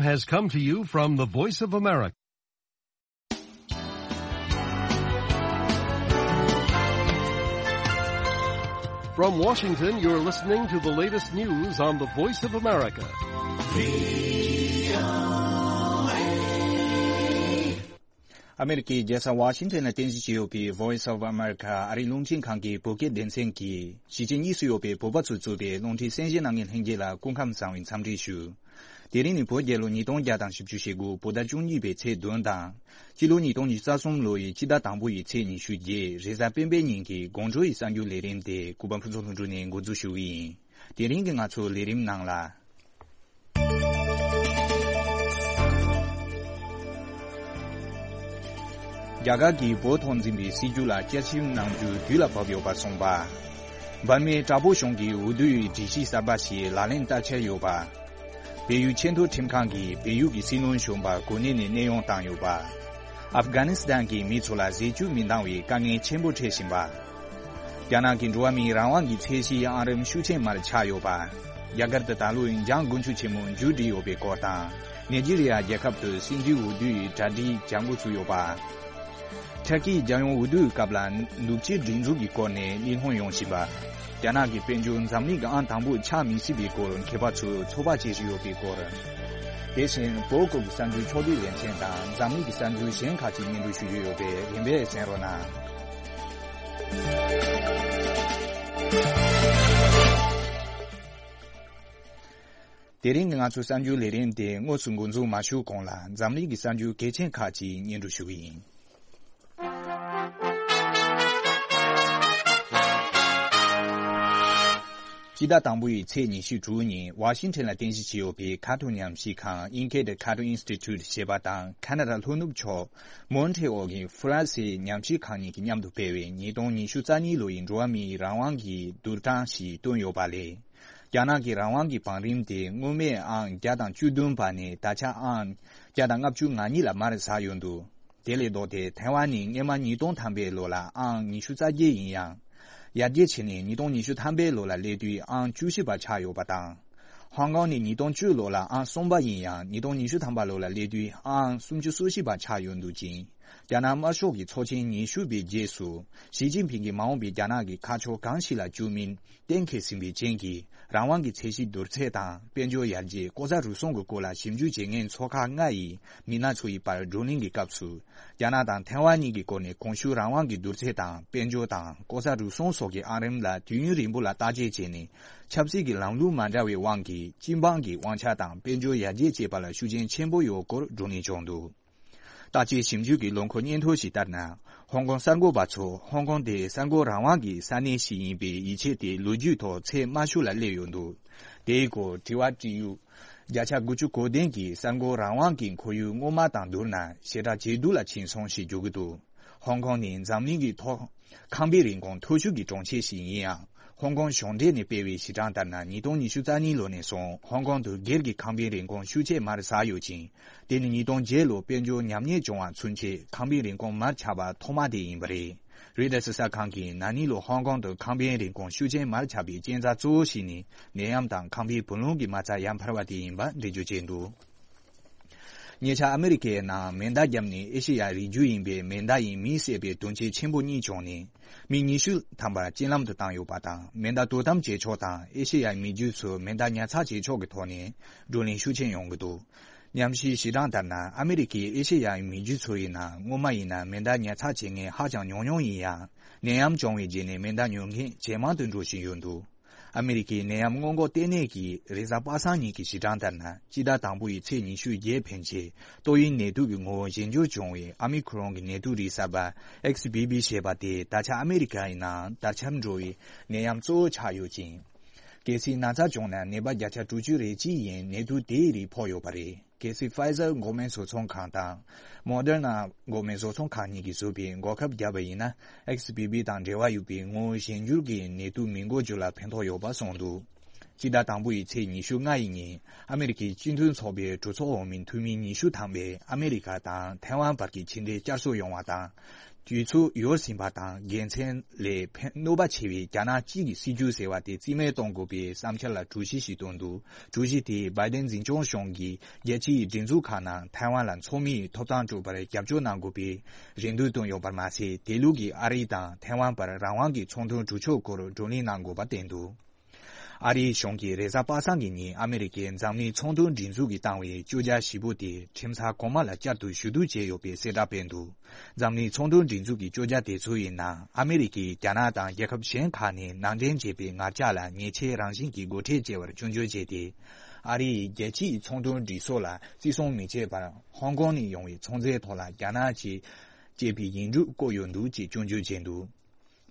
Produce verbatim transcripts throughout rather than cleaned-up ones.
Has come to you from the Voice of America. From Washington, you're listening to the latest news on the Voice of America. ཨ་མེ་རི་ཀའི་རྒྱལ་ས་ཝ་ཤིང་ཊོན་ལ་རྟེན་གཞི་བྱས་ཡོད་པའི་Voice of America ཨ་རིའི་རླུང་འཕྲིན་ཁང་གི་བོད་སྐད་སྡེ་ཚན་གྱིས་གཞིས་བྱེས་གཉིས་སུ་ཡོད་པའི་བོད་པ་ཚོས་གཙོས་པའི་རླུང་འཕྲིན་གསན་བཞེས་གནང་མཁན་ལྷན་རྒྱས་ལ་སྐུ་ཁམས་བཟང་བའི་འཚམས་འདྲི་ཞུ། དེ་རིང་ནི་བོད་རྒྱལ་ལོ་ཉིས་སྟོང་བརྒྱ་དང་བཞི་བཅུ་ཞེ་དགུ་བོད་ཟླ་བཅུ་གཉིས་པའི་ཚེས་བདུན་དང་། སྤྱི་ལོ་ཉིས་སྟོང་ཉི་ཤུ་རྩ་གསུམ་ལོ་ཡི་སྤྱི་ཟླ་དང་པོ་ཡི་ཚེས་ཉི་ཤུ་བརྒྱད་རེས་གཟའ་སྤེན་པའི་ཉིན་གྱི་དགོང་དྲོ་ཡི་གསར་འགྱུར་ལས་རིམ་དེ་གུས་པ་ཕུན་ཚོགས་ལྷུན་གྲུབ་ནས་འགོ་འཛུགས་ཞུ་གི་ཡིན། དེ་རིང་གི་ང་ཚོའི་ལས་རིམ་ནང་ལ། རྒྱ་གར་གྱིས་བོད་ཐོག་འཛིན་པའི་སྲིད་བྱུས་ལ་བསྐྱར་ཞིབ་གནང་རྒྱུ་དུས་ལ་བབ་ཡོད་པ་གསུངས་པ། འབར་མའི་དྲག་པོ་གཞུང་གིས་འོས་བསྡུའི་སྒྲིག་གཞི་གསར་པ་ཞིག་ལག་ལེན་བསྟར་འཆར་ཡོད་པ། བལ་ཡུལ་ཆེས་མཐོའི་ཁྲིམས་ཁང་གིས་བལ་ཡུལ་གྱི་སྲིད་བློན་གཞོན་པ་གོ་གནས་ནས་གནས་དབྱུང་བཏང་ཡོད་པ། ཨབ་གྷ་ནི་སི་ཐན་གྱི་མི་ཚོ་ལ་ཟས་བཅུད་མི་འདང་བའི་དཀའ་ངལ་ཆེན་པོ་འཕྲད་བཞིན་པ། རྒྱ་ནག་གི་འགྲོ་བ་མིའི་རང་དབང་གི་ཚད་གཞི་ཨང་རིམ་ཤུགས་ཆེན་མར་ཆག་ཡོད་པ། རྒྱ་གར་དུ་ད་ལོའི་འཇང་དགུན་ཆོས་ཆེན་མོ་མཇུག་སྒྲིལ་ཡོད་པའི་སྐོར་དང་། ནེ་ཇི་རི་ཡ་རྒྱལ་ཁབ་ཏུ་སྲིད་འཛིན་འོས་བསྡུའི་གྲ་སྒྲིག་བྱ་འགོ་ཚུགས་ཡོད་པ། ཐར་ཀིའི་རྒྱལ་ཡོངས་འོས་བསྡུའི་སྐབས་ལ་ནུབ་ཕྱེད་སྒྲིག་འཛུགས་ཀྱི་སྐོར་ནས་གླེང་སློང་ཡོང་བཞིན་པ། རྒྱ་ནག་གི་དཔལ་འབྱོར་འཛམ་གླིང་གི་ཨང་དང་པོར་ཆགས་མི་སྲིད་པའི་སྐོར་མཁས་པ་ཚོས་ཚོད་དཔག་བྱེད་བཞིན་ཡོད་པའི་སྐོར། དེ་བཞིན་བོད་ཁུལ་གྱི་གསར་འགྱུར་ཕྱོགས་བསྡུས་ལེ་ཚན་དང་འཛམ་གླིང་གི་གསར་འགྱུར་གཞན་ཁག་ཅིག་སྙན་སྒྲོན་ཞུ་རྒྱུ་ཡོད་པས་རིམ་པས་གསན་རོགས་གནང་། དེ་རིང་གི་ང་ཚོའི་གསར་འགྱུར་ལས་རིམ་དེ་དངོས་སུ་འགོ་འཛུགས་མ་ཞུས་གོང་ལ་འཛམ་གླིང་གི་གསར་འགྱུར་གལ་ཆེན་ཁག་ཅིག་སྙན་སྒྲོན་ཞུ་གི་ཡིན། སྤྱི་ཟླ་དང་པོ་ཡི་ཚེས་ཉི་ཤུ་དྲུག་ཉིན་ཝ་ཤིང་ཊོན་ལ་རྟེན་གཞི་བྱས་ཡོད་པའི་ཁ་ཐུག་ཉམས་ཞིབ་ཁང་Enquête Cato Institute ཞེས་པ་དང་ཁ་ན་ཌ་ལྷོ་ནུབ་ཕྱོགས་མོན་ཊི་རི་ཨོལ་གྱི་ཧྥ་རན་སིའི་ཉམས་ཞིབ་ཁང་གཉིས་ཀྱིས་མཉམ་དུ་སྤེལ་བའི་ཉིས་སྟོང་ཉི་ཤུ་རྩ་གཉིས་ལོ་ཡི་འགྲོ་བ་མིའི་རང་དབང་གི་བསྡུར་གྲངས་ཤིག་བཏོན་ཡོད་པ་ལས། རྒྱ་ནག་གི་རང་དབང་གི་བང་རིམ་དེ་སྔོན་མའི་ཨང་བརྒྱ་དང་བཅུ་བདུན་པ་ནས་ད་ཆ་ཨང་བརྒྱ་དང་ལྔ་བཅུ་ང་གཉིས་ལ་མར་ཟགས་ཡོད་འདུག་དེ་ལས་ལྡོག་སྟེ་ཐའེ་ཝན་ནི་སྔོན་མ་ཉིས་སྟོང་ཐམ་པའི་ལོ་ལ་ཨང་ཉི་ཤུ་རྩ་བརྒྱད་ཡིན་ཡང་། ཡར་རྒྱས་ཕྱིན་ནས་ཉིས་སྟོང་ཉི་ཤུ་ཐམ་པའི་ལོ་ལ་སླེབས་དུས་ཨང་བཅུ་བཞི་པ་ཆགས་ཡོད་པ་དང་། ཧོང་ཀོང་ནི་ཉིས་སྟོང་བཅུ་ལོ་ལ་ཨང་གསུམ་པ་ཡིན་ཡང་ཉིས་སྟོང་ཉི་ཤུ་ཐམ་པ་ལོ་ལ་སླེབས་དུས་ཨང་སུམ་ཅུ་སོ་བཞི་པ་ཆགས་ཡོད་འདུག་ཅིང་། རྒྱ་ནག་དམར་ཤོག་གི་ཚོགས་ཆེན་ཉི་ཤུ་པའི་རྗེས་སུ་ཞི་ཅིན་ཕིང་གིས་མ་འོངས་པའི་རྒྱ་ནག་གི་ཁ་ཕྱོགས་གང་ཞིག་ལ་བསྐྱོད་མིན་གཏན་འཁེལ་ཟིན་པའི་རྐྱེན་གྱིས་རང་དབང་གི་ཚད་གཞི་བསྡུར་ཚད་དང་དཔལ་འབྱོར་ཡར་རྒྱས་ལྐོག་ཟ་རུལ་སུངས་ཀྱི་སྐོར་ལ་ཞིབ་འཇུག་བྱེད་མཁན་ཚོགས་ཁག་ལྔ་ཡི་མི་སྣ་ཚོ་ཡི་བར་བགྲོ་གླེང་གི་སྐབས་སུ་རྒྱ་ནག་དང་ཐའེ་ཝན་གཉིས་ཀྱི་སྐོར་ནས་གོང་ཞུས་རང་དབང་གི་བསྡུར་ཚད་དང་དཔལ་འབྱོར་དང་ལྐོག་ཟ་རུལ་སུངས་སོགས་ཀྱི་ཨང་རིམ་ལ་དུས་ཡུན་རིང་པོ་ལ་བརྟག་དཔྱད་བྱས་ནས་ཆབ་སྲིད་ཀྱི་ལམ་ལུགས་མ་འདྲ་བའི་དབང་གིས་སྤྱི་འབངས་ཀྱི་དབང་ཆ་དང་དཔལ་འབྱོར་ཡར་རྒྱས་བཅས་པ་ལ་ཤུགས་རྐྱེན་ཆེན་པོ་ཡོད་སྐོར་བགྲོ་གླེང་བྱུང་འདུག་བརྟག་དཔྱད་ཞིབ་འཇུག་གི་ལོ་འཁོར་སྙན་ཐོ་ཞིག་ལྟར་ན། ཧོང་ཀོང་གསར་འགོད་པ་ཚོ་ཧོང་ཀོང་དེ་གསར་འགོད་རང་དབང་གི་ས་གནས་ཤིག་ཡིན་པའི་ཡིད་ཆེས་དེ་ལོ་རྒྱུས་ཐོག་ཚད་དམའ་ཤོས་ལ་སླེབས་ཡོད་འདུག་དེའི་སྐོར་དྲི་བ་དྲི་ཡུལ། བརྒྱ་ཆ་དགུ་བཅུ་གོ་བདུན་གྱིས་གསར་འགོད་རང་དབང་གི་ཁོར་ཡུག་སྔོན་མ་དང་བསྡུར་ན་ཞེ་དྲག་ཇེ་སྡུག་ལ་ཕྱིན་སོང་ཞེས་བརྗོད་ཀྱི་འདུག་ཧོང་ཀོང་ནི་འཛམ་གླིང་གི་ཐོག་ཁང་པའི་རིན་གོང་མཐོ་ཤོས་ཀྱི་གྲོང་ཁྱེར་ཞིག་ཡིན་ཡང་། ཧོང་ཀོང་གཞུང་འབྲེལ་ནས་སྤེལ་བའི་ཞིབ་གྲངས་ལྟར་ན་ཉིས་སྟོང་ཉི་ཤུ་རྩ་གཉིས་ལོ་ནས་བཟུང་ཧོང་ཀོང་དུ་སྒེར་གྱི་ཁང་པའི་རིན་གོང་ཤུགས་ཆེ་མར་ཟགས་ཡོད་ཅིང་། དེ་ནི་ཉིས་སྟོང་བརྒྱད་ལོ་དཔལ་འབྱོར་ཉམས་ཉེས་བྱུང་བ་ཚུན་ཆད་ཁང་པའི་རིན་གོང་མར་ཆག་པ་ཐོག་མ་དེ་ཡིན་པ་རེད། རོའི་ཊར་གསར་ཁང་གིས་ན་ནིང་ལོ་ཧོང་ཀོང་དུ་ཁང་པའི་རིན་གོང་ཤུགས་ཆེན་མར་ཆག་པའི་རྐྱེན་རྩ་གཙོ་བོ་ཞིག་ནི་ནད་ཡམས་དང་ཁང་པའི་བུ་ལོན་གྱི་མ་རྩ་ཡར་འཕར་བ་དེ་ཡིན་པ་འགྲེལ་བརྗོད་བྱས་འདུག་ཉེ་ཆར་ཨ་མེ་རི་ཁའི་ནང་མེ་མདའ་བརྒྱབ་ནས་ཨེ་ཤེ་ཡ་རིགས་རྒྱུད་ཡིན་པའི་མེ་མདའ་ཡིས་མི་བསད་པའི་དོན་རྐྱེན་ཆེན་པོ་གཉིས་བྱུང་ནས་མི་ཉི་ཤུ་ཐམ་པ་རྐྱེན་ལམ་དུ་བཏང་ཡོད་པ་དང་མེ་མདའ་དོ་དམ་བྱེད་ཕྱོགས་དང་ཨེ་ཤེ་ཡའི་མི་རྒྱུད་ཚོས་མེ་མདའ་ཉར་ཚགས་བྱེད་ཕྱོགས་ཀྱི་ཐོག་ནས་བགྲོ་གླེང་ཤུགས་ཆེན་ཡོང་གི་འདུག་ཉམས་ཞིབ་ཞིབ་གྲངས་ལྟར་ན་ཨ་མེ་རི་ཁའི་ཨེ་ཤེ་ཡའི་མི་རྒྱུད་ཚོ་ཡིན་ན་སྔོན་མ་ཡིན་ན་མེ་མདའ་ཉར་ཚགས་བྱེད་མཁན་ཧ་ཅང་ཉུང་ཉུང་ཡིན་ཡང་ནད་ཡམས་བྱུང་བའི་རྗེས་ནས་མེ་མདའ་ཉོ་མཁན་ཇེ་མང་དུ་འགྲོ་བཞིན་ཡོད་འདུག་ཨ་མེ་རི་ཁའི་ནད་ཡམས་སྔོན་འགོག་ལྟེ་གནས་ཀྱི་རེས་གཟའ་པ་སངས་ཉིན་གྱི་ཞིབ་གྲངས་ལྟར་ན་སྤྱི་ཟླ་དང་པོ་ཡི་ཚེས་ཉི་ཤུ་བརྒྱད་ཕན་ཆད་ཏོག་དབྱིབས་ནད་དུག་གི་ངོ་བོ་གཞན་འགྱུར་བྱུང་བའི་ཨ་མི་ཁོ་རོན་གྱི་ནད་དུག་རིགས་གསར་པ་ཨེག་སི་བྷི་བྷི་ཞེས་པ་དེ་ད་ཆ་ཨ་མེ་རི་ཁ་ཡི་ནང་དར་ཁྱབ་འགྲོ་བའི་ནད་ཡམས་གཙོ་བོ་ཆགས་ཡོད་ཅིང་། གལ་སྲིད་ན་ཚ་བྱུང་ན་ནད་པ་བརྒྱ་ཆ་དྲུག་ཅུ་རེ་གཅིག་ཡིན་ནད་དུག་དེའི་རིགས་ཕོག་ཡོད་པ་རེད། གལ་སྲིད་Pfizer་འགོག་སྨན་བཟོ་ཚོང་ཁང་དང་Moderna་འགོག་སྨན་བཟོ་ཚོང་ཁང་གཉིས་ཀྱིས་བཟོས་པའི་འགོག་ཁབ་བརྒྱབ་པ་ཡིན་ན་ཨེག་སི་བྷི་བྷི་དང་འབྲེལ་བ་ཡོད་པའི་ངོ་བོ་གཞན་འགྱུར་གྱི་ནད་དུག་མི་འགོ་རྒྱུ་ལ་ཕན་ཐོགས་ཡོད་པ་གསུངས་འདུག་སྤྱི་ཟླ་དང་པོ་ཡི་ཚེས་ཉི་ཤུ་ལྔ་ཡི་ཉིན་ཨ་མེ་རི་ཁའི་སྤྱི་མཐུན་ཚོགས་པའི་གྲོས་ཚོགས་འོག་མིན་འཐུས་མི་ཉི་ཤུ་ཐམ་པས་ཨ་མེ་རི་ཁ་དང་ཐའེ་ཝན་བར་གྱི་ཕྱི་འབྲེལ་བསྐྱར་གསོ་ཡོང་བ་དང་ དུས་ཚོད་ཡོལ་ཟིན་པ་དང་དགེ་མཚན་ལས་ཕན་གནོད་པ་ཆེ་བའི་རྒྱ་ནག་གཅིག་གི་སྲིད་ཇུས་ཟེར་བ་དེ་རྩིས་མེད་གཏོང་དགོས་པའི་བསམ་འཆར་ལ་གྲོས་གཞི་ཞིག་བཏོན་འདུག་གྲོས་གཞི་དེས་བའི་ཏན་འཛིན་སྐྱོང་གཞུང་གིས་རྒྱལ་སྤྱིའི་སྒྲིག་འཛུགས་ཁག་ནང་ཐའེ་ཝན་ལ་ཚོགས་མིའི་ཐོབ་ཐང་སྤྲོད་པར་རྒྱབ་སྐྱོར་གནང་དགོས་པའི་རེ་འདུན་བཏོན་ཡོད་པར་མ་ཟད། དེ་ལུགས་ཀྱིས་ཨ་རི་དང་ཐའེ་ཝན་བར་རང་དབང་གི་ཚོང་དོན་གྲོས་ཆོད་སྐོར་བགྲོ་གླེང་གནང་དགོས་པ་བསྟན་འདུག་ཨ་རིའི་གཞུང་གིས་རེས་གཟའ་པ་སངས་ཀྱི་ཉིན་ཨ་མི་རི་ཀས་འཛམ་གླིང་ཚོང་དོན་སྒྲིག་འཛུགས་ཀྱིས་བཏང་བའི་བཅོས་རྒྱ་ཞིབ་པོ་དེ་ཁྲིམས་ས་གོང་མ་ལ་བསྐྱར་དུ་ཞུ་གཏུག་བྱས་ཡོད་པའི་གསལ་བསྒྲགས་སྤེལ་འདུག་འཛམ་གླིང་ཚོང་དོན་སྒྲིག་འཛུགས་ཀྱི་བཅོས་རྒྱ་དེ་ཚོ་ཡིན་ན། ཨ་མི་རི་ཀས་རྒྱ་ནག་དང་རྒྱལ་ཁབ་གཞན་ཁག་ནས་ནང་འདྲེན་བྱས་པའི་ངར་ལྕགས་ལ་ཉེས་ཆད་རང་བཞིན་གྱིས་སྒོ་ཁྲལ་བཅད་པར་སྐྱོན་བརྗོད་བྱས་ཏེ། ཨ་རི་ཡིས་རྒྱལ་སྤྱིའི་ཚོང་དོན་སྒྲིག་སྲོལ་ལ་བརྩི་སྲུང་མི་བྱེད་པར་ཧོང་ཀོང་ནས་ཡོང་བའི་ཚོང་རྫས་ཐོག་ལ་རྒྱ་ནག་གིས་བཅད་པའི་ཡིག་འབྲུ་བཀོད་ཡོད་འདུག་ཅེས་སྐྱོན་བརྗོད་བྱས་འདུག་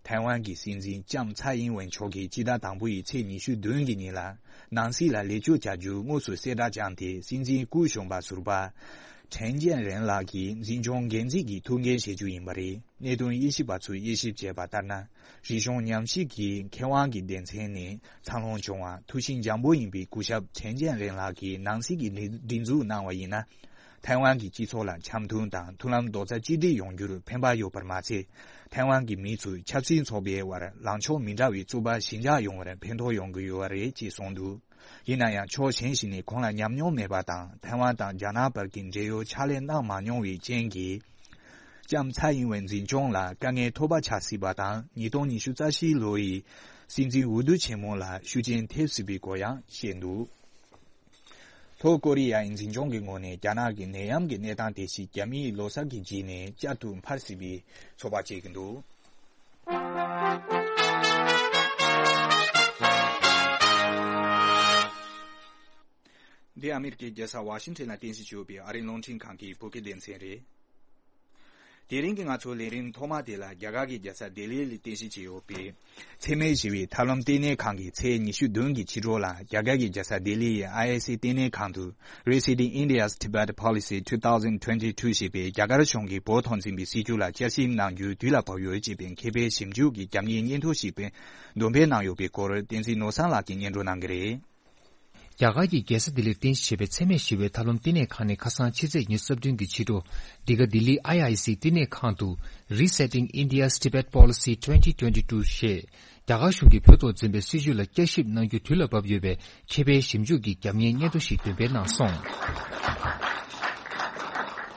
ཐའེ་ཝན་གྱི་སྲིད་འཛིན་ལྕམ་ཚའེ་ཨིན་ཝེན་མཆོག་གིས་སྤྱི་ཟླ་དང་པོ་ཡི་ཚེས་ཉི་ཤུ་བདུན་གྱི་ཉིན་ལ་ནང་སྲིད་ལ་ལེགས་བཅོས་བྱ་རྒྱུ་དངོས་སུ་གསལ་བསྒྲགས་བྱུང་སྟེ། སྲིད་འཛིན་སྐུ་གཞོན་པ་ཟུར་པ་ཁྲེན་ཅན་རེན་ལགས་ཀྱིས་འཛིན་སྐྱོང་འགན་འཛིན་གྱི་ཐུགས་འགན་བཞེས་རྒྱུ་ཡིན་པ་རེད། གནད་དོན་དབྱེ་ཞིབ་པ་ཚོས་དབྱེ་ཞིབ་བྱས་པ་ལྟར་ན། རིག་གཞུང་ཉམས་ཞིབ་ཀྱི་མཁས་དབང་གི་སྡེ་ཚན་ནས་འཚར་ལོངས་བྱུང་བ་ཐུགས་བཞེད་འཇམ་པོ་ཡིན་པའི་སྐུ་ཞབས་ཁྲེན་ཅན་རེན་ལགས་ཀྱིས་ནང་སྲིད་ཀྱི་སྒྲིག་སྒྲིག་འཛུགས་གནང་བ་ཡིན་ན། ཐའེ་ཝན་གྱི་སྤྱི་ཚོགས་ལ་འཆམ་མཐུན་དང་མཐུན་ལམ་རྡོག་རྩ་གཅིག་སྒྲིལ་ཡོང་རྒྱུར་ཕན་པ་ཡོད་པར་མ་ཟད། ཐའེ་ཝན་གྱི་མི་ཚོས་ཆབ་སྲིད་ཚོགས་པའི་དབར་ལངས་ཕྱོགས་མི་འདྲ་བའི་རྩོད་པ་ཞི་འཇགས་ཡོང་བར་ཕན་ཐོགས་ཡོང་གི་ཡོད་པ་རེད་ཅེས་གསུངས་འདུག་ཡིན་ན་ཡང་ཕྱོགས་གཞན་ཞིག་ནས་གོང་ལ་ཉམས་མྱོང་མེད་པ་དང་། ཐའེ་ཝན་དང་རྒྱ་ནག་བར་གྱི་འབྲེལ་ཡོད་ཕྱག་ལས་གནང་མ་མྱོང་བའི་རྐྱེན་གྱིས། ལྕམ་ཚའེ་ཨིན་ཝེན་འཛིན་སྐྱོང་ལ་དཀའ་ངལ་ཐོགས་པ་ཆགས་སྲིད་པ་དང་། ཉིས་སྟོང་ཉི་ཤུ་རྩ་བཞི་ལོ་ཡི་སྲིད་འཛིན་འོས་བསྡུ་ཆེན་མོ་ལ་ཤུགས་རྐྱེན་ཐེབས་སྲིད་པའི་སྐོར་ཡང་བཤད་འདུག་ལྷོ་ཀོ་རི་ཡའི་འཛིན་སྐྱོང་གི་ངོས་ནས་རྒྱ་ནག་གི་ནད་ཡམས་ཀྱི་གནས་སྟངས་དེ་ཞིག་རྒྱ་མིའི་ལོ་གསར་གྱི་རྗེས་ནས་བསྐྱར་དུ་འཕར་སྲིད་པའི་ཚོད་དཔག་བྱེད་ཀྱི་འདུག་འདི་ཨ་མི་རི་ཀའི་རྒྱལ་ས་ཝ་ཤིང་ཊོན་ལ་རྟེན་གཞི་བྱས་ཡོད་པའི་ཨ་རིའི་རླུང་འཕྲིན་ཁང་གི་བོད་སྐད་སྡེ་ཚན་རེད། དེ་རིང་གི་ང་ཚོའི་ལས་རིམ་ཐོག་མ་དེ་ལ་རྒྱ་གར་གྱི་རྒྱལ་ས་ལྡི་ལི་ལ་རྟེན་གཞི་བྱས་ཡོད་པའི་འཚེ་མེད་ཞི་བའི་ཐབས་ལམ་ལྟེ་གནས་ཁང་གིས་ཚེས་ཉི་ཤུ་བདུན་གྱི་ཕྱི་དྲོ་ལ་རྒྱ་གར་གྱི་རྒྱལ་ས་ལྡི་ལི་ཡི་ཨའི་ཨེ་སི་ལྟེ་གནས་ཁང་དུ། Revisiting India's Tibet Policy two thousand twenty-two ཞེས་པའི་རྒྱ་གར་གཞུང་གིས་བོད་ཐོག་འཛིན་པའི་སྲིད་བྱུས་ལ་བསྐྱར་ཞིབ་གནང་རྒྱུའི་དུས་ལ་བབ་ཡོད་ཅེས་པའི་མཁས་པའི་ཞིབ་འཇུག་གི་རྒྱབ་གཉེར་སྙན་ཐོ་ཞིག་འདོན་སྤེལ་གནང་ཡོད་པའི་སྐོར་བསྟན་འཛིན་ནོར་བཟང་ལགས་ཀྱིས་སྙན་སྒྲོན་གནང་གི་རེད། རྒྱ་གར་གྱི་རྒྱལ་ས་ལྡི་ལིར་རྟེན་གཞི་བྱས་པའི་འཚེ་མེད་ཞི་བའི་ཐབས་ལམ་བསྟི་གནས་ཁང་ནས་ཁ་སང་ཕྱི་ཚེས་ཉི་ཤུ་རྩ་བདུན་གྱི་ཕྱི་དྲོ། འདི་ག་ལྡི་ལི་ཨའི་ཨའི་སི་བསྟི་གནས་ཁང་དུ། Resetting India's Tibet Policy twenty twenty-two ཞེས། རྒྱ་གར་གཞུང་གིས་བོད་ཐོག་འཛིན་པའི་སྲིད་བྱུས་ལ་བསྐྱར་ཞིབ་གནང་རྒྱུ་དུས་ལ་བབ་ཡོད་པའི་མཁས་པའི་ཞིབ་འཇུག་གི་རྒྱབ་གཉེར་སྙན་ཐོ་ཞིག་འདོན་སྤེལ་གནང་སོང་།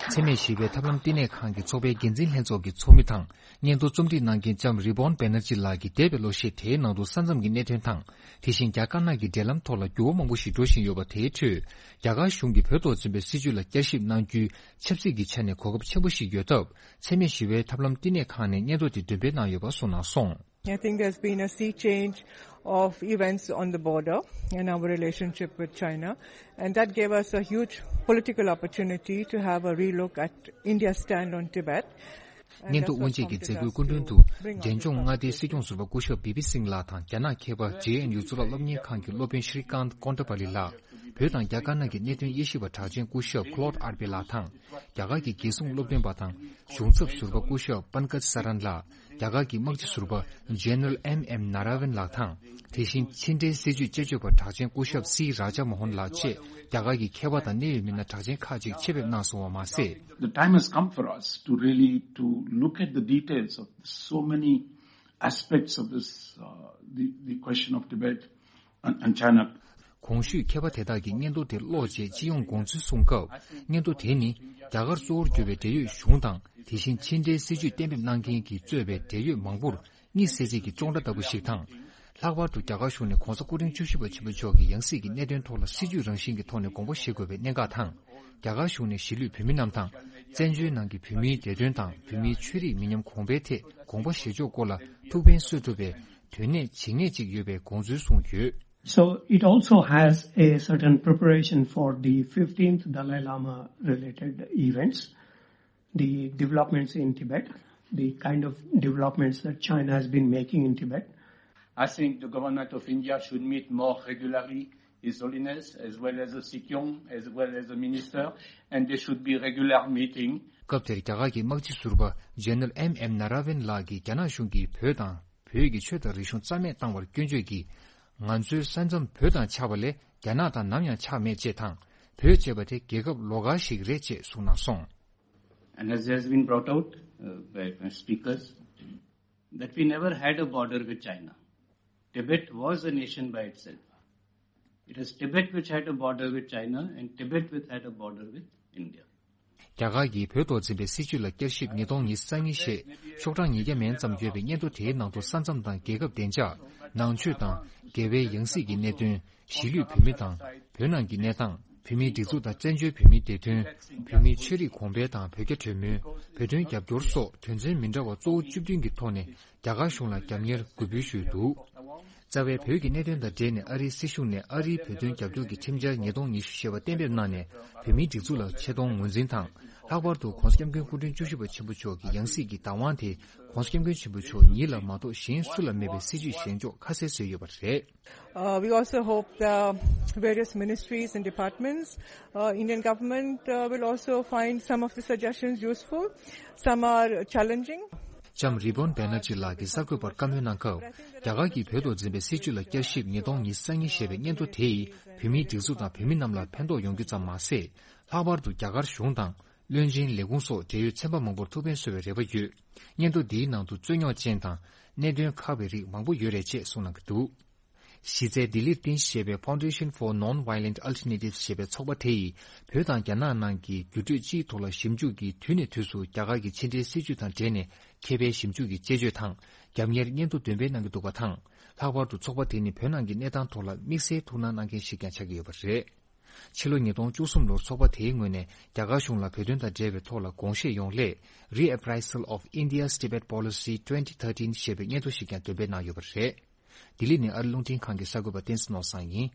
འཚེ་མེད་ཞི་བའི་ཐབས་ལམ་བསྟི་གནས་ཁང་གི་ཚོགས་པའི་འགན་འཛིན་ལྷན་ཚོགས་ཀྱི་ཚོགས་མི་དང་། སྙན་ཐོ་རྩོམ་སྒྲིག་གནང་མཁན་ལྕམ་རི་བོན་བེ་ནར་ཇི་ལགས་ཀྱིས་འདས་པའི་ལོ་ཤས་དེའི་ནང་དུ་ས་མཚམས་ཀྱི་གནད་དོན་དང་། དེ་བཞིན་རྒྱ་དཀར་ནག་གི་འབྲེལ་ལམ་ཐོག་ལ་འགྱུར་བ་མང་པོ་ཞིག་འགྲོ་བཞིན་ཡོད་པ་དེའི་ཁྲོད། རྒྱ་གར་གཞུང་གིས་བོད་ཐོག་འཛིན་པའི་སྲིད་བྱུས་ལ་བསྐྱར་ཞིབ་གནང་རྒྱུའི་ཆབ་སྲིད་ཀྱི་ཆ་ནས་གོ་སྐབས་ཆེན་པོ་ཞིག་ཡོད་སྟབས། འཚེ་མེད་ཞི་བའི་ཐབས་ལམ་བསྟི་གནས་ཁང་ནས་སྙན་ཐོ་དེ་འདོན་སྤེལ་གནང་ཡོད་པ་གསུངས་གནང་སོང་། I think there's been a sea change of events on the border and our relationship with China, and that gave us a huge political opportunity to have a relook at India's stand on Tibet. And སྙན་ཐོ་that's དབུ་འབྱེད་ཀྱི་མཛད་སྒོའི་སྐུ་མགྲོན་དུ། འབྲས་ལྗོངས་མངའ་སྡེའི་སྲིད་སྐྱོང་ཟུར་པ་སྐུ་ཞབས་བི་པི་སིང་ལགས་དང་། རྒྱ་ནག་མཁས་པ་ཇེ་ཨེན་ཡུ་གཙུག་ལག་སློབ་གཉེར་ཁང་གི་སློབ་དཔོན་ཤྲི་ཀཱནྟ་ཀོན་ཏ་པ་ལི་ལགས། བོད་དང་རྒྱ་དཀར་ནག་གི་གནད་དོན་དབྱེ་ཞིབ་པ་གྲགས་ཅན་སྐུ་ཞབས་ཀློད་ཨར་པེ་ལགས་དང་། རྒྱ་གར་གྱི་རྒྱལ་སྲུང་སློབ་སྟོན་པ་དང་གཞུང་ཚབ་ཟུར་པ་སྐུ་ཞབས་པན་ཀཇ་ས་རན་ལགས། རྒྱ་གར་གྱི་དམག་སྤྱི་ཟུར་པ་ཇེ་ནེ་རལ་ཨེམ་ཨེམ་ན་ར་ཝན་ལགས་དང་། དེ་བཞིན་ཕྱི་འབྲེལ་སྲིད་བྱུས་དཔྱད་བརྗོད་པ་གྲགས་ཅན་སྐུ་ཞབས་སི་རཱ་ཇ་མོ་ཧོན་ལགས་བཅས་རྒྱ་གར་གྱི་མཁས་པ་དང་གནད་ཡོད་མི་སྣ་གྲགས་ཅན་ཁག་ཅིག་ཆེད་ཕེབས་གནང་སོང་བ་མ་ཟད། The time has come for us to really to look at the details of so many aspects of this, uh, the, the question of Tibet and, and China. གོང་ཞུས་མཁས་པ་དེ་དག་གིས་སྙན་ཐོ་དེ་ཀློག་རྗེས་སྤྱི་ཡོངས་དགོངས་ཚུལ་གསུངས་སྐབས། སྙན་ཐོ་དེ་ནི་རྒྱ་གར་གཙོ་བོར་གྱུར་པའི་འབྲེལ་ཡོད་གཞུང་དང་། དེ་བཞིན་ཕྱི་འབྲེལ་སྲིད་བྱུས་གཏན་འབེབས་གནང་མཁན་གྱིས་གཙོས་པའི་འབྲེལ་ཡོད་མང་པོར་གཉིད་སད་བྱེད་ཀྱི་ཅོང་སྒྲ་ལྟ་བུ་ཞིག་དང་། ལྷག་པར་དུ་རྒྱ་གར་གཞུང་ནས་༧གོང་ས་སྐུ་ཕྲེང་བཅུ་བཞི་པ་ཆེན་པོ་མཆོག་གི་ཡང་སྲིད་ཀྱི་གནད་དོན་ཐོག་ལ་སྲིད་བྱུས་རང་བཞིན་གྱི་ཐོག་ནས་དགོངས་པ་བཞེས་དགོས་པའི་གནད་འགག་དང་། རྒྱ་གར་གཞུང་ནས་གཞིས་ལུས་བོད་མི་རྣམས་དང་། བཙན་བྱོལ་ནང་གི་བོད་མིའི་བདེ་དོན་དང་བོད་མིའི་ཆོས་རིག་མི་ཉམས་གོང་འཕེལ་ཐད་དགོངས་པ་བཞེས་ཕྱོགས་སྐོར་ལ་ཐུགས་ཕན་གསོས་ཐུབ་པའི་དོན་གནད་ཇི་སྙེད་ཅིག་ཡོད་པའི་དགོངས་ཚུལ་གསུངས་ཡོད། So it also has a certain preparation for the fifteenth Dalai Lama related events, the developments in Tibet, the kind of developments that China has been making in Tibet. I think the government of India should meet more regularly His Holiness, as well as the Sikyong, as well as the minister, and there should be regular meeting. སྐབས་དེར་རྒྱ་གར་གྱི་དམག་སྤྱི་ཟུར་པ་ཇེ་ནེ་རལ་ཨེམ་ཨེམ་ན་ར་ཝན་ལགས་ཀྱིས་རྒྱ་ནག་གཞུང་གིས་བོད་དང་བོད་ཀྱི་ཆོས་དང་རིག་གཞུང་རྩ་མེད་བཏང་བར་སྐྱོན་བརྗོད་ཀྱིས། ང་ཚོའི་ས་མཚམས་བོད་དང་ཆགས་པ་ལས་རྒྱ་ནག་དང་ནམ་ཡང་ཆགས་མེད་ཅེས་དང་། བོད་ཅེས་པ་དེ་རྒྱལ་ཁབ་ལོགས་ཀ་ཞིག་རེད་ཅེས་གསུངས་གནང་སོང་། And as has been brought out uh, by my speakers, that we never had a border with China. Tibet was a nation by itself. It is Tibet which had a border with China and Tibet which had a border with India. རྒྱ་གར་གྱིས་བོད་ཐོག་འཛིན་པའི་སྲིད་བྱུས་ལ་བསྐྱར་ཞིབ་ཉིས་སྟོང་ཉི་ཤུ་རྩ་གཉིས་ཞེས་ཤོག་གྲངས་ཉིས་བརྒྱ་མན་ཙམ་ཡོད་པའི་སྙན་ཐོ་དེའི་ནང་དུ་ས་མཚམས་དང་རྒྱལ་ཁབ་བདེ་འཇགས། ནང་ཆོས་དང་འགལ་བའི་ཡང་སྲིད་ཀྱི་གནད་དོན། གཞིས་ལུས་བོད་མི་དང་བོད་ནང་གི་གནས་སྟངས། བོད་མིའི་སྒྲིག་འཛུགས་དང་བཙན་བྱོལ་བོད་མིའི་བདེ་དོན། བོད་མིའི་ཆོས་རིག་གོང་འཕེལ་དང་བོད་རྒྱ་གྲོས་མོལ། བོད་དོན་རྒྱབ་སྐྱོར་སོགས་དོན་ཚན་མི་འདྲ་བ་གཙོ་བོ་བཅུ་བདུན་གྱི་ཐོག་ནས་རྒྱ་གར་གཞུང་ལ་རྒྱབ་གཉེར་གུས་འབུལ་ཞུས་འདུག་རྩ་བའི་བོད་ཀྱི་གནད་དོན་དང་འབྲེལ་ནས་ཨ་རིའི་སྲིད་གཞུང་ནས་ཨ་རིའི་བོད་དོན་རྒྱབ་སྐྱོར་གྱི་ཁྲིམས་འཆར་ཉིས་སྟོང་ཉི་ཤུ་ཞེས་པ་གཏན་འབེབས་གནང་ནས། བོད་མིའི་སྒྲིག་འཛུགས་ལ་ཆེ་མཐོང་ངོས་འཛིན་དང་། ལྷག་པར་དུ་༸གོང་ས་༸སྐྱབས་མགོན་སྐུ་ཕྲེང་བཅུ་བཞི་པ་ཆེན་པོ་མཆོག་གི་ཡང་སྲིད་ཀྱི་བདག་དབང་དེ་༸གོང་ས་༸སྐྱབས་མགོན་ཆེན་པོ་མཆོག་ཉིད་ལ་མ་གཏོགས་གཞན་སུ་ལ་མེད་པའི་སྲིད་བྱུས་བཞེངས་ཕྱོགས་ཁ་གསལ་བཟོས་ཡོད་པ་རེད། Uh, we also hope the various ministries and departments, uh, Indian government uh, will also find some of the suggestions useful. Some are challenging. ལྕམ་རི་བོན་བེ་ན་ཇི་ལགས་ཀྱིས་གསར་འགོད་པར་བཀའ་མོལ་གནང་སྐབས། རྒྱ་གར་གྱིས་བོད་ཐོག་འཛིན་པའི་སྲིད་བྱུས་ལ་བསྐྱར་ཞིབ་ཉིས་སྟོང་ཉི་ཤུ་རྩ་གཉིས་ཞེས་པའི་སྙན་ཐོ་དེ་ཡིས་བོད་མིའི་སྒྲིག་འཛུགས་དང་བོད་མི་རྣམས་ལ་ཕན་ཐོགས་ཡོང་རྒྱུ་ཙམ་མ་ཟད། ལྷག་པར་དུ་རྒྱ་གར་གཞུང་དང་། བློན་ཆེན་ལས་ཁུངས་སོགས་འབྲེལ་ཡོད་ཚན་པ་མང་པོར་ཐུགས་ཕན་གསོས་པའི་རེ་བ་ཡོད། སྙན་ཐོ་འདིའི་ནང་དུ་རྩོད་རྙོག་ཅན་དང་གནད་དོན་ཁག་པའི་རིགས་མང་པོ་ཡོད་རེད་ཅེས་གསུངས་གནང་གི་འདུག་གཞི་རྩའི་ལྡི་ལིར་རྟེན་གཞི་བྱས་པའི་Foundation for Non-Violent Alternatives ཞེས་པའི་ཚོགས་པ་དེ་ཡིས་བོད་དང་རྒྱ་ནག་ནང་གི་འགྱུར་འགྲོས་སྤྱིའི་ཐོག་ལ་ཞིབ་འཇུག་གིས་དུས་ནས་དུས་སུ་རྒྱ་གར་གྱི་ཕྱི་འབྲེལ་སྲིད་བྱུས་དང་འབྲེལ་ནས་མཁས་པའི་ཞིབ་འཇུག་གི་དཔྱད་བརྗོད་དང་རྒྱབ་གཉེར་སྙན་ཐོ་འདོན་སྤེལ་གནང་གི་འདུག་པ་དང་། ལྷག་པར་དུ་ཚོགས་པ་དེ་ནི་བོད་ནང་གི་གནས་སྟངས་ཐོག་ལ་དམིགས་བསལ་ཐུགས་སྣང་གནང་མཁན་ཞིག་ཀྱང་ཆགས་ཀྱི་ཡོད་པ་རེད། ཕྱི་ལོ་ཉིས་སྟོང་བཅུ་གསུམ་ལོར་ཚོགས་པ་དེའི་ངོས་ནས་རྒྱ་གར་གཞུང་ལ་བོད་དོན་དང་འབྲེལ་བའི་ཐོག་ལ་དགོངས་བཞེས་ཡོང་སླད། Reappraisal of India's Tibet Policy twenty thirteen ཞེས་པའི་སྙན་ཐོ་ཞིག་ཀྱང་འདོན་སྤེལ་གནང་ཡོད་པ་རེད། ལྡི་ལི་ནས་ཨ་རི་རླུང་འཕྲིན་ཁང་གི་གསར་འགོད་པ་བསྟན་འཛིན་ནོར་བཟང་ཡིན།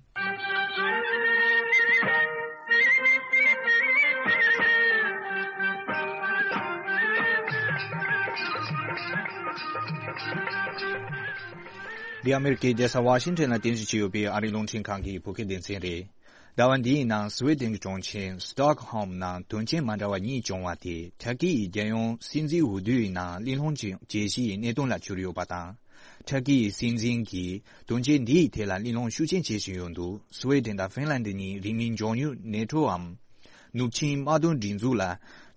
འདི་ཨ་མེ་རི་ཀའི་རྒྱལ་ས་ཝ་ཤིང་ཊོན་ལ་རྟེན་གཞི་བྱས་ཡོད་པའི་ཨ་རིའི་རླུང་འཕྲིན་ཁང་གི་བོད་སྐད་སྡེ་ཚན་རེད། ཟླ་བ་འདིའི་ནང་སུ་ཝེ་ཏེན་གྱི་གྲོང་ཁྱེར་སི་ཏོག་ཧོམ་ནང་དོན་རྐྱེན་མ་འདྲ་བ་གཉིས་བྱུང་བ་དེ་ཊར་ཀི་ཡི་རྒྱལ་ཡོངས་སྲིད་འཛིན་འོས་བསྡུའི་ནང་གླེང་སློང་བྱེད་བྱེད་གཞིའི་གནད་དོན་ལ་གྱུར་ཡོད་པ་དང་། ཊར་ཀི་ཡི་སྲིད་འཛིན་གྱིས་དོན་རྐྱེན་འདིའི་ཐད་ལ་གླེང་སློང་ཤུགས་ཆེན་བྱེད་བཞིན་ཡོད་འདུག་སུ་ཝེ་ཏེན་དང་ཧྥིན་ལན་ཌི་གཉིས་རིང་མིན་མགྱོགས་མྱུར་ནེ་ཊོའམ་ནུབ་ཆིངས་དམག་དོན་སྒྲིག་འཛུགས་ལ་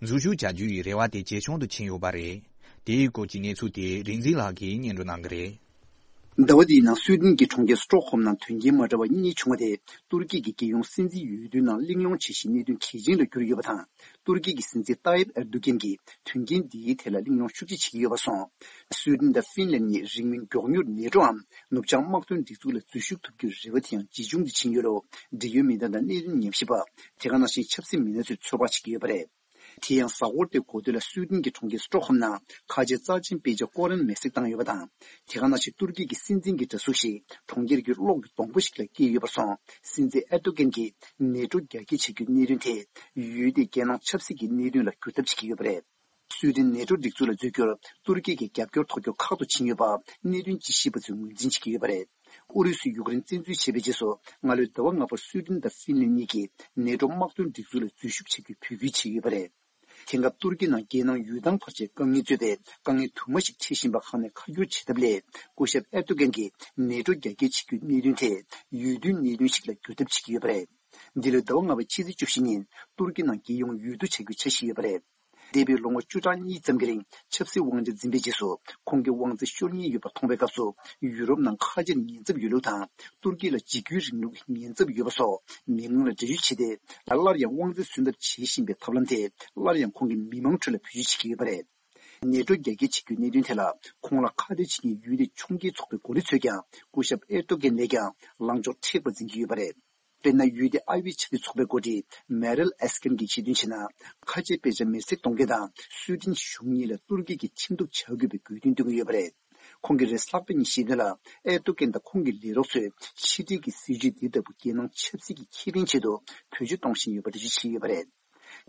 འཛུལ་ཞུགས་བྱ་རྒྱུ་ཡི་རེ་བ་དེ་ཇེ་ཆུང་དུ་ཕྱིན་ཡོད་པ་རེད། དེའི་སྐོར་གྱི་གནས་ཚུལ་དེ་རིག་འཛིན་ལགས་ཀྱིས་སྙན་སྒྲོན་གནང་གི་རེད། ཟླ་བ་འདིའི་ནང་སུའེ་ཏེན་གྱི་གྲོང་ཁྱེར་སི་ཏོག་ཧོམ་ནང་དོན་རྐྱེན་མ་འདྲ་བ་གཉིས་བྱུང་བ་དེ་ཏུར་ཀི་གི་རྒྱལ་ཡོངས་སྲིད་འཛིན་འོས་བསྡུའི་ནང་གླེང་སློང་བྱེད་བཞིན་གནད་དོན་གལ་ཆེན་ལ་གྱུར་ཡོད་པ་དང་། ཏུར་ཀི་གི་སྲིད་འཛིན་ཏཱ་ཡིབ་ཨེར་དུ་གན་གྱིས་དོན་རྐྱེན་འདིའི་ཐད་ལ་གླེང་སློང་ཤུགས་ཆེ་བྱེད་ཀྱི་ཡོད་པ་སོང་། སུའེ་ཏེན་དང་ཧྥིན་ལན་གཉིས་རིང་མིན་མགྱོགས་མྱུར་ནེ་ཊོའམ་ནུབ་བྱང་དམག་དོན་སྒྲིག་འཛུགས་ལ་འཛུལ་ཞུགས་ཐུབ་རྒྱུའི་རེ་བ་དེ་ཡང་ཇེ་ཆུང་དུ་ཕྱིན་ཡོད་ལ། འབྲེལ་ཡོད་མི་སྣ་དང་གནད་དོན་ཉམས་ཞིབ་པ། དེ་ག་ནང་བཞིན་ཆབ་སྲིད་མི་སྣ་ཚོས་ཚོད་དཔག་བྱེད་ཀྱི་ཡོད་པ་རེད། དེ་ཡང་གཟའ་འཁོར་དེའི་འགོ་སྟོད་ལ་སུའེ་ཏེན་གྱི་གྲོང་ཁྱེར་སི་ཏོག་ཧོམ་ནང་ཁ་ཆེ་རྩ་ཆེན་དཔེ་ཆ་ཀོ་རན་མེ་བསྲེགས་བཏང་ཡོད་པ་དང་། དེ་ག་ནང་བཞིན་ཏུར་ཀི་གི་སྲིད་འཛིན་གྱི་འདྲ་གཟུགས་ཤིག་གྲོང་ཁྱེར་གྱི་གློག་གི་སྡོང་པོ་ཞིག་ལ་བཀལ་ཡོད་པར་སོང་། སྲིད་འཛིན་ཨེར་ཏོ་གན་གྱིས་ནེ་ཊོ་རྒྱ་སྐྱེད་བྱེད་རྒྱུའི་གནད་དོན་དེ་ཡུལ་དེའི་རྒྱལ་ནང་ཆབ་སྲིད་ཀྱི་གནད་དོན་ལ་བསྒྱུར་ཐབས་བྱེད་ཀྱི་ཡོད་པ་རེད། སུའེ་ཏེན་ནེ་ཊོ་སྒྲིག་འཛུགས་ལ་འཛུལ་རྒྱུར་ཏུར་ཀི་གི་རྒྱབ་སྐྱོར་ཐོབ་རྒྱུ་ཁག་ཏུ་ཕྱིན་ཡོད་པ་གནད་དོན་དཔྱད་ཞིབ་པ་ཚོས་ངོས་འཛིན་བྱེད་ཀྱི་ཡོད་པ་རེད། ཨུ་རུ་སུས་ཡུཀ་རེན་བཙན་འཛུལ་བྱས་པའི་རྗེས་སུ་སྔ་ལོའི་ཟླ་བ་ལྔ་པར་སུའེ་ཏེན་དང་ཧྥིན་ལན་གཉིས་ཀྱིས་ནེ་ཊོ་དམག་དོན་སྒྲིག་འཛུགས་ལ་འཛུལ་ཞུགས་བྱ་རྒྱུའི་འབོད་སྐུལ་བྱས་ཡོད་པ་རེད། དེང་སྐབས་ཏུར་ཀི་ནང་རྒྱལ་ནང་ཡུལ་ཐང་བར་ཆད་དཀའ་ངལ་གཙོས་པའི་དཀའ་ངལ་དུ་མ་ཞིག་འཕྲད་བཞིན་པ་ཁག་ནས་ཁ་བསྒྱུར་བྱེད་ཐབས་སླད། སྐུ་ཞབས་ཨེར་ཏོ་གན་གྱིས་ནེ་ཊོ་རྒྱ་སྐྱེད་བྱེད་རྒྱུའི་གནད་དོན་དེ་ཡུལ་དུས་གནད་དོན་ཞིག་ལ་བསྒྱུར་ཐབས་བྱེད་ཀྱི་ཡོད་པ་རེད། འདི་ལོའི་ཟླ་བ་ལྔ་པའི་ཕྱི་ཚེས་བཅུ་བཞི་ཉིན་ཏུར་ཀི་ནང་རྒྱལ་ཡོངས་འོས་བསྡུ་བྱ་རྒྱུའི་འཆར་གཞི་ཡོད་པ་རེད། འདས་པའི་ལོ་ངོ་བཅུ་ཕྲག་གཉིས་ཙམ་གྱི་རིང་ཆབ་སྲིད་དབང་ཆ་འཛིན་པའི་རྗེས་སུ་ཁོང་གིས་དབང་ཆ་ཤོར་ཉེན་ཡོད་པ་མཐོང་བའི་སྐབས་སུ་ཡུ་རོབ་ནང་ཁ་ཆེར་ཉེན་ཚབས་ཡོད་ལུགས་དང་ཏུར་ཀི་ལ་འཇིགས་སྐུལ་རིང་ལུགས་ཀྱི་ཉེན་ཚབས་ཡོད་པ་སོགས་མི་མང་ལ་འགྲེལ་བརྗོད་བྱས་ཏེ། སླར་ཡང་དབང་ཆ་སོན་ཐབས་བྱེད་བཞིན་པའི་ཐབས་ལམ་དེ་སླར་ཡང་ཁོང་གིས་མི་མང་ཁྲོད་ལ་བེད་སྤྱོད་བྱེད་ཀྱི་ཡོད་པ་རེད། ནེ་ཊོ་རྒྱ་སྐྱེད་བྱེད་རྒྱུའི་གནད་དོན་དེ་ལ་ཁོང་ལ་ཁ་གཏད་བྱེད་མཁན་ཡུལ་དེའི་ཕྱོགས་འགལ་ཚོགས་པའི་འགོ་ཁྲིད་ཚོས་ཀྱང་སྐུ་ཞབས་ཨེར་ཏོ་གན་ལས་ཀྱང་ལངས་ཕྱོགས་མཁྲེགས་པ་འཛིན་གྱི་ཡོད་པ་རེད། དཔེར་ན་ཡུལ་དེའི་ཨ་བྷི་ཆ་ཏི་ཚོགས་པའི་འགོ་ཁྲིད་མེ་རལ་ཨེས་ཀན་གྱིས་ཆེད་དོན་བྱས་ན། ཁ་ཆེའི་དཔེ་ཆ་མེ་བསྲེགས་གཏོང་མཁན་དང་སུའི་ཏན་གཞུང་གཉིས་ལ་ཏུར་ཀི་གིས་ཁྲིམས་གཏུག་བྱ་དགོས་པའི་དགོས་འདུན་བཏོན་གྱི་ཡོད་པ་རེད། ཁོང་གིས་རེས་གཟའ་ལྷག་པ་ཉིན་ཞུས་དོན་ལ། ཨེར་ཏོ་གན་དང་ཁོང་གི་ལས་རོགས་ཚོས་ཕྱི་འབྲེལ་གྱི་སྲིད་བྱུས་འདི་ལྟ་བུ་རྒྱལ་ནང་ཆབ་སྲིད་ཀྱི་ཁེ་ཕན་ཆེད་དུ་བེད་སྤྱོད་གཏོང་བཞིན་ཡོད་པ་འགྲེལ་བརྗོད་བྱས་ཡོད་པ་རེད།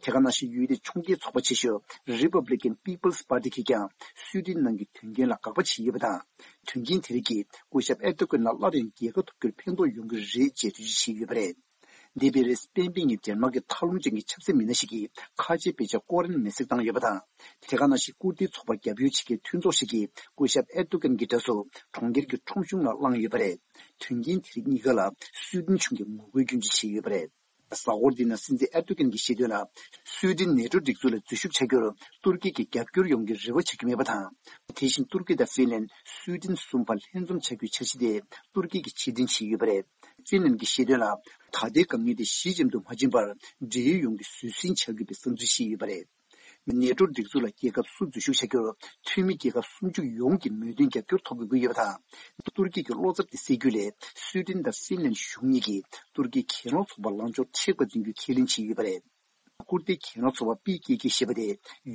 དེ་ག་ནང་བཞིན་ཡུལ་དེའི་ཕྱོགས་འགལ་ཚོགས་པ་ཆེ་ཤོས་Republican People's Party གིས་ཀྱང་སུའི་ཏན་ནང་གི་དོན་རྐྱེན་ལ་དགག་པ་བྱས་ཡོད་པ་དང་། དོན་རྐྱེན་དེ་རིགས་ཀྱིས་སྐུ་ཞབས་ཨེར་ཏོ་གན་ལ་སླར་ཡང་རྒྱལ་ཁ་ཐོབ་རྒྱུར་ཕན་ཐོགས་ཡོང་གི་རེད་ཅེས་འགྲེལ་བརྗོད་བྱས་ཡོད་པ་རེད། འདས་པའི་རེས་གཟའ་སྤེན་པའི་ཉིན་ཌེན་མཱག་གི་མཐའ་ལྷུང་ཅན་གྱི་ཆབ་སྲིད་མི་སྣ་ཞིག་གིས་ཁ་ཆེའི་དཔེ་ཆ་ཀོ་རན་མེ་བསྲེགས་བཏང་ཡོད་པ་དང་། དེ་ག་ནང་བཞིན་ཀུར་ཏི་ཚོགས་པར་རྒྱབ་སྐྱོར་བྱེད་མཁན་མཐུན་ཚོགས་ཤིག་གིས་སྐུ་ཞབས་ཨེར་ཏོ་གན་གྱི་འདྲ་གཟུགས་གྲོང་ཁྱེར་གྱི་ཁྲོམ་གཞུང་ནང་བསླངས་ཡོད་པ་རེད། དོན་རྐྱེན་དེ་རིགས་གཉིས་ཀ་ལ་སུའི་ཏན་གཞུང་གིས་ངོ་རྒོལ་སྐྱོན་བརྗོད་བྱས་ཡོད་པ་རེད། གཟའ་འཁོར་འདིའི་ནང་སྲིད་འཛིན་ཨེར་ཏོ་གན་གྱིས་བཤད་དོན་ལ། སུའེ་ཏེན་ནེ་ཏོ་སྒྲིག་འཛུགས་ལ་འཛུལ་ཞུགས་བྱ་རྒྱུར་ཏུར་ཀི་གིས་རྒྱབ་སྐྱོར་ཡོང་རྒྱུའི་རེ་བ་བྱ་རྒྱུ་མེད་པ་དང་། དེ་བཞིན་ཏུར་ཀི་དང་ཧྥིན་ལན། སུའེ་ཏེན་གསུམ་བར་ལྷན་འཛོམས་བྱ་རྒྱུའི་འཆར་གཞི་དེ་ཏུར་ཀི་གིས་ཕྱིར་འཐེན་བྱས་ཡོད་པ་རེད། ཧྥིན་ལན་གྱིས་བཤད་དོན་ལ། ད་ལྟའི་དཀའ་ངལ་དེ་ཞི་འཇམ་དུ་མ་ཕྱིན་བར་འབྲེལ་ཡོད་ཡོང་རྒྱུ་བཟོད་བསྲན་བྱ་དགོས་པའི་བསམ་ཚུལ་བཤད་ཡོད་པ་རེད། ནེ་ཏོ་སྒྲིག་འཛུགས་ལ་རྒྱལ་ཁབ་སུ་འཛུལ་ཞུགས་བྱ་རྒྱུར་འཐུས་མི་རྒྱལ་ཁབ་སུམ་ཅུ་ཡོངས་ཀྱི་མོས་མཐུན་རྒྱབ་སྐྱོར་ཐོབ་དགོས་ཀྱི་ཡོད་པ་དང་། ཏུར་ཀི་གི་བློ་འཚབ་དེ་སེལ་རྒྱུ་ལས་སུའེ་ཏེན་དང་ཧྥིན་ལན་གཞུང་གཉིས་ཀྱིས་ཏུར་ཀིའི་གྱེན་ལོག་ཚོགས་པར་ལངས་ཕྱོགས་མཁྲེགས་པ་འཛིན་རྒྱུའི་ཁས་ལེན་བྱས་ཡོད་པ་རེད། ཀུར་ཏའི་གྱེན་ལོག་ཚོགས་པ་པི་ཀེ་ཀེ་ཞེས་པ་དེ་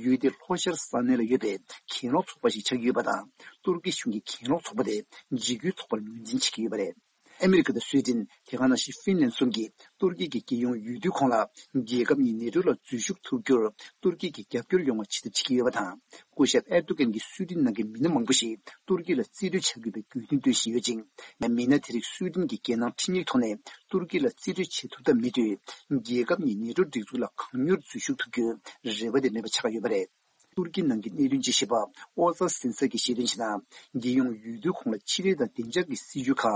ཡུལ་དེའི་ལྷོ་ཤར་ས་གནས་ལ་ཡོད་པའི་གྱེན་ལོག་ཚོགས་པ་ཞིག་ཆགས་ཀྱི་ཡོད་པ་དང་། ཏུར་ཀི་གཞུང་གི་གྱེན་ལོག་ཚོགས་པ་དེ་འཇིགས་སྐུལ་ཚོགས་པར་ངོས་འཛིན་བྱེད་ཀྱི་ཡོད་པ་རེད། ཨ་མི་རི་ཀ་དང་སུའེ་ཏེན། དེ་ག་ནང་བཞིན་ཧྥིན་ལན་གསུམ་གྱིས་ཏུར་ཀི་གི་རྒྱལ་ཡོངས་འོས་བསྡུའི་གོང་ལ་རྒྱལ་ཁབ་གཉིས་ནེ་ཏོ་ལ་འཛུལ་ཞུགས་ཐུབ་རྒྱུར་ཏུར་ཀི་གིས་རྒྱབ་སྐྱོར་ཡོང་བ་ཆེད་དུ་བྱེད་ཀྱི་ཡོད་པ་དང་། སྐུ་ཞབས་ཨེར་ཏོ་གན་གྱིས་སུའེ་ཏེན་ནང་གི་མི་སྣ་མང་པོ་ཞིག་ཏུར་ཀི་ལ་རྩིས་སྤྲོད་བྱ་དགོས་པའི་དགོས་འདུན་བཏོན་བཞིན་ཡོད་ཅིང་། མི་སྣ་དེ་རིགས་སུའེ་ཏེན་གྱི་རྒྱལ་ནང་ཁྲིམས་ཡིག་ཐོག་ནས་ཏུར་ཀི་ལ་རྩིས་སྤྲོད་བྱེད་ཐུབ་ཐབས་མེད་དུས། རྒྱལ་ཁབ་གཉིས་ནེ་ཏོ་སྒྲིག་འཛུགས་ལ་གང་མྱུར་འཛུལ་ཞུགས་ཐུབ་རྒྱུའི་རེ་བ་དེ་མེད་པ་ཆགས་ཡོད་པ་རེད། ཏུར་ཀི་ནང་གི་གནད་དོན་དཔྱད་ཞིབ་པ་ཨོ་ཛ་སིན་སར་གྱིས་བཤད་དོན་བྱས་ན། རྒྱལ་ཡོངས་འོས་བསྡུའི་གོང་ལ་ཕྱི་འབྲེལ་དང་བདེ་འཇགས་ཀྱི་སྲིད་ཇུས་ཁག་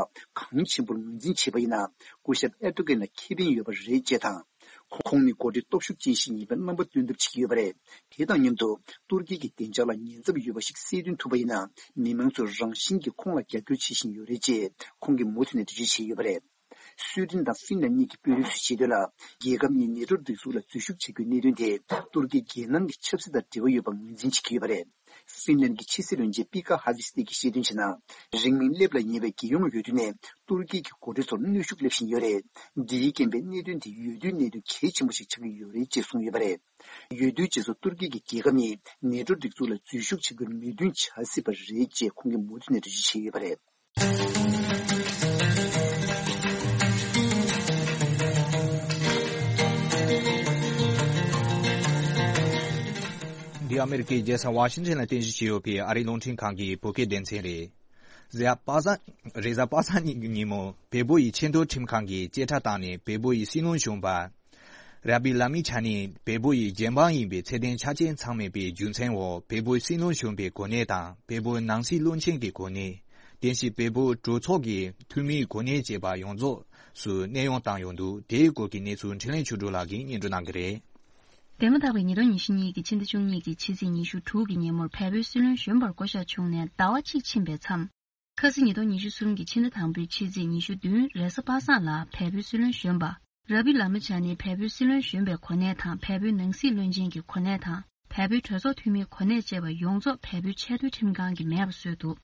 གང་ཆེན་པོར་ངོས་འཛིན་བྱས་པ་ཡིན་ན། སྐུ་ཞབས་ཨེར་ཏོ་གན་ལ་ཁེ་ཕན་ཡོད་པ་རེད་ཅེས་དང་། ཁོང་ནི་འགོ་ཁྲིད་སྟོབས་ཤུགས་ཅན་ཞིག་ཡིན་པའི་རྣམ་པ་སྟོན་ཐབས་བྱེད་ཀྱི་ཡོད་པ་རེད། དེ་དང་མཉམ་དུ་ཏུར་ཀི་གི་བདེ་འཇགས་ལ་ཉེན་ཚབས་ཡོད་པ་ཞིག་སེལ་ཐོན་ཐུབ་པ་ཡིན་ན། མི་མང་ཚོས་རང་བཞིན་གྱིས་ཁོང་ལ་རྒྱབ་སྐྱོར་བྱེད་བཞིན་ཡོད་རེད་ཅེས་ཁོང་གིས་མུ་མཐུད་ནས་འགྲེལ་བརྗོད་བྱས་ཡོད་པ་རེད། སུའེ་ཏེན་དང་ཧྥིན་ལན་གཉིས་ཀྱི་དཔོན་རིགས་ཚོས་བཤད་དོན་ལ། རྒྱལ་ཁབ་གཉིས་ནེ་ཏོ་སྒྲིག་འཛུགས་ལ་འཛུལ་ཞུགས་བྱ་རྒྱུའི་གནད་དོན་དེ་ཏུར་ཀིའི་རྒྱལ་ནང་གི་ཆབ་སྲིད་དང་འབྲེལ་བ་ཡོད་པ་ངོས་འཛིན་བྱེད་ཀྱི་ཡོད་པ་རེད། ཧྥིན་ལན་གྱི་ཕྱི་སྲིད་བློན་ཆེན་པི་ཀ་ཧ་ཝི་སི་ཏེ་གྱིས་བཤད་དོན་བྱས་ན། རིང་མིན་སླེབས་ལ་ཉེ་བའི་རྒྱལ་ཡོངས་འོས་བསྡུ་ནས་ཏུར་ཀི་གི་འགོ་ཁྲིད་ཚོར་གནོན་ཤུགས་སླེབས་བཞིན་ཡོད་རེད། འདིའི་རྐྱེན་པས་གནད་དོན་དེ་འོས་བསྡུའི་གནད་དོན་གལ་ཆེན་པོ་ཞིག་ཆགས་ཀྱི་ཡོད་རེད་ཅེས་གསུངས་ཡོད་པ་རེད། འོས་བསྡུའི་རྗེས་སུ་ཏུར་ཀི་གི་རྒྱལ་ཁབ་གཉིས་ནེ་ཏོ་སྒྲིག་འཛུགས་ལ་འཛུལ་ཞུགས་བྱེད་རྒྱུར་མོས་མཐུན་བྱ་སྲིད་པ་རེད་ཅེས་ཁོང་གིས་མུ་མཐུད་ནས་འགྲེལ་བརྗོད་བྱས་ཡོད་པ་རེད། འདི་ཨ་མེ་རི་ཀའི་རྒྱལ་ས་ཝ་ཤིང་ཊོན་ལ་རྟེན་གཞི་བྱས་ཡོད་པའི་ཨ་རིའི་རླུང་འཕྲིན་ཁང་གི་བོད་སྐད་སྡེ་ཚན་རེད། རེས་གཟའ་པ་སངས། རེས་གཟའ་པ་སངས་ཉིན་གྱི་ཉིན་མོ་བལ་པོ་ཡི་ཆེས་མཐོའི་ཁྲིམས་ཁང་གིས་བཅད་ཁྲ་བཏང་ནས། བལ་པོ་ཡི་སྲིད་བློན་གཞོན་པ་ར་བི་ལ་མི་ཆ་ནི་བལ་པོ་ཡི་རྒྱལ་འབངས་ཡིན་པའི་ཚད་ལྡན་ཆ་རྐྱེན་ཚང་མེད་པའི་རྒྱུ་མཚན་འོག་བལ་པོའི་སྲིད་བློན་གཞོན་པའི་གོ་གནས་དང་། བལ་པོའི་ནང་སྲིད་བློན་ཆེན་གྱི་གོ་གནས། དེ་བཞིན་བལ་པོའི་གྲོས་ཚོགས་ཀྱི་འཐུས་མིའི་གོ་གནས་བཅས་པ་ཡོངས་རྫོགས་སུ་གནས་དབྱུང་བཏང་ཡོང་འདུག་དེའི་སྐོར་གྱི་གནས་ཚུལ་འཕྲིན་ལས་ཆོས་སྒྲོན་ལགས་ཀྱིས་སྙན་སྒྲོན་གནང་གི་རེད། འདས་མ་ད་པའི་ཉིས་སྟོང་ཉི་ཤུ་གཉིས་ཀྱི་ཕྱི་ཟླ་བཅུ་གཉིས་ཀྱི་ཕྱི་ཚེས་ཉི་ཤུ་དྲུག་གི་ཉིན་མོར་བལ་པོའི་སྲིད་བློན་གཞོན་པར་བསྐོ་གཞག་བྱུང་ནས་ཟླ་བ་གཅིག་ཕྱིན་པའི་མཚམས། ཁ་སང་ཉིས་སྟོང་ཉི་ཤུ་གསུམ་གྱི་ཕྱི་ཟླ་དང་པོའི་ཕྱི་ཚེས་ཉི་ཤུ་བདུན་རེས་གཟའ་པ་སངས་ལ་བལ་པོའི་སྲིད་བློན་གཞོན་པ་ར་བི་ལ་མི་ཆ་ནི་བལ་པོའི་སྲིད་བློན་གཞོན་པའི་གོ་གནས་དང་། བལ་པོའི་ནང་སྲིད་བློན་ཆེན་གྱི་གོ་གནས་དང་། བལ་པོའི་གྲོས་ཚོགས་འཐུས་མིའི་གོ་གནས་བཅས་པ་ཡོངས་རྫོགས་བལ་པོའི་ཆེས་མཐོའི་ཁྲིམས་ཁང་གིས་མེད་པ་བཟོས་འདུག་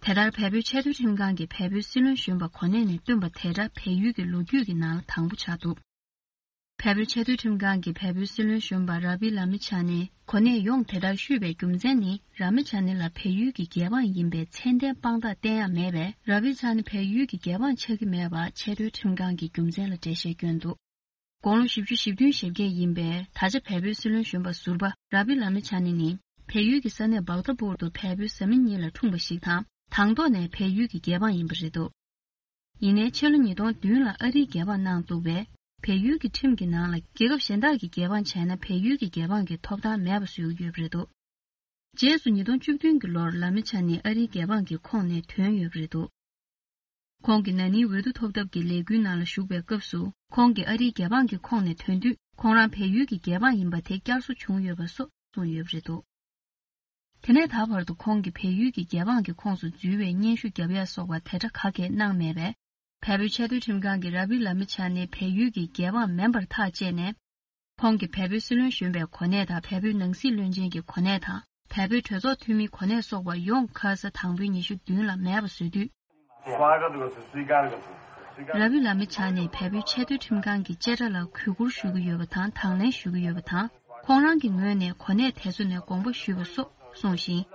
དེ་ལྟར་བལ་པོའི་ཆེས་མཐོའི་ཁྲིམས་ཁང་གིས་བལ་པོའི་སྲིད་བློན་གཞོན་པ་གོ་གནས་ནས་བཏོན་པ་དེ་འདྲ་བལ་ཡུལ་གྱི་ལོ་རྒྱུས་ཀྱི་ནང་ལ་དང་པོ་ཆགས་འདུག་བལ་པོའི་ཆེས་མཐོའི་ཁྲིམས་ཁང་གིས་བལ་པོའི་སྲིད་བློན་གཞོན་པ་ར་བི་ལ་མི་ཆ་ནི་གོ་གནས་ཡོངས་དེ་ལྟར་བཤུས་པའི་རྒྱུ་མཚན་ནི། ར་མི་ཆ་ནི་ལ་བལ་ཡུལ་གྱི་རྒྱལ་འབངས་ཡིན་པའི་མཚན་ལྡན་དཔང་རྟགས་བསྟན་ཡ་མེད་པས། ར་བི་ཆ་ནི་བལ་ཡུལ་གྱི་རྒྱལ་འབངས་ཆགས་ཀྱི་མེད་པ་ཆེས་མཐོའི་ཁྲིམས་ཁང་གིས་རྒྱུ་མཚན་ལ་འགྲེལ་བཤད་བསྐྱོན་འདུག་དགུང་ལོ་བཞི་བཅུ་ཞེ་བདུན་ཞེ་བརྒྱད་ཡིན་པའི་ད་ཆ་བལ་པོའི་སྲིད་བློན་གཞོན་པ་ཟུར་པ་ར་བི་ལ་མི་ཆ་ནི་ནི། བལ་ཡུལ་གྱི་ས་གནས་བག་ཏ་པུར་དུ་བལ་པོའི་བཟའ་མི་གཉིས་ལ་འཁྲུངས་པ་ཞིག་དང་། དང་ཐོག་ནས་བལ་ཡུལ་གྱི་རྒྱལ་འབངས་ཡིན་པ་རེད་འདུག་ཡིན་ནའི་ཕྱི་ལོ་ཉིས་སྟོང་བདུན་ལ་ཨ་རིའི་རྒྱལ་འབངས་གནང་འདུག་པས། བལ་ཡུལ་གྱི་ཁྲིམས་ཀྱི་ནང་ལ་རྒྱལ་ཁབ་གཞན་དག་གི་རྒྱལ་འབངས་བྱས་ན་བལ་ཡུལ་གྱི་རྒྱལ་འབངས་ཀྱི་ཐོབ་ཐང་མེད་པ་བཟོས་ཀྱི་ཡོད་པ་རེད་འདུག་རྗེས་སུ་ཉིས་སྟོང་བཅུ་བདུན་གྱི་ལོར་ལ་མི་ཆ་ནི་ཨ་རིའི་རྒྱལ་འབངས་ཀྱི་ཁོངས་ནས་ཐོན་ཡོད་པ་རེད་འདུག་ཁོང་གིས་ན་ནིང་འོས་བསྡུ་ཐོབ་ཐབས་ཀྱི་ལས་འགུལ་ནང་ལ་ཞུགས་པའི་སྐབས་སུ། ཁོང་གིས་ཨ་རིའི་རྒྱལ་འབངས་ཀྱི་ཁོངས་ནས་ཐོན་དུས། ཁོང་རང་བལ་ཡུལ་གྱི་རྒྱལ་འབངས་ཡིན་པ་དེ་བསྐྱར་གསོ་བྱུང་ཡོད་པ་སོགས་གསུངས་ཡོད་པ་རེད་འདུག་དེ་ནས་ད་བར་དུ་ཁོང་གིས་བལ་ཡུལ་གྱི་རྒྱལ་འབངས་ཀྱི་ཁོངས་སུ་འཛུལ་བའི་སྙན་ཞུ་བརྒྱབ་ཡ་སོགས་པ་དེ་འདྲ་ག་གེ་གནང་མེད་པས། བལ་པོའི་ཆེས་མཐོའི་ཁྲིམས་ཁང་གིས་ར་བི་ལ་མི་ཆ་ནི་བལ་ཡུལ་གྱི་རྒྱལ་འབངས་མིན་པར་ཐག་བཅད་ནས། ཁོང་གིས་བལ་པོའི་སྲིད་བློན་གཞོན་པའི་གོ་གནས་དང་། བལ་པོའི་ནང་སྲིད་བློན་ཆེན་གྱི་གོ་གནས་དང་། བལ་པོའི་གྲོས་ཚོགས་འཐུས་མིའི་གོ་གནས་སོགས་པ་ཡོངས་ཁ་ས་དང་པོའི་ཉི་ཤུ་བདུན་ལ་མེད་པ་བཟོས་དུས། ར་བི་ལ་མི་ཆ་ནི་བལ་པོའི་ཆེས་མཐོའི་ཁྲིམས་ཁང་གི་བཅད་ཁྲ་ལ་གུས་བཀུར་ཞུ་གི་ཡོད་པ་དང་། དང་ལེན་ཞུ་གི་ཡོད་པ་དང་། ཁོང་རང་གི་ངོས་ནས་གོ་གནས་དེ་ཚོ་ནས་དགོངས་པ་ཞུས་པ་སོགས་གསུངས་ཤིང་།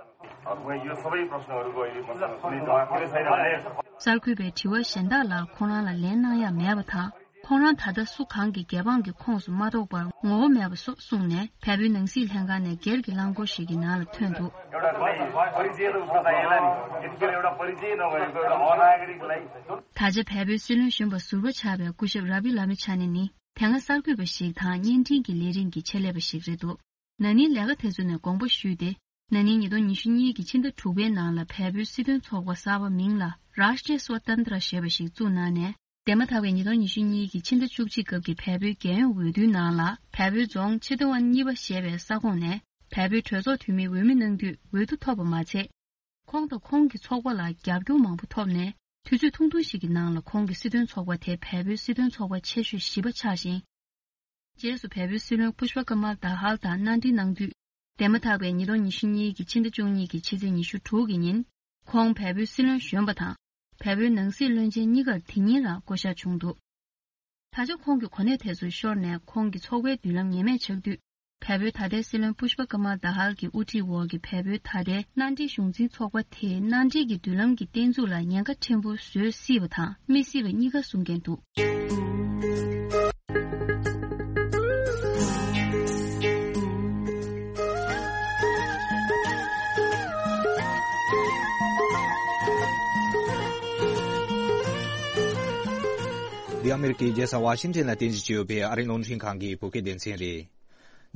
གསར་འགོད་པའི་དྲི་བ་གཞན་དག་ལ་ཁོང་རང་ལ་ལན་གནང་ཡ་མེད་པ་དང་། ཁོང་རང་ད་ལྟ་སུ་གང་གི་རྒྱལ་འབངས་ཀྱི་ཁོངས་སུ་མ་གཏོགས་པར་ངོ་བོ་མེད་པ་སོགས་གསུངས་ནས། བལ་པོའི་ནང་སྲིད་ལྷན་ཁང་ནས་སྒེར་གྱི་རླངས་འཁོར་ཞིག་གི་ནང་ལ་ཐོན་འདུག་ད་ཆ་བལ་པོའི་སྲིད་བློན་གཞོན་པ་ཟུར་པ་ཆགས་པའི་སྐུ་ཞབས་ར་བི་ལ་མི་ཆ་ནི་ནི། དེ་སྔ་གསར་འགོད་པ་ཞིག་དང་བརྙན་འཕྲིན་གྱི་ལས་རིམ་གྱི་ཆེད་ལས་པ་ཞིག་རེད་འདུག་ན་ནིང་ལས་ཀ་དེ་ཚོ་ནས་དགོངས་པ་ཞུས་ཏེ། ན་ནིང་ཉིས་སྟོང་ཉི་ཤུ་གཉིས་ཀྱི་ཕྱི་ཟླ་དྲུག་པའི་ནང་ལ་བལ་པོའི་སྲིད་དོན་ཚོགས་པ་གསར་པ་མིང་ལ་Rashtriya Swatantra ཞེས་པ་ཞིག་བཙུགས་གནང་ནས། འདས་མ་ཐག་པའི་ཉིས་སྟོང་ཉི་ཤུ་གཉིས་ཀྱི་ཕྱི་ཟླ་བཅུ་གཅིག་སྐབས་ཀྱི་བལ་པོའི་རྒྱལ་ཡོངས་འོས་བསྡུའི་ནང་ལ་བལ་པོའི་རྫོང་ཆེ་ཏུའུ་ཝན་གཉིས་པ་ཞེས་པའི་ས་ཁོངས་ནས་བལ་པོའི་གྲོས་ཚོགས་འཐུས་མིའི་འོས་མི་གནང་དུས་འོས་བསྡུ་ཐོབ་པ་མ་ཚད། ཁོང་དང་ཁོང་གི་ཚོགས་པ་ལ་རྒྱབ་སྐྱོར་མང་པོ་ཐོབ་ནས། དུས་ཚོད་ཐུང་ཐུང་ཞིག་གི་ནང་ལ་ཁོང་གི་སྲིད་དོན་ཚོགས་པ་དེ་བལ་པོའི་སྲིད་དོན་ཚོགས་པ་ཆེ་ཤོས་བཞི་པ་ཆགས་ཤིང་། རྗེས་སུ་བལ་པོའི་སྲིད་བློན་པུཤ་པ་ཀ་མལ་དཱ་ཧལ་དང་མནའ་འབྲེལ་གནང་དུས། འདས་མ་ཐག་པའི་ཉིས་སྟོང་ཉི་ཤུ་གཉིས་ཀྱི་ཕྱི་ཟླ་བཅུ་གཉིས་ཀྱི་ཕྱི་ཚེས་ཉི་ཤུ་དྲུག་གི་ཉིན། ཁོང་བལ་པོའི་སྲིད་བློན་གཞོན་པ་དང་། བལ་པོའི་ནང་སྲིད་བློན་ཆེན་གཉིས་ཀར་དེ་ཉིན་ལ་བསྐོ་གཞག་བྱུང་འདུག་ད་ཆ་ཁོང་གི་གོ་གནས་དེ་ཚོ་ཤོར་ནས་ཁོང་གི་ཚོགས་པའི་མདུན་ལམ་ངེས་མེད་ཆགས་དུས། བལ་པོའི་ད་ལྟའི་སྲིད་བློན་པུཤ་པ་ཀ་མལ་དཱ་ཧལ་གྱི་དབུ་ཁྲིད་འོག་གི་བལ་པོའི་ད་ལྟའི་མནའ་འབྲེལ་གཞུང་འཛིན་ཚོགས་པ་དེས་མནའ་འབྲེལ་གྱི་མདུན་ལམ་གྱི་བརྟན་ཚུགས་ལ་ཉེན་ཁ་ཕྲན་བུ་བཟོ་སྲིད་པ་དང་མི་སྲིད་པ་གཉིས་ཀ་གསུང་མཁན་འདུག་འདི་ཨ་མེ་རི་ཀའི་རྒྱལ་ས་ཝ་ཤིང་ཊོན་ལ་རྟེན་གཞི་བྱས་ཡོད་པའི་ཨ་རིའི་རླུང་འཕྲིན་ཁང་གི་བོད་སྐད་སྡེ་ཚན་རེད།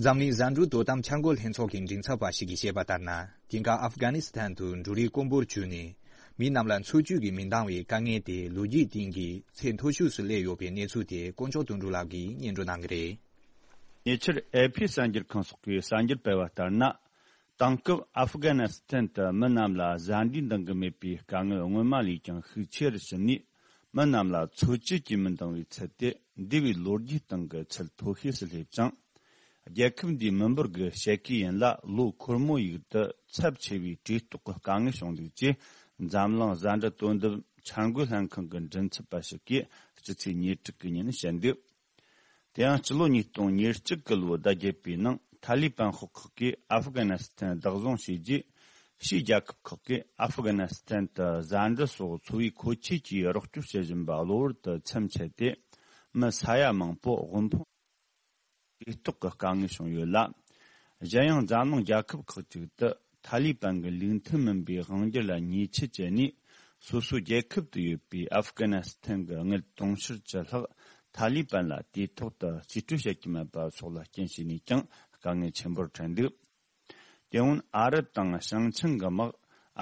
འཛམ་གླིང་བཟའ་འབྲུ་དོ་དམ་འཆར་འགོད་ལྷན་ཚོགས་ཀྱི་མགྲིན་ཚབ་པ་ཞིག་གིས་བཤད་པ་ལྟར་ན། དེང་སྐབས་ཨབ་གྷ་ནི་སི་ཐན་དུ་འབྲུ་རིགས་དཀོན་པོར་གྱུར་ནས། མི་རྣམས་ལ་འཚོ་བཅུད་ཀྱི་མི་འདང་བའི་དཀའ་ངལ་དེ་ལོ་རྒྱུས་སྟེང་གི་ཚད་མཐོ་ཤོས་སུ་སླེབས་ཡོད་པའི་གནས་ཚུལ་དེ་དཀོན་མཆོག་དོན་གྲུབ་ལགས་ཀྱིས་སྙན་སྒྲོན་གནང་གི་རེད། ཉེ་ཆར་ཨེ་ཕི་གསར་འགྱུར་ཁང་སོགས་ཀྱིས་གསར་འགྱུར་སྤེལ་བ་ལྟར་ན། དེང་སྐབས་ཨབ་གྷ་ནི་སི་ཐན་དུ་མི་རྣམས་ལ་བཟའ་འབྲུའི་འདང་གི་མེད་པའི་དཀའ་ངལ་སྔོན་མ་ལས་ཀྱང་ཤུགས་ཆེ་རུ་ཕྱིན་ནས། མི་རྣམས་ལ་འཚོ་བཅུད་ཀྱི་མི་འདང་བའི་ཚུལ་དེ་འདས་པའི་ལོ་རྒྱུས་སྟེང་གི་ཚད་མཐོ་ཤོས་སུ་སླེབས་ཅིང་། རྒྱལ་ཁབ་འདིའི་མི་འབོར་གྱི་ཕྱེད་ཀའི་ཡན་ལ་ལོ་འཁོར་མོ་ཡུག་ཏུ་ཚབས་ཆེ་བའི་གྲོས་གཏོགས་ཀྱི་དཀའ་ངལ་བྱུང་འདུག་ཅེས། འཛམ་གླིང་བཟའ་འབྲུ་དོ་དམ་འཆར་འགོད་ལྷན་ཁང་གི་མགྲིན་ཚབ་པ་ཞིག་གིས་སྤྱི་ཚེས་ཉེར་དྲུག་གི་ཉིན་བཤད་འདུག་དེ་ཡང་སྤྱི་ལོ་ཉིས་སྟོང་ཉེར་གཅིག་གི་ལོ་ཟླ་བརྒྱད་པའི་ནང་ཐ་ལི་པན་ཤོག་ཁག་གིས་ཨབ་གྷ་ནི་སི་ཐན་བདག་བཟུང་བྱས་རྗེས། ཕྱིའི་རྒྱལ་ཁབ་ཁག་གིས་ཨབ་གྷ་ནི་སི་ཐན་དུ་བཟའ་འབྲུ་སོགས་འཚོ་བའི་མཁོ་ཆས་ཀྱི་རོགས་སྐྱོར་བྱེད་བཞིན་པ་གློ་བུར་དུ་མཚམས་ཆད་དེ། མི་ས་ཡ་མང་པོ་དབུལ་ཕོངས་གྲོས་གཏོགས་ཀྱི་དཀའ་ངལ་བྱུང་ཡོད་ལ། གཞན་ཡང་འཛམ་གླིང་རྒྱལ་ཁབ་ཁག་ཅིག་ཏུ་ཐ་ལི་པན་གྱི་ལུགས་མཐུན་མིན་པའི་དབང་སྒྱུར་ལ་ཉེས་ཆད་བཅད་ནས། སོ་སོའི་རྒྱལ་ཁབ་ཏུ་ཡོད་པའི་ཨབ་གྷ་ནི་སི་ཐན་གྱི་དངུལ་དུང་ཕྱུར་བཅུ་ལྷག་ཐ་ལི་པན་ལ་དུས་ཐོག་ཏུ་རྩིས་སྤྲོད་བྱེད་ཀྱི་མེད་པ་སོགས་ལ་རྐྱེན་བྱས་ནས་ཀྱང་དཀའ་ངལ་ཆེན་པོར་འཕྲད་འདུག་དེ་སྔོན་ཨ་རི་དང་ཞིང་ཆེན་གྱི་དམག་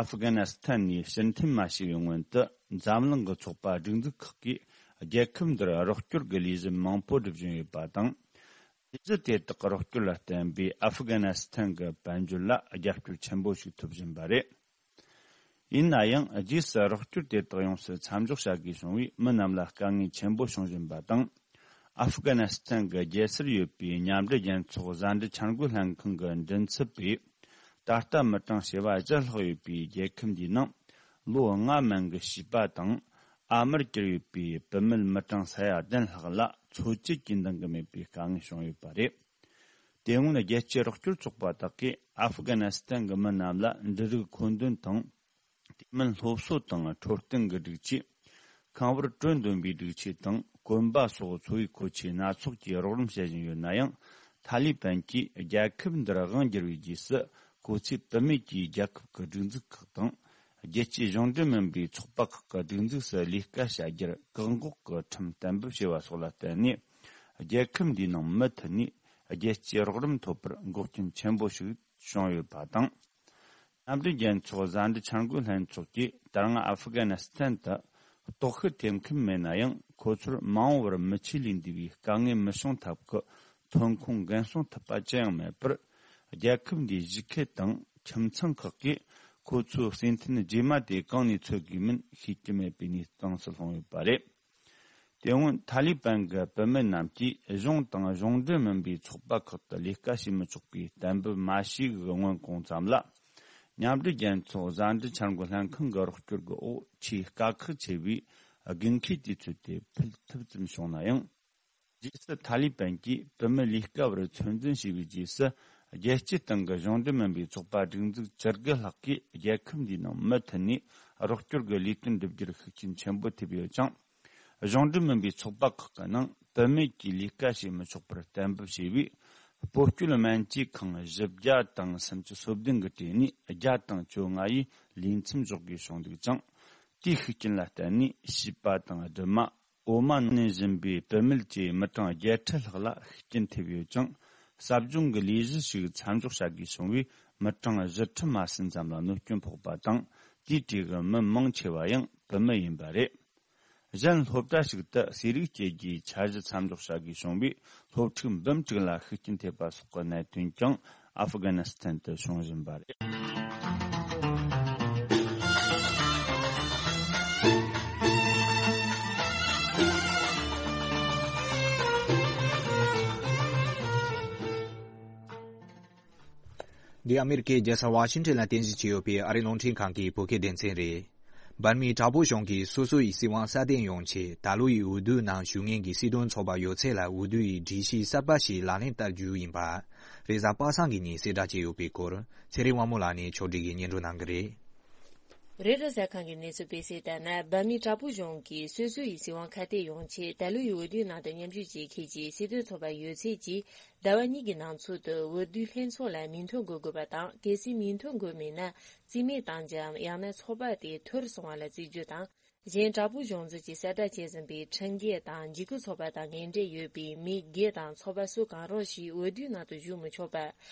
ཨབ་གྷ་ནི་སི་ཐན་ནས་ཕྱིར་འཐེན་མ་བྱས་པའི་སྔོན་དུ། འཛམ་གླིང་གི་ཚོགས་པ་སྒྲིག་འཛུགས་ཁག་གིས་རྒྱལ་ཁབ་འདིར་རོགས་སྐྱོར་གྱི་ལས་གཞི་མང་པོ་སྒྲུབ་བཞིན་ཡོད་པ་དང་། ལས་གཞི་དེ་དག་གི་རོགས་སྐྱོར་ལ་བརྟེན་པའི་ཨབ་གྷ་ནི་སི་ཐན་གྱི་དཔལ་འབྱོར་ལ་རྒྱབ་སྐྱོར་ཆེན་པོ་ཞིག་ཐོབ་བཞིན་པ་རེད། ཡིན་ན་ཡང་། རྗེས་སུ་རོགས་སྐྱོར་དེ་དག་ཡོངས་སུ་མཚམས་འཇོག་བྱ་དགོས་བྱུང་བས། མི་རྣམས་ལ་དཀའ་ངལ་ཆེན་པོ་བྱུང་བཞིན་པ་དང་། ཨབ་གྷ་ནི་སི་ཐན་གྱི་རྒྱལ་སར་ཡོད་པའི་མཉམ་འབྲེལ་རྒྱལ་ཚོགས་བཟའ་འབྲུ་འཆར་འགོད་ལྷན་ཁང་གི་མགྲིན་ཚབ་པས། ད་ལྟ་མི་གྲངས་བྱེ་བ་བཞི་ལྷག་ཡོད་པའི་རྒྱལ་ཁབ་འདིའི་ནང་། ལོ་ལྔ་མན་གྱི་བྱིས་པ་དང་། ཨ་མར་གྱུར་ཡོད་པའི་བུད་མེད་མི་གྲངས་ས་ཡ་བདུན་ལྷག་ལ་འཚོ་བཅུད་ཀྱི་འདང་གི་མེད་པའི་དཀའ་ངལ་བྱུང་ཡོད་པ་རེད། དེ་སྔོན་རྒྱལ་སྤྱིའི་རོགས་སྐྱོར་ཚོགས་པ་དག་གིས་ཨབ་གྷ་ནི་སི་ཐན་གྱི་མི་རྣམས་ལ་འབྲུ་རིགས་མཁོ་འདོན་དང་། དེ་མིན་སློབ་གསོ་དང་འཕྲོད་བསྟེན་གྱི་སྒྲིག་ཆས། ཁང་བར་དྲོད་འདོན་པའི་སྒྲིག་ཆས་དང་གོན་པ་སོགས་འཚོ་བའི་མཁོ་ཆས་སྣ་ཚོགས་ཀྱི་རོགས་རམ་བྱེད་བཞིན་ཡོད་ན་ཡང་། ཐ་ལི་པན་གྱིས་རྒྱལ་ཁབ་འདིར་དབང་བསྒྱུར་བའི་རྗེས་སུ། ཁོ་ཚོས་བུད་མེད་ཀྱིས་རྒྱལ་ཁབ་ཀྱི་སྒྲིག་འཛུགས་ཁག་དང་། རྒྱལ་སྤྱིའི་གཞུང་འབྲེལ་མིན་པའི་ཚོགས་པ་ཁག་གི་སྒྲིག་འཛུགས་སུ་ལས་ཀ་བྱ་རྒྱུར་བཀག་འགོག་གི་ཁྲིམས་གཏན་འབེབས་བྱས་པ་སོགས་ལ་བརྟེན་ནས། རྒྱལ་ཁབ་འདིའི་ནང་མུ་མཐུད་ནས་རྒྱལ་སྤྱིའི་རོགས་རམ་ཐོབ་པར་འགོག་རྐྱེན་ཆེན་པོ་ཞིག་བྱུང་ཡོད་པ་དང་། མཉམ་འབྲེལ་རྒྱལ་ཚོགས་བཟའ་འབྲུ་འཆར་འགོད་ལྷན་ཚོགས་ཀྱིས་ད་སྔ་ཨ་ཧྥུ་གྷ་ནི་སི་ཐན་དུ་ལྟོགས་ཤི་ཐེབས་མཁན་མེད་ན་ཡང་། ཁོ་ཚོར་མ་འོངས་པར་མི་ཆོས་ལས་འདས་པའི་དཀའ་ངལ་མི་བྱུང་ཐབས་ཀྱི་ཐོན་ཁུངས་འགན་སྲུང་ཐུབ་པ་ཅི་ཡང་མེད་པར། རྒྱལ་ཁབ་འདིའི་གཞིས་ཁུལ་དང་ཁྱིམ་ཚང་ཁག་གིས་ཁོ་ཚོའི་སེམས་མཐུན་རྗེས་མ་དེ་གང་ནས་འཚོལ་དགོས་མིན་ཤེས་ཀྱི་མེད་པའི་གནས་སྟངས་སུ་ལྷུང་ཡོད་པ་རེད། དེ་སྔོན་ཐ་ལི་པན་གྱི་བུད་མེད་རྣམས་ཀྱིས་གཞུང་དང་གཞུང་འབྲེལ་མིན་པའི་ཚོགས་པ་ཁག་ཏུ་ལས་ཀ་བྱེད་མི་ཆོག་པའི་གཏན་འབེབས་མ་བྱས་པའི་སྔོན་གོང་ཙམ་ལ། མཉམ་འབྲེལ་རྒྱལ་ཚོགས་བཟའ་འབྲུ་འཆར་འགོད་ལྷན་ཁང་གི་རོགས་སྐྱོར་གྱི་འོག་ཆེས་དཀའ་ཁག་ཆེ་བའི་དགོས་མཁོའི་དུས་ཚོད་དེ་ཕུད་ཐུབ་ཙམ་བྱུང་ན་ཡང་། རྗེས་སུ་ཐ་ལི་པན་གྱིས་བུད་མེད་ལས་ཀ་བར་ཚོད་འཛིན་བྱས་པའི་རྗེས་སུ། རྒྱལ་སྤྱིའི་སྟེང་གི་གཞུང་འབྲེལ་མིན་པའི་ཚོགས་པ་སྒྲིག་འཛུགས་བཅུ་དགུ་ལྷག་གིས་རྒྱལ་ཁབ་འདིའི་ནང་མུ་མཐུད་ནས་རོགས་སྐྱོར་གྱི་ལས་དོན་སྒྲུབ་རྒྱུར་ཤུགས་རྐྱེན་ཆེན་པོ་ཐེབས་ཡོད་ཅིང་། གཞུང་འབྲེལ་མིན་པའི་ཚོགས་པ་ཁག་གི་ནང་བུད་མེད་ཀྱིས་ལས་ཀ་བྱེད་མི་ཆོག་པར་གཏན་འབེབས་བྱས་པས། སྤོ་སྐྱོད་སྨན་བཅོས་ཁང་བཞི་བརྒྱ་དང་སུམ་ཅུ་སོ་བདུན་གྱི་གྲས་ནས་བརྒྱ་དང་བཅོ་ལྔ་ཡིས་ལས་མཚམས་འཇོག་དགོས་བྱུང་འདུག་ཅིང་། དེའི་ཤུགས་རྐྱེན་ལ་བརྟེན་ནས་བྱིས་པ་དང་སྦྲུམ་མ། འོ་མ་ནད་བཞིན་པའི་བུད་མེད་བཅས་མི་གྲངས་བརྒྱད་ཁྲི་ལྷག་ལ་ཤུགས་རྐྱེན་ཐེབས་ཡོད་ཅིང་། ཟབ་སྦྱོང་གི་ལས་གཞི་ཞིག་མཚམས་འཇོག་བྱ་དགོས་བྱུང་བས། མི་གྲངས་བཞི་ཁྲི་མ་ཟིན་ཙམ་ལ་གནོད་སྐྱོན་ཕོག་པ་དང་། དེའི་གྲས་ཀྱི་མི་མང་ཆེ་བ་ཡང་བུད་མེད་ཡིན་པ་རེད། གཞན་སློབ་གྲྭ་ཞིག་ཏུ་ཟས་རིགས་བཅད་རྒྱུའི་འཆར་གཞི་མཚམས་འཇོག་བྱ་དགོས་བྱུང་བས། སློབ་ཕྲུག་འབུམ་དྲུག་ལ་ཤུགས་རྐྱེན་ཐེབས་པ་སོགས་ཀྱི་གནད་དོན་ཀྱང་ཨ་ཧྥི་གྷ་ནི་སི་ཐན་དུ་བྱུང་བཞིན་པ་རེད། འདི་ཨ་མེ་རི་ཀའི་རྒྱལ་ས་ཝ་ཤིང་ཊོན་ལ་རྟེན་གཞི་བྱས་ཡོད་པའི་ཨ་རིའི་རླུང་འཕྲིན་ཁང་གི་བོད་སྐད་སྡེ་ཚན་རེད། འབར་མའི་དྲག་པོའི་གཞུང་གིས་སོ་སོ་ཡི་སྲིད་དབང་སྲ་བརྟན་ཡོང་ཆེད་ད་ལོ་ཡི་འོས་བསྡུའི་ནང་ཞུགས་མཁན་གྱི་སྲིད་དོན་ཚོགས་པ་ཡོད་ཚད་ལ་འོས་བསྡུ་ཡི་སྒྲིག་གཞི་གསར་པ་ཞིག་ལག་ལེན་བསྟར་རྒྱུ་ཡིན་པ། རེས་གཟའ་པ་སངས་ཀྱི་ཉིན་གསལ་བསྒྲགས་བྱས་ཡོད་པའི་སྐོར་ཚེ་རིང་དབང་མོ་ལགས་ནས་ཕྱོགས་སྒྲིག་གིས་སྙན་སྒྲོན་གནང་གི་རེད། རེ་ཊར་གསར་ཁང་གི་གནས་ཚུལ་སྤེལ་གསལ་ལྟར་ན། འབར་མའི་དྲག་པོའི་གཞུང་གིས་སོ་སོ་ཡི་སྲིད་དབང་ཁ་གཏད་ཡོང་ཆེད་ད་ལོ་ཡི་འོས་བསྡུའི་ནང་དུ་མཉམ་ཞུགས་བྱེད་མཁན་གྱི་སྲིད་དོན་ཚོགས་པ་ཡོད་ཚད་ཀྱིས་ཟླ་བ་གཉིས་ཀྱི་ནང་ཚུད་དུ་འོས་བསྡུའི་ལྷན་ཚོགས་ལ་མིང་ཐོ་འགོད་དགོས་པ་དང་། གལ་སྲིད་མིང་ཐོ་འགོད་མེད་ན་རྩིས་མེད་བཏང་རྒྱུའམ་ཡང་ན་ཚོགས་པ་དེ་འཐོར་སོང་བ་ལ་བརྩི་རྒྱུ་དང་། གཞན་དྲག་པོའི་གཞུང་འཛིན་གྱིས་གསལ་བསྒྲགས་བྱས་ཟིན་པའི་ཁྲིམས་འགལ་དང་འཇིགས་སྐུལ་ཚོགས་པ་དང་འབྲེལ་འདྲིས་ཡོད་པའི་མི་སྒེར་དང་ཚོགས་པ་སུ་གང་རུང་ཞིག་འོས་བསྡུའི་ནང་དུ་ཞུགས་མི་ཆོག་པ།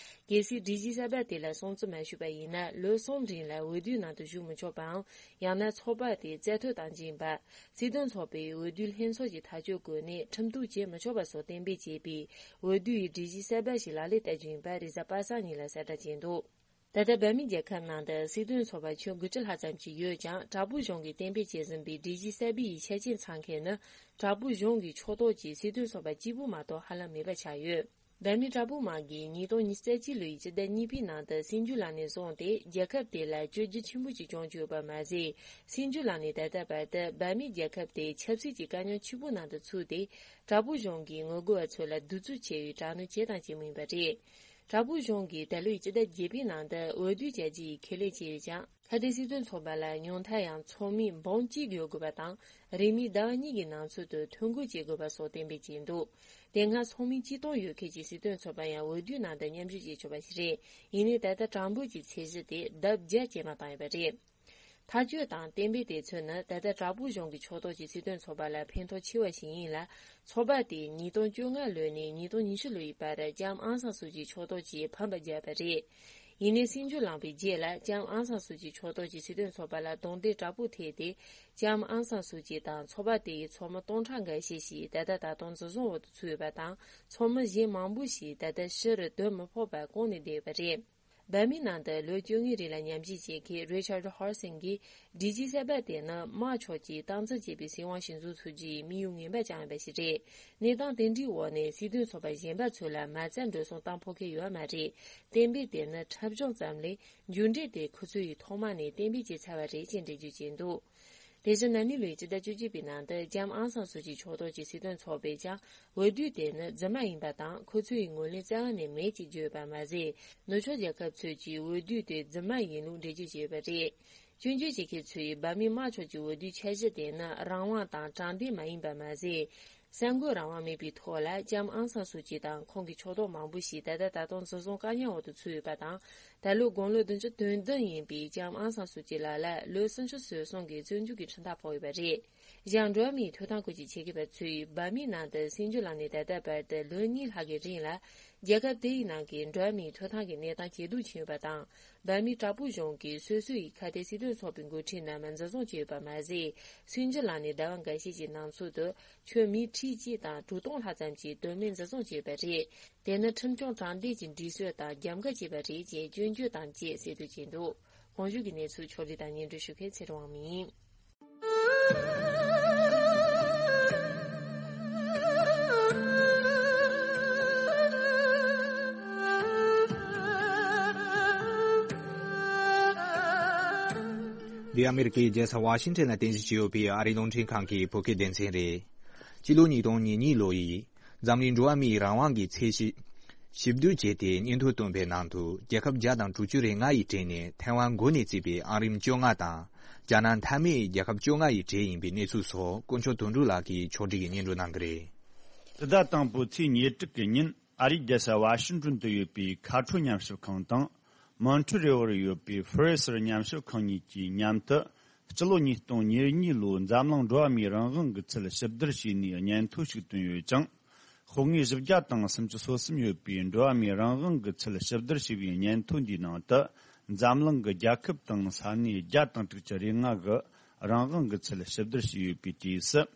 གལ་སྲིད་སྒྲིག་གཞི་གསར་པ་དེ་ལ་སྲུང་བརྩི་མ་ཞུས་པ་ཡིན་ན་ལོ་གསུམ་རིང་ལ་འོས་བསྡུའི་ནང་དུ་ཞུགས་མི་ཆོག་པའམ། ཡང་ན་ཚོགས་པ་དེ་རྩ་གཏོར་བཏང་རྒྱུ་ཡིན་པ། སྲིད་དོན་ཚོགས་པས་འོས་བསྡུའི་ལྷན་ཚོགས་ཀྱི་ཐག་གཅོད་སྐོར་ནས་ཁྲིམས་གཏུག་བྱེད་མི་ཆོག་པ་སོགས་གཏན་འབེབས་བྱས་པའི་འོས་བསྡུ་ཡི་སྒྲིག་གཞི་གསར་པ་ཞིག་ལག་ལེན་བསྟར་རྒྱུ་ཡིན་པ་རེས་གཟའ་པ་སངས་ཉིན་ལ་གསལ་བསྒྲགས་བྱས་འདུག་ད་ལྟ་འབར་མའི་རྒྱལ་ཁབ་ནང་དུ་སྲིད་དོན་ཚོགས་པ་ཁྱོན་དགུ་བཅུ་ལྷག་ཙམ་ཞིག་ཡོད་ཀྱང་། དྲག་པོའི་གཞུང་གིས་གཏན་འབེབས་བྱས་ཟིན་པའི་སྒྲིག་གཞི་གསར་པའི་ཆ་རྐྱེན་ཚང་མཁན་ནི་དྲག་པོའི་གཞུང་གི་ཕྱོགས་གཏོགས་ཀྱི་སྲིད་དོན་ཚོགས་པ་གཅིག་པུ་མ་གཏོགས་ཧ་ལམ་མེད་པ་ཆགས་ཡོད། འབར་མའི་དྲག་པོའི་དམག་གིས་ཉིས་སྟོང་ཉི་ཤུ་རྩ་གཅིག་ལོའི་སྤྱི་ཟླ་གཉིས་པའི་ནང་དུ་སྲིད་འགྱུར་ལངས་ནས་བཟུང་སྟེ། རྒྱལ་ཁབ་དེ་ལ་བཅོས་བསྒྱུར་ཆེན་པོ་ཞིག་བྱུང་ཡོད་པ་མ་ཟད། སྲིད་འགྱུར་ལངས་ནས་ད་ལྟ་བར་དུ་འབར་མའི་རྒྱལ་ཁབ་དེ་ཆབ་སྲིད་ཀྱི་དཀའ་རྙོག་ཆེན་པོའི་ནང་དུ་ཚུད་དེ། དྲག་པོའི་གཞུང་གིས་ངོ་རྒོལ་བ་ཚོ་ལ་གདུག་རྩུབ་ཆེ་བའི་དྲག་གནོན་བྱས་དང་བྱེད་མུས་ཡིན་པ་རེད། དྲག་པོའི་གཞུང་གིས་ད་ལོའི་སྤྱི་ཟླ་བརྒྱད་པའི་ནང་དུ་འོས་བསྡུ་བྱ་རྒྱུ་ཡི་ཁས་ལེན་བྱས་ཡོད་ཀྱང་། ཁ་གཏད་སྲིད་དོན་ཚོགས་པ་ལ་ཉུང་མཐའ་ཡང་ཚོགས་མི་འབུམ་གཅིག་ཡོད་དགོས་པ་དང་། རེས་མོས་ཟླ་བ་གཉིས་ཀྱི་ནང་ཚུད་དུ་ཐོ་འགོད་བྱེད་དགོས་པ་སོགས་གཏན་འབེབས་བྱས་འདུག་དེ་སྔ་ཚོགས་མི་ཆིག་སྟོང་ཡོད་མཁན་གྱི་སྲིད་དོན་ཚོགས་པ་ཡང་འོས་བསྡུའི་ནང་དུ་མཉམ་ཞུགས་བྱེད་ཆོག་པ་ཞིག་རེད། ཡིན་ནའི་ད་ལྟ་གྲངས་འབོར་གྱི་ཚད་གཞི་དེ་ལྡབ་བརྒྱ་ཇེ་མང་བཏང་ཡོད་པ་རེད། ཐག་གཅོད་དང་གཏན་འབེབས་དེ་ཚོ་ནི་ད་ལྟ་དྲག་པོའི་གཞུང་གི་ཕྱོགས་གཏོགས་ཀྱི་སྲིད་དོན་ཚོགས་པ་ལ་ཕན་ཐོགས་ཆེ་བ་ཞིག་ཡིན་ལ། ཚོགས་པ་དེས་ཉིས་སྟོང་བཅོ་ལྔ་ལོ་ནས་ཉིས་སྟོང་ཉི་ཤུ་ལོ་ཡི་བར་ལྕམ་ཨང་སང་སུ་ཅིའི་ཕྱོགས་གཏོགས་ཀྱིས་ཕམ་པ་བརྒྱབ་པ་རེད། ཡིན་ནའི་སྲིད་འགྱུར་ལངས་པའི་རྗེས་ལ་ལྕམ་ཨང་སང་སུ་ཅིའི་ཕྱོགས་གཏོགས་ཀྱི་སྲིད་དོན་ཚོགས་པ་ལ་རྡུང་རྡེག་དྲག་པོ་ཐེབས་ཏེ། ལྕམ་ཨང་སང་སུ་ཅི་དང་ཚོགས་པ་དེ་ཡི་ཚོགས་མི་སྟོང་ཕྲག་འགའ་ཤས་ཤིག་ད་ལྟ་ད་དུང་འཛིན་བཟུང་འོག་ཏུ་ཚུད་ཡོད་པ་དང་། ཚོགས་མི་གཞན་མང་པོ་ཞིག་ད་ལྟ་ཕྱིར་སྡོད་མི་ཕོད་པར་ཁོང་ནས་བསྡད་ཡོད་པ་རེད། འབར་མའི་ནང་དུ་ལོ་བཅོ་ལྔའི་རིང་ལ་ཉམས་ཞིབ་བྱེད་མཁན་རི་ཆར་ཌི་ཧར་སིན་གྱིས། སྒྲིག་གཞི་གསར་པ་དེ་ནི་དམག་ཕྱོགས་ཀྱིས་སྟངས་འཛིན་བྱེད་པའི་སྲིད་དབང་ཞིག་འཛུགས་ཐུབ་རྒྱུའི་དམིགས་ཡུལ་ངན་པ་བཅངས་ཡོད་པ་ཞིག་རེད། གནས་སྟངས་དེ་འདྲའི་འོག་ནས་སྲིད་དོན་ཚོགས་པ་གཞན་པ་ཚོ་ལ་མ་རྩ་འགྲོ་སོང་བཏང་ཕོད་མཁན་ཡོད་མ་རེད། གཏན་འབེབས་དེ་ནི་འཁྲབ་གཞུང་ཙམ་ལས། མཇུག་འབྲས་དེ་ཁོ་ཚོ་ཡིས་ཐོག་མ་ནས་གཏན་འབེབས་བྱས་ཚར་བ་རེད་ཅེས་འགྲེལ་བརྗོད་བྱས་འདུག་དེ་བཞིན་ན་ནིང་ལོའི་སྤྱི་ཟླ་བཅུ་གཅིག་པའི་ནང་དུ་ལྕམ་ཨང་སང་སུ་ཅིའི་ཕྱོགས་གཏོགས་ཀྱི་སྲིད་དོན་ཚོགས་པས་ཀྱང་འོས་བསྡུ་དེ་ནི་རྫུན་མ་ཡིན་པ་དང་། ཁོ་ཚོ་ཡི་ངོས་ལེན་རྩ་བ་ནས་མེད་ཅེས་བརྗོད་པ་མ་ཟད། ནུབ་ཕྱོགས་རྒྱལ་ཁབ་ཚོས་ཀྱིས་འོས་བསྡུ་དེ་རྫུན་མ་ཡིན་ལུགས་འགྲེལ་བརྗོད་བྱས་ཡོད་པ་རེད། སྐྱོན་བརྗོད་བྱེད་མཁན་ཚོས་འབར་མའི་དམག་ཕྱོགས་ཀྱི་འོས་བསྡུའི་འཆར་གཞི་དེ་ནི་རང་དབང་དང་དྲང་བདེན་མ་ཡིན་པ་མ་ཟད། གསར་འགོད་རང་དབང་མེད་པའི་ཐོག་ལ་ལྕམ་ཨང་སང་སུ་ཅི་དང་ཁོང་གི་ཕྱོགས་གཏོགས་མང་པོ་ཞིག་ད་ལྟ་ད་དུང་འཛིན་བཟུང་བཀག་ཉར་འོག་ཏུ་ཚུད་ཡོད་པ་དང་། ད་ལོ་དགུང་ལོ་བདུན་ཅུ་དོན་བདུན་ཡིན་པའི་ལྕམ་ཨང་སང་སུ་ཅི་ལགས་ལ་ལོ་སུམ་ཅུ་སོ་གསུམ་གྱི་བཙོན་འཇུག་གི་ཁྲིམས་ཐག་ཕོག་ཡོད་པ་རེད། གཞན་འགྲོ་བ་མིའི་ཐོབ་ཐང་སྐོར་གྱི་ཆེད་མཁས་པ་ཚོས་འབར་མའི་ནང་དུ་སྲིད་འགྱུར་ལངས་ནས་ད་ལྟ་བར་དུ་ལོ་གཉིས་ལྷག་གི་རིང་ལ། རྒྱལ་ཁབ་དེ་ཡི་ནང་གི་འགྲོ་བ་མིའི་ཐོབ་ཐང་གི་གནས་སྟངས་ཇེ་སྡུག་ཕྱིན་ཡོད་པ་དང་། འབར་མའི་དྲག་པོའི་གཞུང་གིས་སོ་སོ་ཡི་ཁ་གཏད་སྲིད་དོན་ཚོགས་པའི་འགོ་ཁྲིད་རྣམས་འཛིན་བཟུང་བྱས་ཡོད་པ་མ་ཟད། སྲིད་འགྱུར་ལངས་ནས་ཟླ་བ་འགའ་ཤས་ཀྱི་ནང་ཚུད་དུ་ཁྱོན་མི་ཁྲི་གཅིག་དང་དྲུག་སྟོང་ལྷག་ཙམ་གྱིས་དོན་མེད་འཛིན་བཟུང་བྱས་ཡོད་པ་རེད། དེ་ནི་ཁྲིམས་སྐྱོང་དྲང་བདེན་གྱི་སྒྲིག་སྲོལ་དང་རྒྱབ་འགལ་བྱས་པ་རེད་ཅེས་སྐྱོན་བརྗོད་དང་བཅས་གསལ་འདོན་བྱས་འདུག་གོང་ཞུས་ཀྱི་གནས་ཚུལ་ཕྱོགས་སྒྲིག་དང་སྙན་སྒྲོན་ཞུ་མཁན་ཚེ་རིང་དབང་མོ་ཡིན། འདི་ཨ་མེ་རི་ཀའི་རྒྱལ་ས་ཝ་ཤིང་ཊོན་ལ་རྟེན་གཞི་བྱས་ཡོད་པའི་ཨ་རིའི་རླུང་འཕྲིན་ཁང་གི་བོད་སྐད་སྡེ་ཚན་རེད། སྤྱི་ལོ་ཉིས་སྟོང་ཉེར་གཉིས་ལོ་ཡི་འཛམ་གླིང་འགྲོ་བ་མིའི་རང་དབང་གི་ཚད་གཞི་ཞིབ་བསྡུར་བྱས་ཏེ་སྙན་ཐོ་བཏོན་པའི་ནང་དུ། རྒྱལ་ཁབ་བརྒྱ་དང་དྲུག་ཅུ་རེ་ལྔ་ཡི་གྲས་ནས་ཐའེ་ཝན་འགོ་ནས་བརྩིས་པའི་ཨང་རིམ་བཅོ་ལྔ་དང་། རྒྱ་ནག་མཐའ་མའི་རྒྱལ་ཁབ་བཅོ་ལྔ་ཡི་གྲས་ཡིན་པའི་གནས་ཚུལ་སོགས་དཀོན་མཆོག་དོན་གྲུབ་ལགས་ཀྱིས་ཕྱོགས་སྒྲིག་གིས་སྙན་སྒྲོན་གནང་གི་རེད། སྤྱི་ཟླ་དང་པོའི་ཚེས་ཉེར་དྲུག་གི་ཉིན། ཨ་རིའི་རྒྱལ་ས་ཝ་ཤིང་ཏོན་དུ་ཡོད་པའི་ཁ་ཕྲོ་ཉམས་ཞིབ་ཁང་དང་། མོན་ཁྲོལ་རི་བོར་ཡོད་པའི་ཧྥི་རེ་སར་ཉམས་ཞིབ་ཁང་གཉིས་ཀྱིས་མཉམ་དུ། སྤྱི་ལོ་ཉིས་སྟོང་ཉེར་གཉིས་ལོའི་འཛམ་གླིང་འགྲོ་བ་མིའི་རང་དབང་གི་ཚད་ཞིབ་བསྡུར་བྱས་ནས་སྙན་ཐོ་ཞིག་བཏོན་ཡོད་ཅིང་། ཤོག་ངོས་བཞི་བརྒྱ་དང་སུམ་ཅུ་སོ་གསུམ་ཡོད་པའི་འགྲོ་བ་མིའི་རང་དབང་གི་ཚད་ཞིབ་བསྡུར་བྱས་པའི་སྙན་ཐོ་འདིའི་ནང་དུ། འཛམ་གླིང་གི་རྒྱལ་ཁབ་དང་ས་གནས་བརྒྱ་དང་དྲུག་ཅུ་རེ་ལྔ་གི་ རང་དབང་གི་ཚུལ་ཞིབ་བསྡུར་བྱས་ཡོད་པའི་དུས་སུ།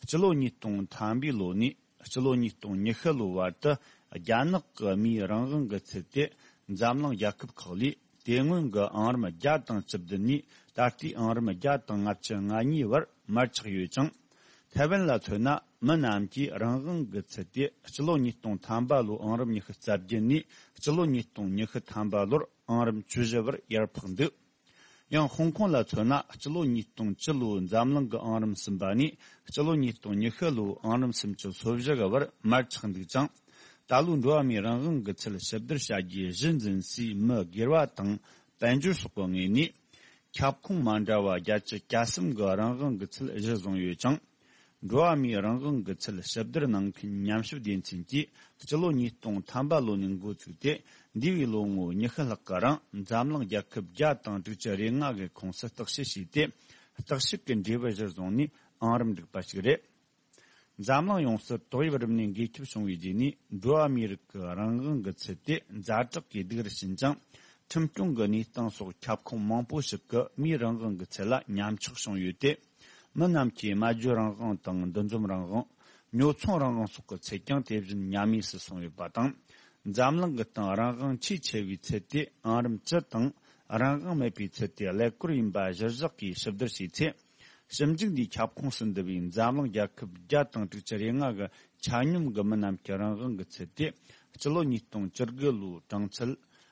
སྤྱི་ལོ་ཉིས་སྟོང་ཐམ་པའི་ལོ་ནས་སྤྱི་ལོ་ཉིས་སྟོང་ཉི་ཤུ་ལོའི་བར་དུ། རྒྱ་ནག་གི་མིའི་རང་དབང་གི་ཚུལ་དེ་འཛམ་གླིང་རྒྱལ་ཁབ་ཁག་ལས་དེ་སྔོན་གྱི་ཨང་རིམ་བརྒྱ་དང་བཅུ་བདུན་ནས་ད་ལྟའི་ཨང་རིམ་བརྒྱ་དང་ལྔ་བཅུ་ང་གཉིས་བར་མར་ཆག་ཡོད་ཅིང་། ཐའེ་ཝན་ལ་མཚོན་ན། མི་རྣམས་ཀྱིས་རང་དབང་གི་ཚུལ་དེ་སྤྱི་ལོ་ཉིས་སྟོང་ཐམ་པ་ལོའི་ཨང་རིམ་ཉི་ཤུ་རྩ་བརྒྱད་ནས་སྤྱི་ལོ་ཉིས་སྟོང་ཉི་ཤུ་ཐམ་པ་ལོར་ཨང་རིམ་བཅུ་བཞི་བར་ཡར་འཕགས་འདུག། ཡང་ཧོང་ཀོང་ལ་མཚོན་ན། སྤྱི་ལོ་ཉིས་སྟོང་བཅུ་ལོའི་འཛམ་གླིང་གི་ཨང་རིམ་གསུམ་པ་ནས་སྤྱི་ལོ་ཉིས་སྟོང་ཉི་ཤུ་ལོའི་ཨང་རིམ་སུམ་ཅུ་སོ་བཞི་གི་བར་མར་ཆག་འདུག་ཅིང་། ད་ལོའི་འགྲོ་བ་མིའི་རང་དབང་གི་ཚུལ་ཞིབ་བསྡུར་བྱ་རྒྱུའི་གཞི་འཛིན་སའི་མི་སྒེར་བ་དང་དཔལ་འབྱོར་སོགས་ཀྱི་ངོས་ནས། ཁྱབ་ཁོངས་མ་འདྲ་བ་བརྒྱད་ཅུ་གྱ་གསུམ་གྱི་རང་དབང་གི་ཚུལ་གཞི་བཟུང་ཡོད་ཅིང་། འགྲོ་བ་མིའི་རང་དབང་གི་ཚུལ་ཞིབ་བསྡུར་གནང་མཁན་ཉམས་ཞིབ་སྡེ་ཚན་གྱིས་སྤྱི་ལོ་ཉིས་སྟོང་ཐམ་པ་ལོ་ནས་འགོ་བཙུགས་ཏེ། འདས་པའི་ལོ་ངོ་ཉི་ཤུ་ལྷག་གི་རིང་འཛམ་གླིང་རྒྱལ་ཁབ་བརྒྱ་དང་དྲུག་ཅུ་རེ་ལྔ་གི་ཁོངས་སུ་བརྟག་དཔྱད་བྱས་ཏེ། བརྟག་དཔྱད་ཀྱི་འབྲས་བུ་གཞིར་བཟུང་ནས་ཨང་རིམ་བསྒྲིགས་པ་ཞིག་རེད། འཛམ་གླིང་ཡོངས་སུ་ཏོག་དབྱིབས་རིམས་ནད་འགོས་ཁྱབ་བྱུང་བའི་རྗེས་ནས། འགྲོ་བ་མིའི་རིགས་ཀྱི་རང་དབང་གི་ཚུལ་དེ་ཛ་དྲག་གི་སྡུག་རུ་ཕྱིན་ཅིང་། ཁྲིམས་སྐྱོང་གི་གནས་སྟངས་སོགས་ཁྱབ་ཁོངས་མང་པོ་ཞིག་གི་མིའི་རང་དབང་གི་ཚུལ་ལ་ཉམས་ཆག་བྱུང་ཡོད་དེ། མི་རྣམས་ཀྱིས་སྨྲ་བརྗོད་རང་དབང་དང་འདུ་འཛོམས་རང་དབང་། ཉོ་ཚོང་རང་དབང་སོགས་ཀྱི་ཚུལ་ཀྱང་དེ་བཞིན་ཉམས་དམས་སུ་སོང་ཡོད་པ་དང་། འཛམ་གླིང་གི་སྟེང་རང་དབང་ཆེས་ཆེ་བའི་ཚུལ་དེ་ཨང་རིམ་བཅུ་དང་། རང་དབང་མེད་པའི་ཚུལ་དེ་ཀླད་ཀོར་ཡིན་པ་གཞིར་བཞག་གིས་ཞིབ་བསྡུར་བྱས་ཚེ། ཞིབ་འཇུག་འདིའི་ཁྱབ་ཁོངས་སུ་འདུ་བའི་འཛམ་གླིང་རྒྱལ་ཁབ་བརྒྱ་དང་དྲུག་ཅུ་རེ་ལྔ་གི་ཆ་སྙོམས་ཀྱི་མི་རྣམས་ཀྱི་རང་དབང་གི་ཚུལ་དེ། སྤྱི་ལོ་ཉིས་སྟོང་བཅུ་དགུ་ལོའི་གྲངས་ཚད་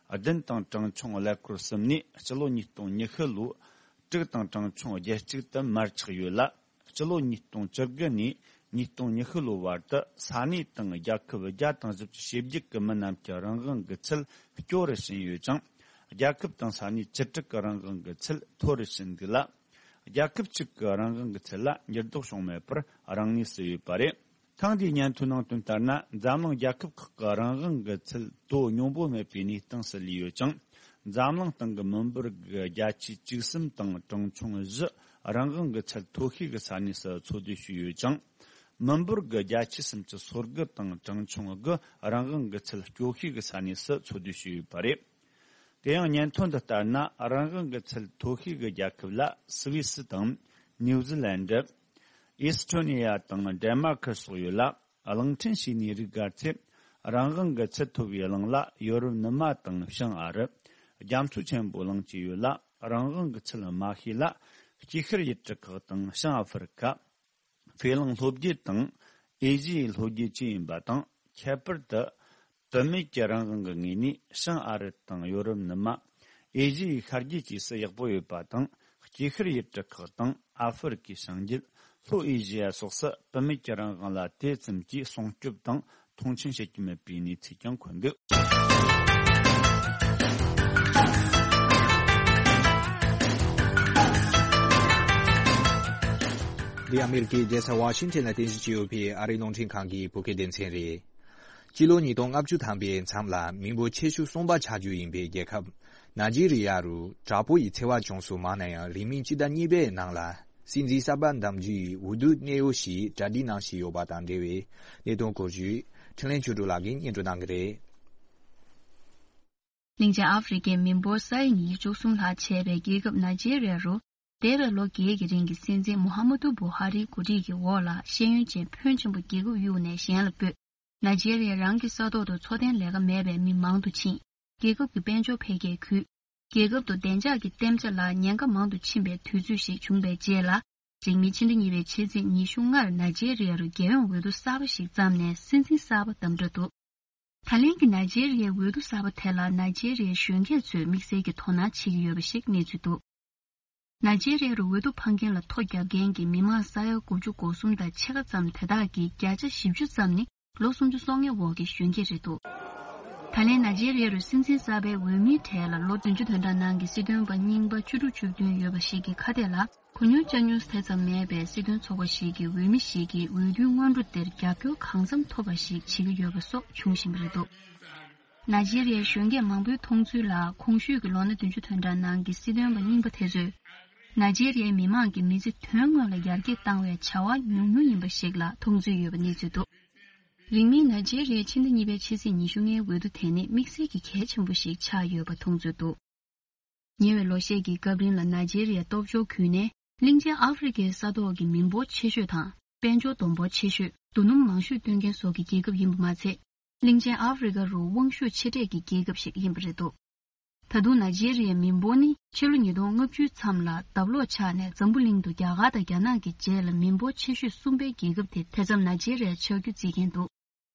བདུན་དང་གྲངས་ཆུང་ཀླད་ཀོར་གསུམ་ནས། སྤྱི་ལོ་ཉིས་སྟོང་ཉི་ཤུ་ལོའི་དྲུག་དང་གྲངས་ཆུང་བརྒྱད་ཅུ་གཅིག་ཏུ་མར་ཆག་ཡོད་ལ། སྤྱི་ལོ་ཉིས་སྟོང་བཅུ་དགུ་ནས་ཉིས་སྟོང་ཉི་ཤུ་ལོའི་བར་དུ་ས་གནས་དང་རྒྱལ་ཁབ་བརྒྱ་དང་བཞི་བཅུ་ཞེ་བརྒྱད་ཀྱི་མི་རྣམས་ཀྱི་རང་དབང་གི་ཚུལ་སྐྱོ་རུ་ཕྱིན་ཡོད་ཅིང་། རྒྱལ་ཁབ་དང་ས་གནས་བཅུ་དྲུག་གི་རང་དབང་གི་ཚུལ་མཐོ་རུ་ཕྱིན་འདུག་ལ། རྒྱལ་ཁབ་གཅིག་གི་རང་དབང་གི་ཚུལ་ལ་འགྱུར་ལྡོག་བྱུང་མེད་པར་རང་གནས་སུ་ཡོད་པ་རེད། ཐེངས་འདིའི་སྙན་ཐོའི་ནང་དོན་ལྟར་ན། འཛམ་གླིང་རྒྱལ་ཁབ་ཁག་གི་རང་དབང་གི་ཚུལ་དོ་སྙོམས་པོ་མེད་པའི་གནས་སྟངས་སུ་ལུས་ཡོད་ཅིང་། འཛམ་གླིང་སྟེང་གི་མི་འབོར་གྱི་བརྒྱ་ཆ་བཅུ་གསུམ་དང་གྲངས་ཆུང་བཞི། རང་དབང་གི་ཚད་མཐོ་ཤོས་ཀྱི་ས་གནས་སུ་འཚོ་སྡོད་བྱས་ཡོད་ཅིང་། མི་འབོར་གྱི་བརྒྱ་ཆ་སུམ་ཅུ་སོ་དགུ་དང་གྲངས་ཆུང་དགུ། རང་དབང་གི་ཚད་སྐྱོ་ཤོས་ཀྱི་ས་གནས་སུ་འཚོ་སྡོད་བྱས་ཡོད་པ་རེད། དེ་ཡང་སྙན་ཐོ་འདི་ལྟར་ན། རང་དབང་གི་ཚད་མཐོ་ཤོས་ཀྱི་རྒྱལ་ཁབ་ལ་སུད་སི་དང་། ནིའུ་ཛི་ལན་ཌི། ཨི་སི་ཊོ་ནི་ཡ་དང་ཌེན་མར་ཀི་སོགས་ཡོད་ལ། གླིང་ཕྲན་ཞིག་ནས་རིགས་བགར་ཚེ། རང་དབང་གི་ཚད་མཐོ་བའི་གླིང་ལ་ཡོ་རོབ་ནུབ་མ་དང་བྱང་ཨ་རི། རྒྱ་མཚོ་ཆེན་པོའི་གླིང་བཅས་ཡོད་ལ། རང་དབང་གི་ཚད་དམའ་ཤོས་ལ་སྐྱེ་ཤར་ཡུལ་གྲུ་ཁག་དང་བྱང་ཨ་ཧྥེ་རི་ཁ། ཧྥེ་གླིང་ལྷོ་རྒྱུད་དང་ཨེ་ཤི་ཡའི་ལྷོ་རྒྱུད་བཅས་ཡིན་པ་དང་། ཁྱད་པར་དུ། བུད་མེད་ཀྱི་རང་དབང་གི་ངོས་ནས་བྱང་ཨ་རི་དང་ཡོ་རོབ་ནུབ་མ། ཨེ་ཤི་ཡའི་ཤར་རྒྱུད་བཅས་སུ་ཡག་པོ་ཡོད་པ་དང་། སྐྱེ་ཤར་ཡུལ་གྲུ་ཁག་དང་ཨ་ཧྥེ་རི་ཁའི་བྱང་རྒྱུད། ལྷོ་ཨེ་ཤི་ཡ་སོགས་སུ་བུད་མེད་ཀྱི་རང་དབང་ལ་དེ་ཙམ་གྱིས་སྲུང་སྐྱོབ་དང་མཐོང་ཆེན་བྱེད་ཀྱི་མེད་པའི་གནས་ཚུལ་ཀྱང་འཁོད་འདུག། འདི་ཨ་མེ་རི་ཀའི་རྒྱལ་ས་ཝ་ཤིང་ཊོན་ལ་རྟེན་གཞི་བྱས་ཡོད་པའི་ཨ་རིའི་རླུང་འཕྲིན་ཁང་གི་བོད་སྐད་སྡེ་ཚན་རེད། སྤྱི་ལོ་ཉིས་སྟོང་ལྔ་བཅུ་ཐམ་པའི་མཚམས་ལ་མི་འབོར་ཆེ་ཤོས་གསུམ་པ་ཆགས་རྒྱུ་ཡིན་པའི་རྒྱལ་ཁབ་ནཱི་ཇི་རི་ཡ་རུ་དྲག་པོ་ཡི་འཚེ་བ་བྱུང་སོང་མང་ན་ཡང་རིང་མིན་སྤྱི་ཟླ་གཉིས་པའི་ནང་ལ་སྲིད་འཛིན་གསར་པ་འདེམས་རྒྱུའི་འོས་བསྡུ་གནད་ཡོད་ཞིག་གྲ་སྒྲིག་གནང་བཞིན་ཡོད་པ་དང་འབྲེལ་བའི་གནད་དོན་སྐོར་ཞུས། འཕྲིན་ལས་ཆོས་སྒྲོན་ལགས་ཀྱིས་སྙན་སྒྲོན་གནང་གི་རེད། གླིང་ཆེན་ཨ་ཧྥེ་རི་ཁའི་མི་འབོར་ས་ཡ་ཉིས་བཅུ་གསུམ་ལྷག་བྱས་པའི་རྒྱལ་ཁབ་ནཱི་ཇི་རི་ཡ་རུ། འདས་པའི་ལོ་བརྒྱད་ཀྱི་རིང་གི་སྲིད་འཛིན་མུ་ཧམ་མ་ཏུ་བུ་ཧ་རིའི་འགོ་ཁྲིད་ཀྱི་འོག་ལ་ཤེས་ཡོན་ཅན་ཕོན་ཆེན་པོ་རྒྱལ་ཁབ་གཡུགས་ནས་གཞན་ལ་སྤོས། ནཱི་ཇི་རི་ཡ་རང་གི་ས་ཐོག་ཏུ་འཚོ་རྟེན་ལས་ཀ་མེད་པའི་མི་མང་དུ་ཕྱིན། རྒྱལ་ཁབ་ཀྱི་དཔལ་འབྱོར་འཕེལ་རྒྱས་རྒུད། རྒྱལ་ཁབ་ཏུ་བདེ་འཇགས་ཀྱི་གཏན་འཇགས་ལ་ཉེན་ཁ་མང་དུ་ཕྱིན་པའི་དུས་ཚོད་ཞིག་བྱུང་བའི་རྗེས་ལ། རིང་མིན་ཕྱི་ཟླ་གཉིས་པའི་ཕྱི་ཚེས་ཉི་ཤུ་ལྔ་ནཱི་ཇི་རི་ཡ་རུ་རྒྱལ་ཡོངས་འོས་བསྡུ་གསར་པ་ཞིག་བརྩམས་ནས་སྲིད་འཛིན་གསར་པ་བདམས་གྲབས་འདུག། ད་ལན་གྱི་ནཱི་ཇི་རི་ཡའི་འོས་བསྡུ་གསར་པ་དེ་ལ་ནཱི་ཇི་རི་ཡའི་གཞོན་སྐྱེས་ཚོས་དམིགས་བསལ་གྱི་དོ་སྣང་བྱེད་ཀྱི་ཡོད་པ་ཞིག་གནས་ཚུལ་འདུག། ནཱི་ཇི་རི་ཡ་རུ་འོས་བསྡུ་འཕང་མཁན་ལ་ཐོ་བརྒྱབ་མཁན་གྱི་མི་མང་ས་ཡ་དགུ་བཅུ་གོ་གསུམ་དང་ཕྱེད་ཀ་ཙམ་དེ་དག་གི་བརྒྱ་ཆ་བཞི་བཅུ་ཙམ་ནི་ལོ་སུམ་ཅུ་སོ་ལྔའི་འོག་གི་གཞོན་སྐྱེས་རེད་འདུག། ད་ལན་ནཱི་ཇི་རི་ཡ་རུ་སྲིད་འཛིན་གསར་པའི་འོས་མིའི་གྲས་ལ་ལོ་བདུན་ཅུ་དོན་གྲངས་ནང་གི་སྲིད་དོན་པ་རྙིང་པ་བཅུ་དྲུག་བཅུ་བདུན་ཡོད་པ་ཞིག་གི་ཁ་གཏད་ལ། གུ་ཉུང་ཅ་ཉུང་དེ་ཙམ་མེད་པའི་སྲིད་དོན་ཚོགས་པ་ཞིག་གི་འོས་མི་ཞིག་གིས་འོས་བསྡུའི་སྔོན་འགྲོ་དེར་རྒྱབ་སྐྱོར་གང་འཚམ་ཐོབ་པ་ཞིག་བྱེད་ཀྱི་ཡོད་པ་སོགས་བྱུང་བཞིན་པ་རེད་འདུག། ནཱི་ཇི་རི་ཡའི་གཞོན་སྐྱེས་མང་པོའི་མཐོང་ཚུལ་ལ། གོང་ཞུས་ཀྱི་ལོ་ན་བདུན་ཅུ་དོན་གྲངས་ནང་གི་སྲིད་དོན་པ་རྙིང་པ་དེ་ཚོས། ནཱི་ཇི་རི་ཡའི་མི་མང་གི་མི་ཚེ་དོན་དངོས་ལ་ཡར་རྒྱས་བཏང་བའི་བྱ་བ་ཉུང་ཉུང་ཡིན་པ་ཞིག་ལ་མཐོང་ཚུལ་ཡོད་པ་གནས་ཚུལ་འདུག། རིང་མིན་ནཱི་ཇི་རི་ཡའི་ཕྱི་ཟླ་གཉིས་པའི་ཕྱི་ཚེས་ཉི་ཤུ་ལྔའི་འོས་བསྡུ་དེ་ནི་དམིགས་བསལ་གྱི་གལ་ཆེན་པོ་ཞིག་ཆགས་ཡོད་པ་མཐོང་ཚུལ་འདུག། ཉེ་བའི་ལོ་ཤས་ཀྱི་སྐབས་རིང་ལ་ནཱི་ཇི་རི་ཡའི་སྟོབས་འབྱོར་ཁུལ་ནས་ གླིང་ཆེན་ཨ་ཧྥེ་རི་ཁའི་ས་ཐོག་གི་མི་འབོར་ཆེ་ཤོས་དང་། དཔལ་འབྱོར་བསྡོམས་འབོར་ཆེ་ཤོས། རྡོ་སྣུམ་མང་ཤོས་བཏོན་མཁན་སོགས་ཀྱི་རྒྱལ་ཁབ་ཡིན་པ་མ་ཚད། གླིང་ཆེན་ཨ་ཧྥེ་རི་ཁ་རུ་དབང་ཤུགས་ཆེ་གྲས་ཀྱི་རྒྱལ་ཁབ་ཞིག་ཡིན་པ་རེད་འདུག་ད་དུང་ནཱི་ཇེ་རི་ཡའི་མི་འབོར་ནི་ཕྱི་ལོ་ཉིས་སྟོང་ལྔ་བཅུའི་མཚམས་ལ་ལྡབ་ལོག་ཆག་ནས་འཛམ་བུ་གླིང་དུ་རྒྱ་གར་དང་རྒྱ་ནག་གི་རྗེས་ལ་མི་འབོར་ཆེ་ཤོས་གསུམ་པའི་རྒྱལ་ཁབ་དེ་དེ་མཚམས་ནཱི་ཇེ་རི་ཡ་ཆགས་རྒྱུ་བརྩི་མཁན་འདུག་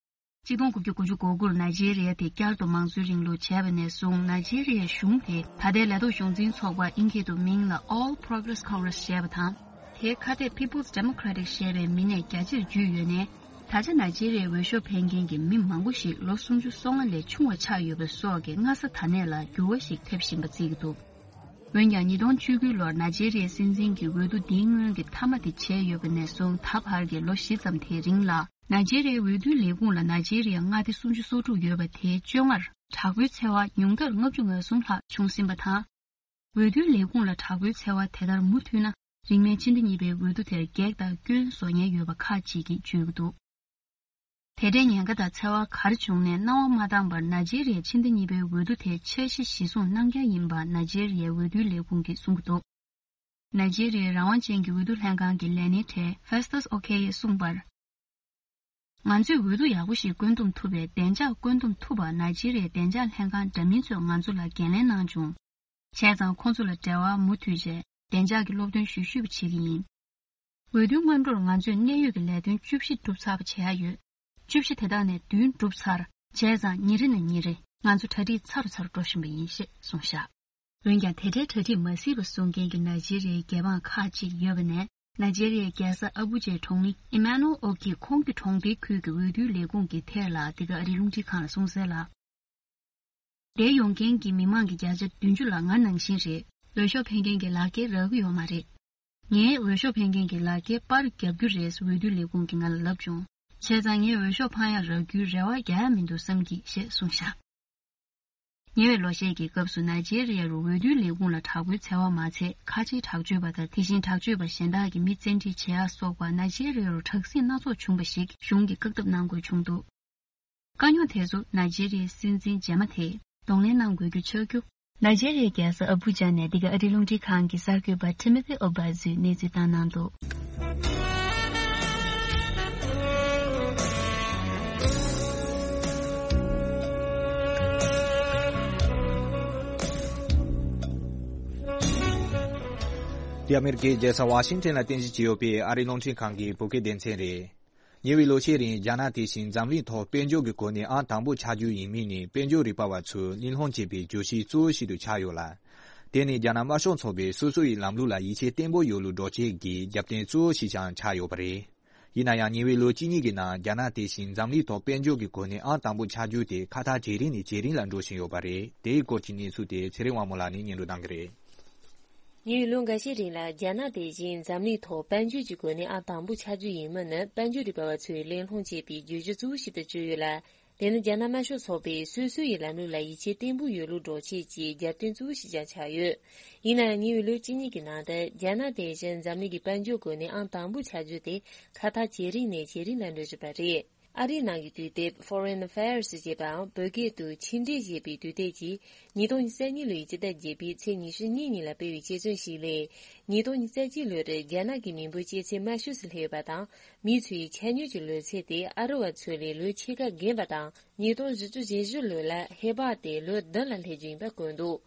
གཅིག་སྟོང་དགུ་བརྒྱ་དགུ་བཅུ་གོ་དགུ་ལ་ནཱི་ཇེ་རི་ཡ་དེ་བསྐྱར་དུ་མང་གཙོའི་རིང་ལུགས་བྱས་པ་ནས་བཟུང་ནཱི་ཇེ་རི་ཡའི་གཞུང་དེ་ད་ལྟའི་ལས་ཐོག་གཞུང་འཛིན་ཚོགས་པ་ཨིན་སྐད་དུ་མིང་ལ་All Progress Congress ཞེས་པ་དང་། དེའི་ཁ་གཏད་People's Democratic ཞེས་པའི་མིང་ནས་རྒྱ་ཆེར་བརྒྱུད་ཡོད་ནའི། ད་ཆ་ནཱི་ཇེ་རི་ཡའི་འོས་ཤོག་འཕེན་མཁན་གྱི་མི་མང་པོ་ཞིག་ལོ་སུམ་ཅུ་སོ་ལྔ་ལས་ཆུང་བ་ཆགས་ཡོད་པ་སོགས་ཀྱི་སྔ་ས་ད་ནས་ལ་འགྱུར་བ་ཞིག་ཐེབས་བཞིན་པ་བརྩི་གི་འདུག་འོན་ཀྱང་ཉིས་སྟོང་བཅུ་དགུ་ལོར་ནཱི་ཇེ་རི་ཡའི་སྲིད་འཛིན་གྱི་འོས་བསྡུ་འདིའི་སྔོན་གྱི་མཐའ་མ་དེ་བྱས་ཡོད་པ་ནས་བཟུང་ད་བར་གྱི་ལོ་བཞི་ཙམ་དེའི་རིང་ལ། ནཱི་ཇེ་རི་ཡའི་འོས་བསྡུའི་ལས་ཁུངས་ལ་ནཱི་ཇེ་རི་ཡའི་མངའ་སྡེ་སུམ་ཅུ་སོ་དྲུག་ཡོད་པ་དེའི་བཅོ་ལྔར་དྲག་པོའི་འཚེ་བ་ཉུང་མཐར་ལྔ་བཅུ་ང་གསུམ་ལྷག་བྱུང་ཟིན་པ་དང་། འོས་བསྡུའི་ལས་ཁུངས་ལ་དྲག་པོའི་འཚེ་བ་དེ་ལྟར་མུ་མཐུད་ན། རིང་མིན་ཕྱི་ཟླ་གཉིས་པའི་འོས་བསྡུ་དེར་གེགས་དང་སྐྱོན་བཟོ་ཉེན་ཡོད་པ་ཁག་ཅིག་གིས་བརྗོད་ཀྱི་འདུག་དེ་འདྲའི་ཉེན་ཁ་དང་འཚེ་བ་ག་རེ་བྱུང་ནས་སྣང་བ་མ་བཏང་བར་ནཱི་ཇེ་རི་ཡའི་ཕྱི་ཟླ་གཉིས་པའི་འོས་བསྡུ་དེ་འཆར་གཞི་གཞིར་བཟུང་གནང་འཆར་ཡིན་པ་ནཱི་ཇེ་རི་ཡའི་འོས་བསྡུའི་ལས་ཁུངས་ཀྱིས་གསུང་གི་འདུག་ནཱི་ཇེ་རི་ཡའི་རང་དབང་ཅན་གྱི་འོས་བསྡུ་ལྷན་ཁང་གི་ལས་སྣེ་གྲས་Festus Okoye གསུངས་པར། ང་ཚོས་འོས་བསྡུ་ཡག་པོ་ཞིག་བཀོད་འདོམས་ཐུབ་པའི་བདེ་འཇགས་བཀོད་འདོམས་ཐུབ་པར་ནཱི་ཇེ་རི་ཡའི་བདེ་འཇགས་ལྷན་ཁང་འདྲ་མིན་ཚོས་ང་ཚོ་ལ་འགན་ལེན་གནང་བྱུང་། བྱས་ཙང་ཁོང་ཚོ་ལ་འབྲེལ་བ་མུ་མཐུད་བྱས་བདེ་འཇགས་ཀྱི་སློབ་སྟོན་ཞུ་ཞུས་པ་བྱེད་ཀྱི་ཡིན། འོས་བསྡུའི་སྔོན་འགྲོར་ང་ཚོས་གནད་ཡོད་ཀྱི་ལས་དོན་བཅུ་བཞི་གྲུབ་ཚར་བ་བྱེད་ཡ་ཡོད། བཅུ་བཞི་དེ་དག་ནས་བདུན་གྲུབ་ཚར། བྱས་ཙང་ཉིན་རེ་ནས་ཉིན་རེ་ང་ཚོ་གྲ་སྒྲིག་ཚ་རུ་ཚ་རུ་འགྲོ་བཞིན་པ་ཡིན་ཞེས་གསུངས་བཞག་འོན་ཀྱང་དེ་འདྲའི་གྲ་སྒྲིག་མ་སྲིད་པ་གསུང་མཁན་གྱི་ནཱི་ཇེ་རི་ཡའི་རྒྱལ་འབངས་ཁག་ཅིག་ཡོད་པ་ནས། ནཱི་ཇེ་རི་ཡའི་རྒྱལ་ས་ཨ་བུ་ཇའི་གྲོང་མི་ཨི་མ་ནུ་ཨོ་ཀི་ཁོང་གི་གྲོང་སྡེའི་ཁུལ་གྱི་འོས་བསྡུའི་ལས་ཁུངས་ཀྱི་ཐད་ལ་འདི་ག་ཨ་རིའི་རླུང་འཕྲིན་ཁང་ལ་གསུངས་གསལ་ལ། འདིར་ཡོང་མཁན་གྱི་མི་མང་གི་བརྒྱ་ཆ་བདུན་ཅུ་ལ་ང་ནང་བཞིན་རེད། འོས་ཤོག་འཕེན་མཁན་གྱི་ལག་འཁྱེར་རག་གི་ཡོད་མ་རེད། ངས་འོས་ཤོག་འཕེན་མཁན་གྱི་ལག་འཁྱེར་པར་བརྒྱབ་རྒྱུ་རེད། འོས་བསྡུ་ལས་ཁུངས་ཀྱིས་ང་ལ་ལབ་བྱུང་། བྱས་ཙང་ངས་འོས་ཤོག་འཕང་ཡ་རག་རྒྱུའི་རེ་བ་རྒྱག་ཡ་མི་འདུག་བསམ་གྱིས་ཞེས་གསུངས་བཞག་ཉེ་བའི་ལོ་ཤས་ཀྱི་སྐབས་སུ་ནཱི་ཇེ་རི་ཡ་རུ་འོས་བསྡུའི་ལས་ཁུངས་ལ་དྲག་པོའི་འཚེ་བ་མ་ཚད་ཁ་ཆེའི་དྲག་སྤྱོད་པ་དང་དེ་བཞིན་དྲག་སྤྱོད་པ་གཞན་དག་གིས་མི་བཙན་ཁྲིད་བྱེད་ཡ་སོགས་པ་ནཱི་ཇེ་རི་ཡ་རུ་དྲག་ཟིང་སྣ་ཚོགས་བྱུང་བ་ཞིག་གཞུང་གིས་བཀག་སྡོམ་གནང་དགོས་བྱུང་འདུག་དཀའ་རྙོག་དེ་ཚོ་ནཱི་ཇེ་རི་ཡའི་སྲིད་འཛིན་རྗེས་མ་དེས་གདོང་ལེན་གནང་དགོས་རྒྱུ་ཆགས་རྒྱུ། ནཱི་ཇེ་རི་ཡའི་རྒྱལ་ས་ཨ་བུ་ཇ་ནས་འདི་ག་ཨ་རིའི་རླུང་འཕྲིན་ཁང་གི་གསར་འགོད་པ་Timothy Obaizu གནས་ཚུལ་བཏང་གནང་འདུག་འདི་ཨ་མེ་རི་ཀའི་རྒྱལ་ས་ཝ་ཤིང་ཊོན་ལ་རྟེན་གཞི་བྱས་ཡོད་པའི་ཨ་རིའི་རླུང་འཕྲིན་ཁང་གི་བོད་སྐད་སྡེ་ཚན་རེད། ཉེ་བའི་ལོ་ཤས་རིང་རྒྱ་ནག་དེ་བཞིན་འཛམ་གླིང་ཐོག་དཔལ་འབྱོར་གྱི་གོ་གནས་ཨང་དང་པོ་ཆགས་རྒྱུ་ཡིན་མིན་ནི་དཔལ་འབྱོར་རིག་པ་བ་ཚོས་གླེང་སློང་བྱེད་པའི་བརྗོད་གཞི་གཙོ་བོ་ཞིག་ཏུ་ཆགས་ཡོད་ལ། དེ་ནི་རྒྱ་ནག་དམར་ཤོག་ཚོགས་པའི་སོ་སོ་ཡི་ལམ་ལུགས་ལ་ཡིད་ཆེས་བརྟན་པོ་ཡོད་ལུགས་སྒྲོག་བྱེད་ཀྱི་རྒྱབ་རྟེན་གཙོ་བོ་ཞིག་ཀྱང་ཆགས་ཡོད་པ་རེད། ཡིན་ན་ཡང་ཉེ་བའི་ལོ་གཅིག་གཉིས་ཀྱི་ནང་རྒྱ་ནག་དེ་བཞིན་འཛམ་གླིང་ཐོག་དཔལ་འབྱོར་གྱི་གོ་གནས་ཨང་དང་པོ་ཆགས་རྒྱུ་དེ་ཁ་ཐག་ཇེ་རིང་ནས་ཇེ་རིང་ལ་འགྲོ་བཞིན་ཡོད་པ་རེད། དེའི་སྐོར་གྱི་གནས་ཚུལ་དེ་ཚེ་རིང་དབང་མོ་ལགས་ནས་སྙན་སྒྲོན་གནང་གི་རེད། ཉེ་བའི་ལོ་འགའ་ཤས་རིང་ལ་རྒྱ་ནག་དེ་བཞིན་འཛམ་གླིང་ཐོག་དཔལ་འབྱོར་གྱི་གོ་གནས་ཨང་དང་པོ་ཆགས་རྒྱུ་ཡིན་མིན་ནི་དཔལ་འབྱོར་རིག་པ་བ་ཚོས་གླེང་སློང་བྱེད་པའི་བརྗོད་གཞི་གཙོ་བོ་ཞིག་ཏུ་གྱུར་ཡོད་ལ། དེ་ནི་རྒྱ་ནག་དམར་ཤོག་ཚོགས་པས་སོ་སོ་ཡི་ལམ་ལུགས་ལ་ཡིད་ཆེས་བརྟན་པོ་ཡོད་ལུགས་སྒྲོག་བྱེད་ཀྱི་རྒྱབ་རྟེན་གཙོ་བོ་ཞིག་ཀྱང་ཆགས་ཡོད། ཡིན་ན་ཡང་ཉེ་བའི་ལོ་གཅིག་གཉིས་ཀྱི་ནང་དུ་རྒྱ་ནག་དེ་བཞིན་འཛམ་གླིང་གི་དཔལ་འབྱོར་གོ་གནས་ཨང་དང་པོ་ཆགས་རྒྱུ་དེ་ཁ་ཐག་ཇེ་རིང་ནས་ཇེ་རིང་ལ་འགྲོ་བཞིན་པ་རེད། ཨ་རིའི་ནང་གི་དུས་དེབ་Foreign Affairs ཞེས་པའམ་བོད་སྐད་དུ་ཕྱི་འབྲེལ་ཞེས་པའི་དུས་དེབ་ཀྱིས་ཉིས་སྟོང་ཉི་ཤུ་རྩ་གཉིས་ལོའི་སྤྱི་ཟླ་བརྒྱད་པའི་ཚེས་ཉི་ཤུ་གཉིས་ཉིན་ལ་སྤེལ་བའི་དཔྱད་རྩོམ་ཞིག་ལས། ཉིས་སྟོང་ཉི་ཤུ་རྩ་གཅིག་ལོར་རྒྱ་ནག་གི་མི་འབོར་སྐྱེས་ཚེས་དམའ་ཤོས་སུ་སླེབས་ཡོད་པ་དང་། མི་ཚོའི་ཆ་སྙོམས་ཀྱི་ལོ་ཚད་དེ་ཨ་རི་བ་ཚོ་ལས་ལོའི་ཕྱེད་ཀ་རྒན་པ་དང་། ཉིས་སྟོང་བཞི་བཅུ་ཞེ་བཞི་ལོ་ལ་ཧེ་བག་དེ་ལོ་བདུན་ལ་སླེབས་རྒྱུ་ཡིན་པ་བཀོད་འདུག་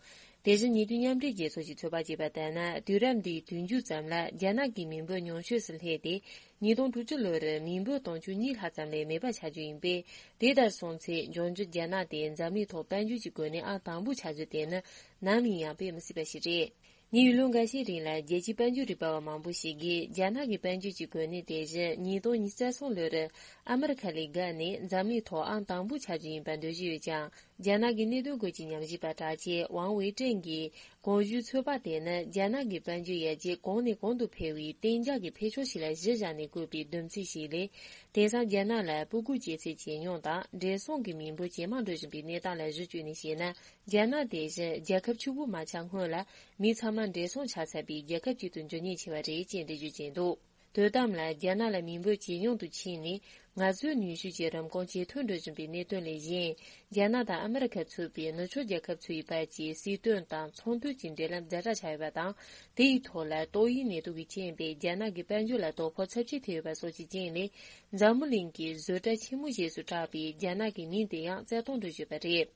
དེ་བཞིན་ཉེ་དུས་མཉམ་འབྲེལ་རྒྱལ་ཚོགས་ཀྱི་ཚོད་དཔག་བྱས་པ་ལྟར་ན། དུས་རབས་འདིའི་དུས་མཇུག་ཙམ་ལ་རྒྱ་ནག་གི་མི་འབོར་ཉུང་ཤོས་སུ་སླེབས་ཏེ། ཉིས་སྟོང་དྲུག་ཅུ་ལོར་མི་འབོར་དུང་ཕྱུར་གཉིས་ལྷག་ཙམ་ལས་མེད་པ་ཆགས་རྒྱུ་ཡིན་པས། དེ་ལྟར་སོང་ཚེ་འབྱུང་འགྱུར་རྒྱ་ནག་དེ་འཛམ་གླིང་ཐོག་དཔལ་འབྱོར་གྱི་གོ་གནས་ཨང་དང་པོ་ཆགས་རྒྱུ་དེ་ནི་ནམ་ཡིན་ཡང་དཔེ་མི་སྲིད་པ་ཞིག་རེད། ཉེ་བའི་ལོ་འགའ་ཤས་རིང་ལ་རྒྱལ་སྤྱིའི་དཔལ་འབྱོར་རིག་པ་བ་མང་པོ་ཞིག་གིས་རྒྱ་ནག་གི་དཔལ་འབྱོར་གྱི་གོ་གནས་དེ་བཞིན་ཉིས་སྟོང་ཉི་ཤུ་རྩ་གསུམ་ལོར་ཨ་མི་རི་ཁ་ལས་བརྒལ་ནས་འཛམ་གླིང་ཐོག་ཨང་དང་པོ་ཆགས་རྒྱུ་ཡིན་པར་འདོད་ཀྱི་ཡོད་ཀྱང་། རྒྱ་ནག་གི་གནད་དོན་སྐོར་གྱི་ཉམས་ཞིབ་པ་གྲགས་ཅན་ཝང་ཝེ་ཀྲེང་གིས་གོང་ཞུས་ཚོད་དཔག་དེ་ནི་རྒྱ་ནག་གི་དཔལ་འབྱོར་ཡར་རྒྱས་གོང་ནས་གོང་དུ་འཕེལ་བའི་གཏན་འཇགས་ཀྱི་འཕེལ་ཕྱོགས་ཤིག་ལ་གཞི་བཞག་ནས་བཀོད་པའི་སྡོམ་ཚིག་ཞིག་ལས། དེང་སང་རྒྱ་ནག་ལ་སྤུ་གུ་སྐྱེ་ཚད་ཇེ་ཉུང་དང་། བགྲེས་སོང་གི་མི་འབོར་ཇེ་མང་འགྲོ་བཞིན་པའི་གནས་སྟངས་ལ་གཞི་བཅོལ་ནས་བཤད་ན། རྒྱ་ནག་དེ་བཞིན་རྒྱལ་ཁབ་ཕྱུག་པོ་མ་ཆགས་སྔོན་ལ་མི་ཚང་མ་བགྲེས་སོང་ཆགས་ཚར་བའི་རྒྱལ་ཁབ་ཅིག་ཏུ་འགྱུར་ཉེན་ཆེ་བ་རེད་ཅེས་འགྲེལ་བརྗོད་བྱས་འདུག་དོན་དམ་ལ་རྒྱ་ནག་ལ་མི་འབོར་ཇེ་ཉུང་དུ་ཕྱིན་ནས། ང་ཚོའི་ནུས་ཤུགས་ཀྱི་རིན་གོང་ཇེ་མཐོར་འགྲོ་བཞིན་པའི་གནད་དོན་ལས་གཞན། རྒྱ་ནག་དང་ཨ་མི་རི་ཁ་ཚུད་པའི་ནུབ་ཕྱོགས་རྒྱལ་ཁབ་ཚོའི་བར་གྱི་སྲིད་དོན་དང་ཚོང་དོན་གྱི་འབྲེལ་ལམ་ཛ་དྲག་ཆགས་ཡོད་པ་དང་། དེ་ཡི་ཐོག་ལ་ཏོག་དབྱིབས་ནད་དུག་གིས་རྐྱེན་པས་རྒྱ་ནག་གི་དཔལ་འབྱོར་ལ་དོ་ཕོག་ཚབས་ཆེ་ཐེབས་ཡོད་པ་སོགས་ཀྱི་རྐྱེན་ལས། འཛམ་བུ་གླིང་གི་བཟོ་གྲྭ་ཆེན་མོ་ཞེས་སུ་གྲགས་པའི་རྒྱ་ནག་གི་མིང་དེ་ཡང་བཙན་བཏང་འགྲོ་བཞིན་པ་རེད།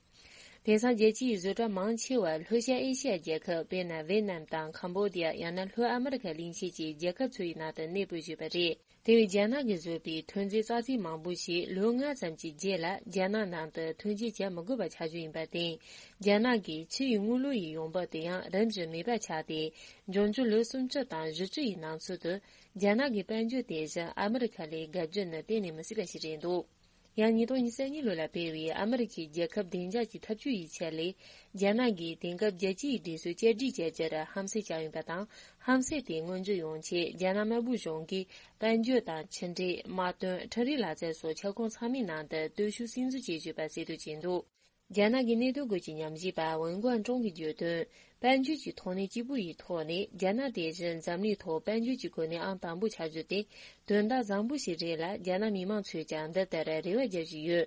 དེང་སང་རྒྱལ་སྤྱིའི་བཟོ་གྲྭ་མང་ཆེ་བ་ལྷོ་ཤར་ཨེ་ཤི་ཡ་རྒྱལ་ཁབ། དཔེར་ན། ཝེ་ནམ་དང་ཁམ་བྷོ་ཌི་ཡ། ཡང་ན་ལྷོ་ཨ་མི་རི་ཁ་གླིང་ཆེན་གྱི་རྒྱལ་ཁབ་ཚོ་ཡི་ནང་དུ་གནས་སྤོས་ཡོད་པ་རེད། དེ་བས་རྒྱ་ནག་གིས་བཟོས་པའི་ཐོན་རྫས་རྩ་ཚིག་མང་པོ་ཞིག་ལོ་ལྔ་ཙམ་གྱི་རྗེས་ལ་རྒྱ་ནག་ནང་དུ་ཐོན་སྐྱེད་བྱ་མི་དགོས་པ་ཆགས་རྒྱུ་ཡིན་པར་བརྟེན། རྒྱ་ནག་གི་ཕྱི་ཡི་དངུལ་ལོར་ཡི་ཡོང་འབབ་དེ་ཡང་རིམ་བཞིན་མེད་པ་ཆགས་ཏེ། འབྱུང་འགྱུར་ལོ་སུམ་ཅུ་དང་བཞི་བཅུ་ཡི་ནང་ཚུད་དུ། རྒྱ་ནག་གི་དཔལ་འབྱོར་དེ་བཞིན་ཨ་མི་རི་ཁ་ལས་དགའ་རྒྱུ་ནི་གཏན་ནས་མི་སྲིད་པ་ཞིག་རེད་འདུག་ཡང་ཉིས་སྟོང་ཉི་ཤུ་རྩ་གཉིས་ལོ་ལ་སྤེལ་བའི་ཨ་མི་རི་ཁའི་རྒྱལ་ཁབ་བདེ་འཇགས་ཀྱི་ཐབས་ཇུས་ཡི་ཆེད་ལས། རྒྱ་ནག་གིས་དེང་སྐབས་རྒྱལ་སྤྱིའི་སྒྲིག་སྲོལ་བསྐྱར་སྒྲིག་བྱ་རྒྱུར་ཧམ་སེམས་བཅངས་ཡོད་པ་དང་། ཧམ་སེམས་དེ་མངོན་འགྱུར་ཡོང་ཆེད་རྒྱ་ནག་དམར་པོའི་གཞུང་གིས་དཔལ་འབྱོར་དང་ཕྱི་འབྲེལ། དམག་དོན། འཕྲུལ་རིག་ལག་རྩལ་སོགས་ཁྱབ་ཁོངས་ཚང་མའི་ནང་དུ་སྟོབས་ཤུགས་སིམ་འཛུལ་བྱེད་བཞིན་པ་གསལ་སྟོན་བྱས་འདུག་རྒྱ་ནག་གི་གནད་དོན་སྐོར་གྱི་ཉམས་ཞིབ་པ་ཝུན་ཀོན་ཀྲུང་གིས་བརྗོད་དོན། དཔལ་འབྱོར་གྱི་ཐོག་ནས་གཅིག་པུ་ཡི་ཐོག་ནས་རྒྱ་ནག་དེ་བཞིན་འཛམ་གླིང་ཐོག་དཔལ་འབྱོར་གྱི་གོ་གནས་ཨང་དང་པོ་ཆགས་རྒྱུ་དེ་དོན་དག་བཟང་པོ་ཞིག་རེད་ལ། རྒྱ་ནག་མི་མང་ཚོས་ཀྱང་འདི་ལྟར་རེ་བ་རྒྱག་བཞིན་ཡོད།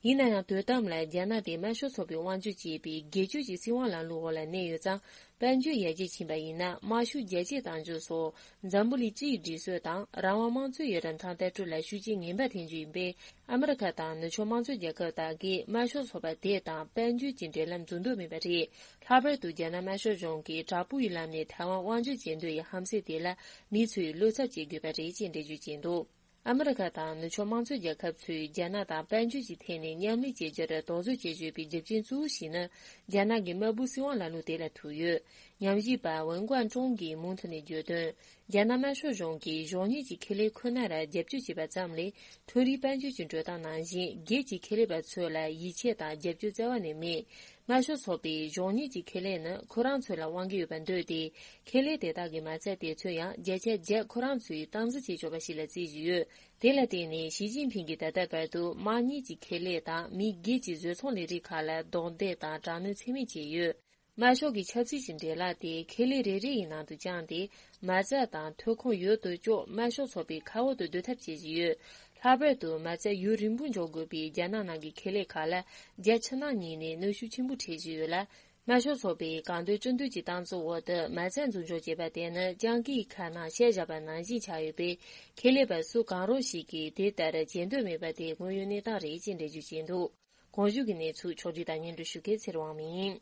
ཡིན་ན་ཡང་དུས་གཏམ་ལ་རྒྱ་ནག་དེ་དམར་ཤོག་ཚོགས་པའི་དབང་སྒྱུར་བྱེད་པའི་སྒེར་གཅོད་ཀྱི་སྲིད་དབང་ལམ་ལུགས་འོག་ལ་གནས་ཡོད་ཙང་། དཔལ་འབྱོར་ཡར་རྒྱས་ཕྱིན་པ་ཡིན་ན་དམར་ཤོག་རྒྱ་སྐྱེད་གཏོང་རྒྱུ་སོགས་འཛམ་བུ་གླིང་སྤྱིའི་སྒྲིག་སྲོལ་དང་རང་དབང་དམངས་གཙོའི་རིན་ཐང་ལྟ་གྲུབ་ལ་ཤུགས་རྐྱེན་ངན་པ་ཐེབས་རྒྱུ་ཡིན་པས། ཨ་མི་རི་ཁ་དང་ནུབ་ཕྱོགས་དམངས་གཙོའི་རྒྱལ་ཁབ་དག་གིས་དམར་ཤོག་ཚོགས་པ་དེ་དང་དཔལ་འབྱོར་གྱི་འབྲེལ་ལམ་འཛུགས་འདོད་མེད་པ་རེད། ལྷག་པར་དུ་རྒྱ་ནག་དམར་ཤོག་གཞུང་གིས་དྲག་པོ་ཡི་ལམ་ནས་ཐའེ་ཝན་དབང་སྒྱུར་བྱེད་འདོད་ཡི་ཧམ་སེམས་དེ་ལ་མི་ཚོས་བློ་འཚབ་བྱེད་དགོས་པ་རེད་ཅེས་འགྲེལ་བརྗོད་བྱས་འདུག་ཨ་མི་རི་ཁ་དང་ནུབ་ཕྱོགས་དམངས་གཙོའི་རྒྱལ་ཁབ་ཚོས་རྒྱ་ནག་དང་དཔལ་འབྱོར་གྱི་ཐད་ནས་མཉམ་ལས་བྱེད་རྒྱུར་དོགས་ཟོན་བྱེད་བཞིན་པའི་རྒྱུ་རྐྱེན་གཙོ་བོ་ཞིག་ནི་རྒྱ་ནག་གི་དམར་པོའི་སྲིད་དབང་ལམ་ལུགས་དེ་ལ་ཐུག་ཡོད། ཉམས་ཞིབ་པ་ཝུན་ཀོན་ཀྲུང་གིས་མུ་མཐུད་ནས་བརྗོད་དོན། རྒྱ་ནག་དམར་ཤོག་གཞུང་གིས་གཞོགས་གཉེར་གྱི་ཁེ་ལས་ཁོ་ནར་རྒྱབ་སྐྱོར་བྱས་པ་ཙམ་ལས། མཐོ་རིམ་དཔལ་འབྱོར་གྱི་འགྲོ་སྟངས་ནང་བཞིན་སྒེར་གྱི་ཁེ་ལས་པ་ཚོ་ལ་ཡིད་ཆེས་དང་རྒྱབ་སྐྱོར་བསྩལ་བ་ནི་མེད། དམར་ཤོག་ཚོགས་པས་གཞོགས་གཉེར་གྱི་ཁེ་ལས་ནི་ཁོ་རང་ཚོ་ལ་དབང་གི་ཡོད་པར་འདོད་དེ། ཁེ་ལས་དེ་དག་གི་མ་རྩ་དེ་ཚོ་ཡང་བརྒྱ་ཆ་བརྒྱ་ཁོ་རང་ཚོའི་སྟངས་འཛིན་བྱེད་ཆོག་པ་ཞིག་ལ་བརྩི་བཞིན་ཡོད། དེ་ལ་བརྟེན་ནས་ཞི་ཅིན་ཕིང་གིས་ད་ལྟ་བར་དུ་དམངས་གཉེར་གྱི་ཁེ་ལས་དང་མི་སྒེར་གྱི་བཟོ་ཚོང་ལས་རིགས་ཁག་ལ་རྡུང་རྡེག་དང་དྲག་གནོན་ཚད་མེད་བྱས་ཡོད། དམར་ཤོག་གི་ཆབ་སྲིད་ཀྱི་འབྲེལ་ལག་དེ་ཁེ་ལས་རེ་རེ་ཡི་ནང་དུ་བཅངས་ཏེ། མ་རྩ་དང་ཐོན་ཁུངས་ཡོད་དོ་ཅོག་དམར་ཤོག་ཚོགས་པའི་ཁ་འོག་ཏུ་སྡོད་ཐབས་བྱེད་བཞིན་ཡོད། ལྷག་པར་དུ་མ་རྩ་ཡུན་རིང་པོ་འཇོག་དགོས་པའི་རྒྱ་ནག་ནང་གི་ཁེ་ལས་ཁག་ལ་རྒྱ་ཕྱི་ནང་གཉིས་ནས་གནོན་ཤུགས་ཆེན་པོ་འཕྲད་བཞིན་ཡོད་ལ། དམར་ཤོག་ཚོགས་པས་གང་འདོད་ཅི་འདོད་ཀྱི་གཏམ་ཚོགས་འོག་ཏུ་མ་རྩ་འཛུགས་འཇོག་བྱེད་པ་དེ་ནི་སྤྱང་ཀིའི་ཁ་ནང་ཤ་བཞག་པ་ནང་བཞིན་ཆགས་ཡོད་པས། ཁེ་ལས་པ་སུ་གང་རུང་ཞིག་གིས་དེ་ལྟར་བྱེད་འདོད་མེད་པ་དེ་དངོས་ཡོད་གནས་སྟངས་རེད་ཅེས་འགྲེལ་བརྗོད་བྱས་འདུག་གོང་ཞུས་ཀྱི་གནས་ཚུལ་ཕྱོགས་བསྒྲིགས་དང་སྙན་སྒྲོན་ཞུ་མཁན་ཚེ་རིང་དབང་མོ་ཡིན།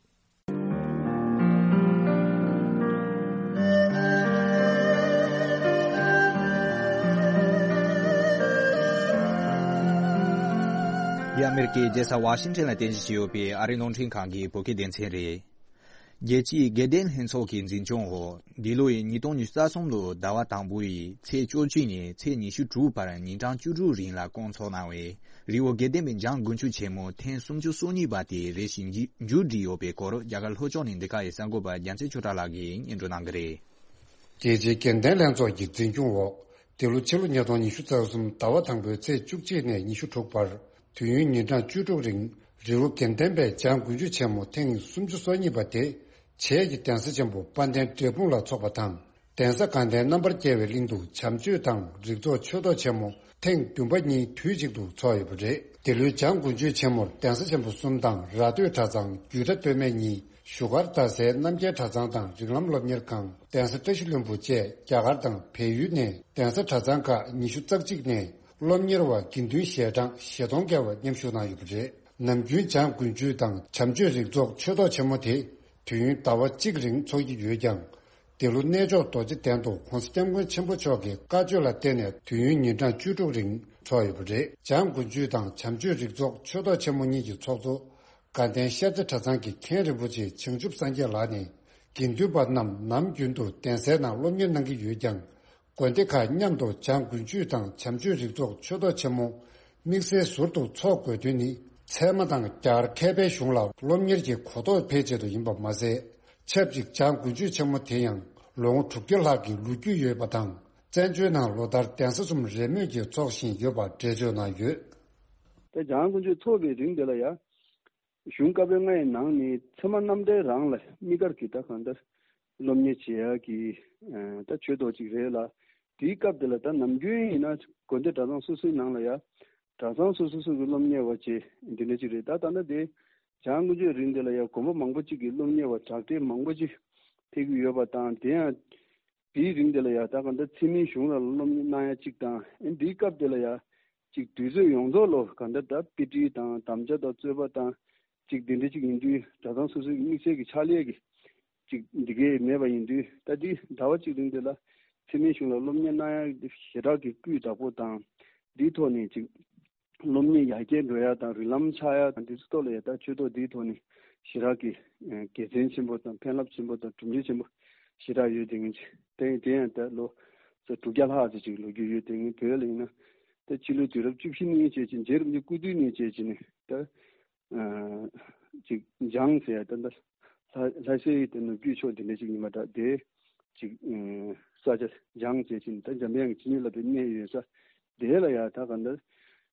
འདི་ཨ་མེ་རི་ཀའི་རྒྱལ་ས་ཝ་ཤིང་ཊོན་ལ་རྟེན་གཞི་བྱས་ཡོད་པའི་ཨ་རིའི་རླུང་འཕྲིན་ཁང་གི་བོད་སྐད་སྡེ་ཚན་རེད། རྒྱལ་སྤྱིའི་དགེ་ལྡན་ལྷན་ཚོགས་ཀྱི་འཛིན་སྐྱོང་འོག་འདི་ལོའི་ཉིས་སྟོང་ཉི་ཤུ་རྩ་གསུམ་ལོའི་ཟླ་བ་དང་པོ་ཡི་ཚེས་བཅུ་གཅིག་ནས་ཚེས་ཉི་ཤུ་དྲུག་བར་ཉིན་གྲངས་བཅུ་དྲུག་རིང་ལ་བསྐོང་ཚོགས་གནང་བའི་རི་བོ་དགེ་ལྡན་པའི་འཇང་དགུན་ཆོས་ཆེན་མོ་ཐེངས་སུམ་ཅུ་སོ་གཉིས་པ་དེ་རེ་ཞིག་མཇུག་སྒྲིལ་ཡོད་པའི་སྐོར། རྒྱ་གར་ལྷོ་ཕྱོགས་ནས་འདི་ག་ཡི་གསར་འགོད་པ་རྒྱལ་མཚན་ཆོས་གྲགས་ལགས་ཀྱིས་སྙན་སྒྲོན་གནང་གི་རེད། རྒྱལ་སྤྱིའི་དགེ་ལྡན་ལྷན་ཚོགས་ཀྱི་འཛིན་སྐྱོང་འོག་འདི་ལོ་ཕྱི་ལོ་ཉིས་སྟོང་ཉི་ཤུ་རྩ་གསུམ་ཟླ་བ་དང་པོའི་ཚེས་བཅུ་གཅིག་ནས་ཉི་ཤུ་དྲུག་བར། དུས་ཡུན་ཉིན་གྲངས་བཅུ་དྲུག་རིང་རི་བོ་དགེ་ལྡན་པའི་འཇང་དགུན་ཆོས་ཆེན་མོ་ཐེངས་སུམ་ཅུ་སོ་གཉིས་པ་དེ། བྱེས་ཀྱི་གདན་ས་ཆེན་པོ་དཔལ་ལྡན་འབྲས་སྤུངས་ལ་འཚོགས་པ་དང་། གདན་ས་དགའ་ལྡན་རྣམ་པར་རྒྱལ་བའི་གླིང་དུ་བྱམས་ཆོས་དང་རིགས་ཚོགས་ཆོས་ཐོག་ཆེན་མོ་ཐེངས་བདུན་པ་གཉིས་དུས་གཅིག་ཏུ་འཚོགས་ཡོད་པ་རེད། འདི་ལོའི་འཇང་དགུན་ཆོས་ཆེན་མོར་གདན་ས་ཆེན་པོ་གསུམ་དང་ར་སྟོད་གྲྭ་ཚང་། རྒྱུད་གྲྭ་སྟོད་སྨད་གཉིས། བཞུགས་སྒར་རྡ་སའི་རྣམ་རྒྱལ་གྲྭ་ཚང་དང་རིགས་ལམ་སློབ་གཉེར་ཁང་། གདན་ས་བཀྲ་ཤིས་ལྷུན་པོ་བཅས་རྒྱ་གར་དང་བལ་ཡུལ་ནས་གདན་ས་གྲྭ་ཚང་ཁག་ཉི་ཤུ་རྩ་གཅིག་ནས་སློབ་གཉེར་བ་དགེ་འདུན་ཞལ་གྲངས་བཞི་སྟོང་བརྒལ་བ་མཉམ་ཞུགས་གནང་ཡོད་པ་རེད། ནམ་རྒྱུན་འཇང་དགུན་ཆོས་དང་བྱམས་ཆོས་རིགས་ཚོགས་ཆོས་ཐོག་ཆེན་མོ་དེ་དུས་ཡུན་ཟླ་བ་གཅིག་རིང་འཚོགས་ཀྱི་ཡོད་ཀྱང་། འདི་ལོ་གནས་མཆོག་རྡོ་རྗེ་གདན་དུ་༸གོང་ས་༸སྐྱབས་མགོན་ཆེན་པོ་མཆོག་གི་བཀའ་ཆོས་ལ་བརྟེན་ནས་དུས་ཡུན་ཉིན་གྲངས་བཅུ་དྲུག་རིང་འཚོགས་ཡོད་པ་རེད། འཇང་དགུན་ཆོས་དང་བྱམས་ཆོས་རིགས་ཚོགས་ཆོས་ཐོག་ཆེན་མོ་གཉིས་ཀྱི་ཚོགས་གཙོ་དགའ་ལྡན་ཤར་རྩེ་གྲྭ་ཚང་གི་མཁན་རིན་པོ་ཆེ་བྱང་ཆུབ་སངས་རྒྱས་ལགས་ནས། དགེ་འདུན་པ་རྣམས་ནམ་རྒྱུན་དུ་གདན་སའི་ནང་སློབ་གཉེར་གནང་གི་ཡོད་ཀྱང་། དགོན་སྡེ་ཁག་མཉམ་དུ་འཇང་དགུན་ཆོས་དང་བྱམས་ཆོས་རིགས་ཚོགས་ཆོས་ཐོག་ཆེན་མོ་དམིགས་བསལ་ཟུར་དུ་འཚོགས་དགོས་དོན་ནི། ཚད་མ་དང་རྒྱ་གར་མཁས་པའི་གཞུང་ལ་སློབ་གཉེར་གྱི་གོ་རྟོགས་འཕེལ་ཆེད་དུ་ཡིན་པ་མ་ཟད། ཆབས་ཅིག་འཇང་དགུན་ཆོས་ཆེན་མོ་དེ་ཡང་ལོ་ངོ་དྲུག་བརྒྱ་ལྷག་གི་ལོ་རྒྱུས་ཡོད་པ་དང་། བཙན་བྱོལ་ནང་ལོ་ལྟར་གདན་ས་གསུམ་རེས་མོས་ཀྱིས་འཚོགས་བཞིན་ཡོད་པ་འགྲེལ་བརྗོད་གནང་ཡོད། ད་འཇང་དགུན་ཆོས་འཚོགས་པའི་རིང་དེ་ལ་ཡ། གཞུང་བཀའ་པོད་ལྔ་ཡི་ནང་ནས་ཚད་མ་རྣམ་འགྲེལ་རང་ལ་དམིགས་བཀར་གྱིས་ད་གང་ལྟར་སློབ་གཉེར་བྱེད་ཡག་གི་ད་ཆོས་ཐོག་ཅིག་རེད་ལ། དེའི་སྐབས་དེ་ལ་ད་ནམ་རྒྱུན་ཡིན་ན་དགོན་སྡེ་གྲྭ་ཚང་སོ་སོའི་ནང་ལ་ཡ་ གྲྭ་ཚང་སོ་སོ་སོ་གི་སློབ་གཉེར་བ་བཅས་འདི་འདྲ་ཅིག་རེད། ད་ད་ལྟ་དེ་བྱང་དགོན་ཆོས་རིང་དེ་ལ་ཡང་དགོན་པ་མང་པོ་ཅིག་གི་སློབ་གཉེར་བ་དྲག་གྲས་མང་པོ་ཅིག་ཕེབས་ཀྱི་ཡོད་པ་དང་། དེ་ཡང་དེའི་རིང་དེ་ལ་ཡང་ད་ག་འདྲ་འཚེ་མེད་གཞུང་ལ་སློབ་གཉེར་གནང་ཡ་གཅིག་དང་། ཨེ་འདིའི་སྐབས་དེ་ལ་ཡང་ཅིག་དུས་ཚོད་ཡོངས་རྫོགས་ལོ་ག་འདྲ་ད་དཔེ་ཁྲིད་དང་དམ་བཅའ་དང་རྩོད་པ་དང་ཅིག་དེ་འདྲ་ཅིག་ཡིན་དུས་གྲྭ་ཚང་སོ་སོའི་དམིགས་བསལ་གྱི་ཕྱག་ལས་ཀྱི་ཅིག་འདི་གས་མེད་པ་ཡིན་དུས། ད་འདི་ཟླ་བ་གཅིག་རིང་དེ་ལ་འཚེ་མེད་གཞུང་ལ་སློབ་གཉེར་གནང་ཡ་ཞེ་དྲག་གི་སྐུལ་བདག་པོ་དང་། འདིའི་ཐོག་ནས་ཅིག་སློབ་གཉེར་ཡར་རྒྱས་འགྲོ་ཡ་དང་རིགས་ལམ་ཆགས་ཡ་དང་འདི་ཚོ་ཐོག་ལ་ཡ་ད་ཆོས་ཐོག་འདིའི་ཐོག་ནས་ཞེ་དྲག་གི་དགེ་མཚན་ཆེན་པོ་དང་ཕན་རླབས་ཆེན་པོ་དང་གྲུབ་འབྲས་ཆེན་པོ་ཞེ་དྲག་ཡོད་དེ་ངེས་ཅིག་དེ་དེ་ཡང་ད་ལོ་ཙཱ་དྲུག་བརྒྱ་ལྷག་ཙམ་ཅིག་ལོ་རྒྱུས་ཡོད་དེ་ངེས། བོད་ལ་ཡིན་ན་ད་ཕྱི་ལོའི་དུས་རབས་བཅུ་བཞི་ནས་བྱས་ཅིང་རྗེ་རིན་པོ་ཆེ་སྐུ་དུས་ནས་བྱས་ཅིང་ནས་ད། ཅིག་འཇང་ཟེར་ཡ་ད་ལྟ་ལྷ་ལྷ་སའི་དེ་ནུབ་རྒྱུད་ཕྱོགས་དེ་འདྲ་ཞིག་ཡིན་པ་འདྲ། དེ་ཅིག་ས་ཆ་འཇང་བྱས་ཕྱིན་ད་འཇམ་དབྱངས་ཀྱི་ཕྱི་སྣོད་ལ་དེ་གནས་ཡོད་ས་དེ་ལ་ཡ་ད་ག་འདྲ་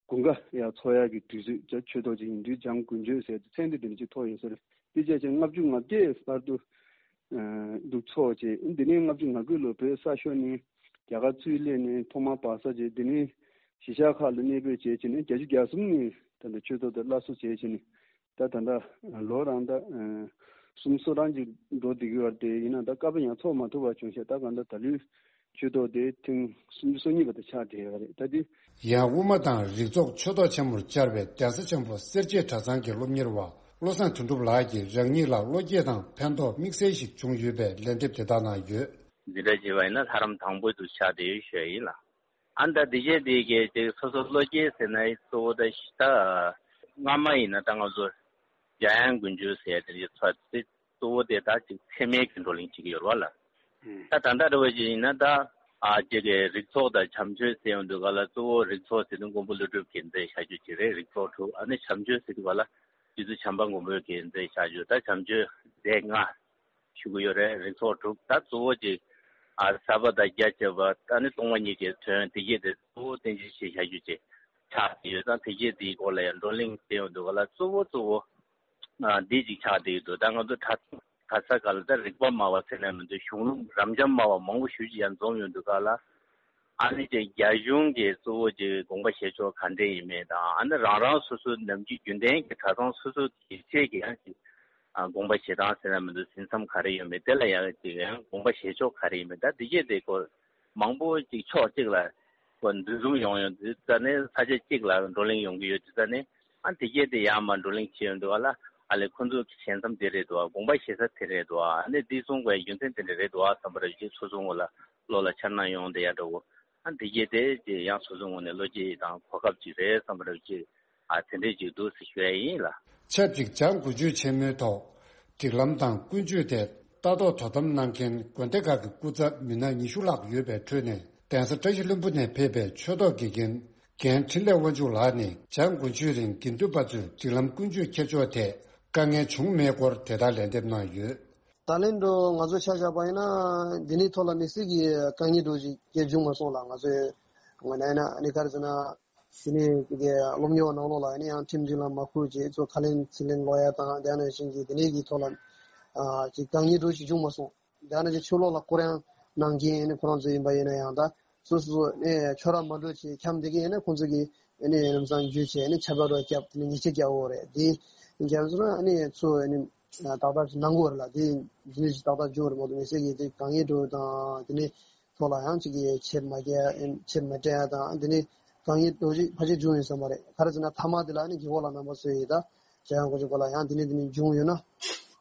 དགུན་ཁ་ཡ་འཚོ་ཡ་གི་དུས་ཚོད་ཅིག་ཆོས་ཐོག་ཅིག་ཡིན་དུས་འཇང་དགུན་ཆོས་ཟེར་ཏེ་མཚན་དེ་དེ་འདྲ་ཅིག་ཐོགས་ཡོད་ས་རེད། དེ་བྱས་ཙང་ལྔ་བཅུ་ང་བརྒྱད་བར་དུ་འདུག་འཚོ་བྱས། འདི་ནས་ལྔ་བཅུ་ང་དགུ་ལོ་བོད་ས་ཤོར་ནས་རྒྱ་གར་ཚུར་སླེབས་ནས་ཐོག་མར་བག་ཚ་བྱས། དེ་ནས་གཞིས་ཆགས་ཁག་ལ་གནས་སྤོས་བྱས་ཕྱིན་ནས་བརྒྱད་ཅུ་གྱ་གསུམ་ནས་ད་ལྟ་ཆོས་ཐོག་ཏུ་སླར་གསོ་བྱས་ཕྱིན་ནས་ད་ད་ལྟ་ལོ་རང་ད་སུམ་སོ་རང་ཅིག་འགྲོ་བསྡད་ཀྱི་ཡོད་རེད། དེ་ཡིན་ན་ད་སྐབས་ཡང་འཚོགས་མ་ཐུབ་པ་བྱུང་ཤག་ད་གང་ལྟར་ད་ལོའི་ཆོས་ཐོག་དེ་ཐེངས་སུམ་ཅུ་སོ་གཉིས་པ་དེ་ཆགས་བསྡད་ཡོད་རེད། ད་དེ། ཡང་དབུ་མ་དང་རིགས་ཚོགས་ཆོས་ཐོག་ཆེན་མོར་བཅར་བའི་གདན་ས་ཆེན་པོ་སེར་བྱེས་གྲྭ་ཚང་གི་སློབ་གཉེར་བ་བློ་བཟང་དོན་གྲུབ་ལགས་ཀྱིས་རང་ཉིད་ལ་བློ་སྐྱེད་དང་ཕན་ཐོགས་དམིགས་བསལ་ཞིག་བྱུང་ཡོད་པའི་ལན་འདེབས་དེ་དག་གནང་ཡོད། འདི་འདྲ་བྱས་པ་ཡིན་ན་ལྷ་རམས་དང་པོ་དུ་ཆགས་བསྡད་ཡོད་ཞུ་ཡ་ཡིན་ལ། ཨ་ནི་ད་འདི་བྱས་འདི་གས་ཅིག་སོ་སོ་བློ་སྐྱེད་ཟེར་ན་གཙོ་བོ་ད་ད་སྔ་མ་ཡིན་ན་ད་ང་ཚོ་འཇམ་དབྱངས་དགུན་ཆོས་ཟེར་ཡ་དེ་འདྲ་ཚོ་དེ་གཙོ་བོ་དེ་ད་ཅིག་འཚེ་མེད་ཀྱི་བགྲོ་གླེང་བྱེད་ཀྱི་ཡོད་རེད་བ་ལ། ད་ད་ལྟ་འདྲ་བོ་ཅིག་ཡིན་ན་ད་ཨ་ཅིག་གི་རིགས་ཚོགས་དང་བྱམས་ཆོས་ཟེར་ཡོང་དུས་ག་ལ་གཙོ་བོ་རིགས་ཚོགས་ཟེར་དུས་མགོན་པོ་ཀླུ་སྒྲུབ་ཀྱིས་མཛད་བཞག་རྒྱུ་ཅིག་རེད། རིགས་ཚོགས་དྲུག་ཨ་ནི་བྱམས་ཆོས་ཟེར་དུས་ག་ལ་རྗེ་བཙུན་བྱམས་པ་མགོན་པོ་གིས་མཛད་བཞག་རྒྱུ་ད་བྱམས་ཆོས་སྡེ་ལྔ་ཞུ་གི་ཡོད་རེད། རིགས་ཚོགས་དྲུག་ད་གཙོ་བོ་ཅིག་ཨ་ཟབ་པ་དང་རྒྱ་ཆེ་བ་ཨ་ནི་སྟོང་པ་ཉིད་ཀྱི་དོན་དེ་གྱད་དེ་གཙོ་བོ་བསྟན་བཅོས་བྱས་བཞག་རྒྱུ་ཅིག་ཆགས་ཡོད་ཙང་དེ་གྱད་དེའི་སྐོར་ལ་ཡང་བགྲོ་གླེང་ཟེར་ཡོང་དུས་ག་ལ་གཙོ་བོ་གཙོ་བོ། ཨ་འདི་ཅིག་ཆགས་བསྡད་ཡོད་འདུག་ད་ང་ཚོ་གྲྭ་གྲྭ་ས་ག་ལ་ད་རིག་པ་སྨྲ་བ་ཟེར་ནས་མི་འདུག་གཞུང་ལུགས་རབ་འབྱམས་སྨྲ་བ་མང་པོ་ཞེ་ཅིག་ཡང་འཛོམས་ཡོང་དུས་ག་ལ། ཨ་ནི་ཅིག་རྒྱ་གཞུང་གི་གཙོ་བོ་ཅིག་དགོངས་པ་བཞེས་ཕྱོགས་ག་འདྲས་ཡིན་མིན་དང་ཨ་ནི་རང་རང་སོ་སོའི་ནམ་རྒྱུན་རྒྱུན་ལྡན་གྱི་གྲྭ་ཚང་སོ་སོ་དེ་ཚོ་གི་ཡང་ཅིག་ཨ་དགོངས་པ་བཞེས་སྟངས་ཟེར་ན་མི་འདུག་ཟིན་མཚམས་ག་རེ་ཡོད་མེད་དེ་ལ་ཡང་ཅིག་ཡང་དགོངས་པ་བཞེས་ཕྱོགས་ག་རེ་ཡིན་མིན་ད་འདི་གྱད་དེ་སྐོར་མང་པོ་ཅིག་ཕྱོགས་གཅིག་ལ་འདུ་འཛོམས་ཡོང་ཡོང་དུས་ཙ་ནས་ས་ཆ་གཅིག་ལ་བགྲོ་གླེང་ཡོང་གི་ཡོད་དུས་ཙ་ནས། ཨ་དེ་གྱད་དེ་ཡར་མར་བགྲོ་གླེང་བྱེད་ཡོང་དུས་ག་ལ་ཨ་ལས་ཁོང་ཚོ་གི་ཞལ་མཚམས་དེ་རེད་འདུག་ཨ་དགོངས་པ་བཞེས་ས་དེ་རེད་འདུག་ཨ་ནི་འདི་གསུང་དགོས་རྒྱུ་མཚན་དེ་འདྲ་རེད་འདུག་ཨ་བསམ་པ་རེ་ཅིག་སོ་སོ་ངོ་ལ་བློ་ལ་འཆར་སྣང་ཡོང་བསྡད་ཡ་འདྲ་བོ། ཨ་དེ་གྱད་དེ་ཅིག་ཡང་སོ་སོ་ངོ་ནས་བློ་སྐྱེད་དང་གོ་སྐབས་ཅིག་རེད་བསམ་པ་རེ་ཅིག་ཨ་དེ་འདྲས་ཅིག་འདུག་ཟེར་ཞུ་ཡ་ཡིན་ལ། ཆབས་ཅིག་འཇང་དགུན་ཆོས་ཆེན་མོའི་ཐོག་སྒྲིག་ལམ་དང་ཀུན་སྤྱོད་ཐད་ལྟ་རྟོག་དོ་དམ་གནང་མཁན་དགོན་སྡེ་ཁག་གི་སྐུ་ཚབ་མི་སྣ་ཉི་ཤུ་ལྷག་ཡོད་པའི་ཁྲོད་ནས། གདན་ས་བཀྲ་ཤིས་ལྷུན་པོ་ནས་ཕེབས་པའི་ཆོས་ཐོག་དགེ་རྒན་རྒན་འཕྲིན་ལས་དབང་ཕྱུག་ལགས་ནས་འཇང་དགུན་ཆོས་རིང་དགེ་འདུན་པ་ཚོས་སྒྲིག་ལམ་ཀུན་སྤྱོད་འཁྱེར་ཕྱོགས་ཐད་དཀའ་ངལ་བྱུང་མེད་སྐོར་དེ་ལྟར་ལན་འདེབས་གནང་ཡོད། ད་ལན་འགྲོ་ང་ཚོ་ཆ་བཞག་པ་ཡིན་ན་འདི་ནས་ཐོག་ལ་དམིགས་བསལ་གྱི་དཀའ་ངལ་འགྲོ་ཞིག་སྐྱེ་བྱུང་མ་སོང་ལ། ང་ཚོས་ངོས་ནས་ཡིན་ན་ཨ་ནི་ག་རེ་ཟེར་ན་དེ་ནས་གི་སློབ་གཉེར་བ་ནང་ལོགས་ལ་ཡིན་ན་ཡང་ཁྲིམས་སྒྲིག་ལམ་མ་ཁུར་བྱས་ཚོ་ཁ་ལན་ཚིག་ལན་ལོག་ཡ་དང་དེ་ནང་བཞིན་གྱི་དེ་ནས་ཀྱི་ཐོག་ལ་ཨ་ཅིག་དཀའ་ངལ་འགྲོ་ཞིག་བྱུང་མ་སོང་། དེ་ནས་ཀྱི་ཆོས་ལོག་ལ་སྐོར་ཡང་གནང་མཁན་ནི་ཁོ་རང་ཚོ་ཡིན་པ་ཡིན་ན་ཡང་ད་སོ་སོ་ནས་ཁྱོད་རང་མ་འགྲོ་ཆེ་འཁྱམ་བསྡད་མཁན་ཡིན་ན་ཁོང་ཚོ་གིས་ནི་ལམ་སང་འཇུས་བྱས་ནི་ཆབ་བྲག་རོགས་བརྒྱབ་དེ་ནི་ཉེས་ཆད་བརྒྱབ་འོ་རེད། དེ་རྒྱབ་སོང་ན་ནི་ཚོ་ནི་ཏག་ཏག་ཅིག་གནང་གི་ཡོད་རེད་ལ། དེ་འདི་ནི་ཅིག་ཏག་ཏག་འཇུ་བ་རེད་མ་གཏོགས་མི་སེར་གྱི་དེ་དཀའ་ངལ་འགྲོ་དང་དེ་ནི་ཐོག་ལ་ཡང་ཅིག་གི་ཆེད་མ་རྒྱག་ཆེད་མ་སྤྲད་ཡ་དང་དེ་ནི་དཀའ་ངལ་འགྲོ་ཅིག་ཕལ་ཆེར་བྱུང་ཡོད་ས་མ་རེད། ག་རེ་ཟེར་ན་མཐའ་མ་དེ་ལ་ནི་རྒན་གོག་ལགས་རྣམ་པ་ཚོ་ཡིས་ད་བྱ་ཡང་གོ་ཅིག་གོ་ལ་ཡང་དེ་ནི་དེ་ནི་བྱུང་ཡོད་ན་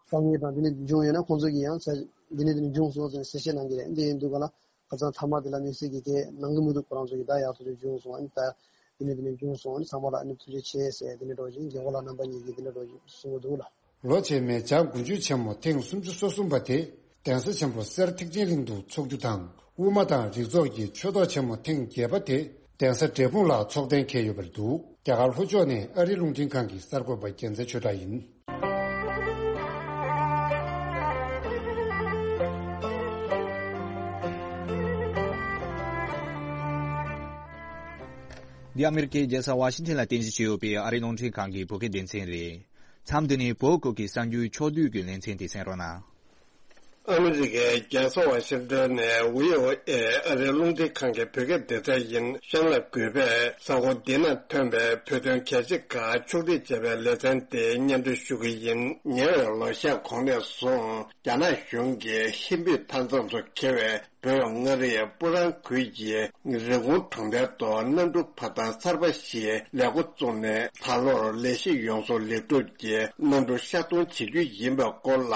དཀའ་ངལ་དང་དེ་ནི་བྱུང་ཡོད་ན་ཁོང་ཚོ་གིས་ཡང་ས་དེ་ནི་དེ་ནི་བྱུང་སོང་ཟེར་གསལ་བཤད་གནང་གི་རེད། འདི་ཡིན་དུས་ག་ལ། ཁ་སང་མཐའ་མ་དེ་ལ་དམིགས་བསལ་གྱི་གས་ནང་གི་མི་འདུག་ཁོ་རང་ཚོ་གི་ད་ཡག་ཐག་ཆོད་བྱུང་སོང་ཨ་ནི་ད་དེ་ནས་དེ་ནས་བྱུང་སོང་ཨ་ནི་ཚང་མ་ལ་ཨ་ནི་ཐུགས་རྗེ་ཆེ་ཟེར་དེ་ནས་འགྲོ་བཞིན་རྒན་གོག་ལགས་རྣམ་པ་གཉིས་ཀྱིས་དེ་ནས་འགྲོ་བཞིན་གསུང་གི་འདུག་ལ། ལོ་རྗེས་མའི་འཇང་དགུན་ཆོས་ཆེན་མོ་ཐེངས་སུམ་ཅུ་སོ་གསུམ་པ་དེ་གདན་ས་ཆེན་པོ་སེར་ཐེག་ཆེན་གླིང་དུ་འཚོགས་རྒྱུ་དང་དབུ་མ་དང་རིགས་ཚོགས་ཀྱི་ཆོས་ཐོག་ཆེན་མོ་ཐེངས་བརྒྱད་པ་དེ་གདན་ས་འབྲས་སྤུངས་ལ་འཚོགས་གཏན་འཁེལ་ཡོད་པར་འདུག་རྒྱ་གར་ལྷོ་ཕྱོགས་ནས་ཨ་རིའི་རླུང་འཕྲིན་ཁང་གི་གསར་འགོད་པ་རྒྱལ་མཚན་ཆོས་གྲགས་ཡིན། འདི་ཨ་མེ་རི་ཀའི་རྒྱལ་ས་ཝ་ཤིང་ཊོན་ལ་རྟེན་གཞི་བྱས་ཡོད་པའི་ཨ་རིའི་རླུང་འཕྲིན་ཁང་གི་བོད་སྐད་སྡེ་ཚན་རེད། མཚམས་འདི་ནས་བོད་ཁུལ་གྱི་གསར་འགྱུར་ཕྱོགས་བསྡུས་ཀྱི་ལེ་ཚན་དེ་གསན་རོགས་གནང་། ཨ་མི་རི་ཀའི་རྒྱལ་ས་ཝ་ཤིང་ཏོན་ནས་བྷི་ཨོ་ཨེ་ཨ་རིའི་རླུང་འཕྲིན་ཁང་གི་བོད་སྐད་སྡེ་ཚན་ཡིན། གཤམ་ལ་གུས་པས་གཟའ་འཁོར་འདི་ན་ཐོན་པའི་བོད་དོན་གལ་ཆེ་ཁག་ཕྱོགས་སྒྲིག་བྱས་པའི་ལེ་ཚན་དེ་སྙན་སྒྲོན་ཞུ་གི་ཡིན། ཉེ་བའི་ལོ་ཤས་གོང་ནས་བཟུང་རྒྱ་ནག་གཞུང་གིས་ཧིན་བོད་མཐའ་མཚམས་སུ་འཁེལ་བའི་བོད་མངའ་རིས་སྤུ་རང་ཁུལ་གྱི་རི་ཀོན་གྲོང་རྡལ་དུ་གནམ་གྲུ་ཕབ་ཐང་གསར་པ་ཞིག་ལས་འགོ་བཙུགས་ནས། ད་ལོར་ལས་གཞི་ཡོངས་སུ་ལེགས་གྲུབ་ཀྱིས་གནམ་གྲུ་ཤར་གཏོང་བྱེད་རྒྱུ་ཡིན་པའི་སྐོར་ལ།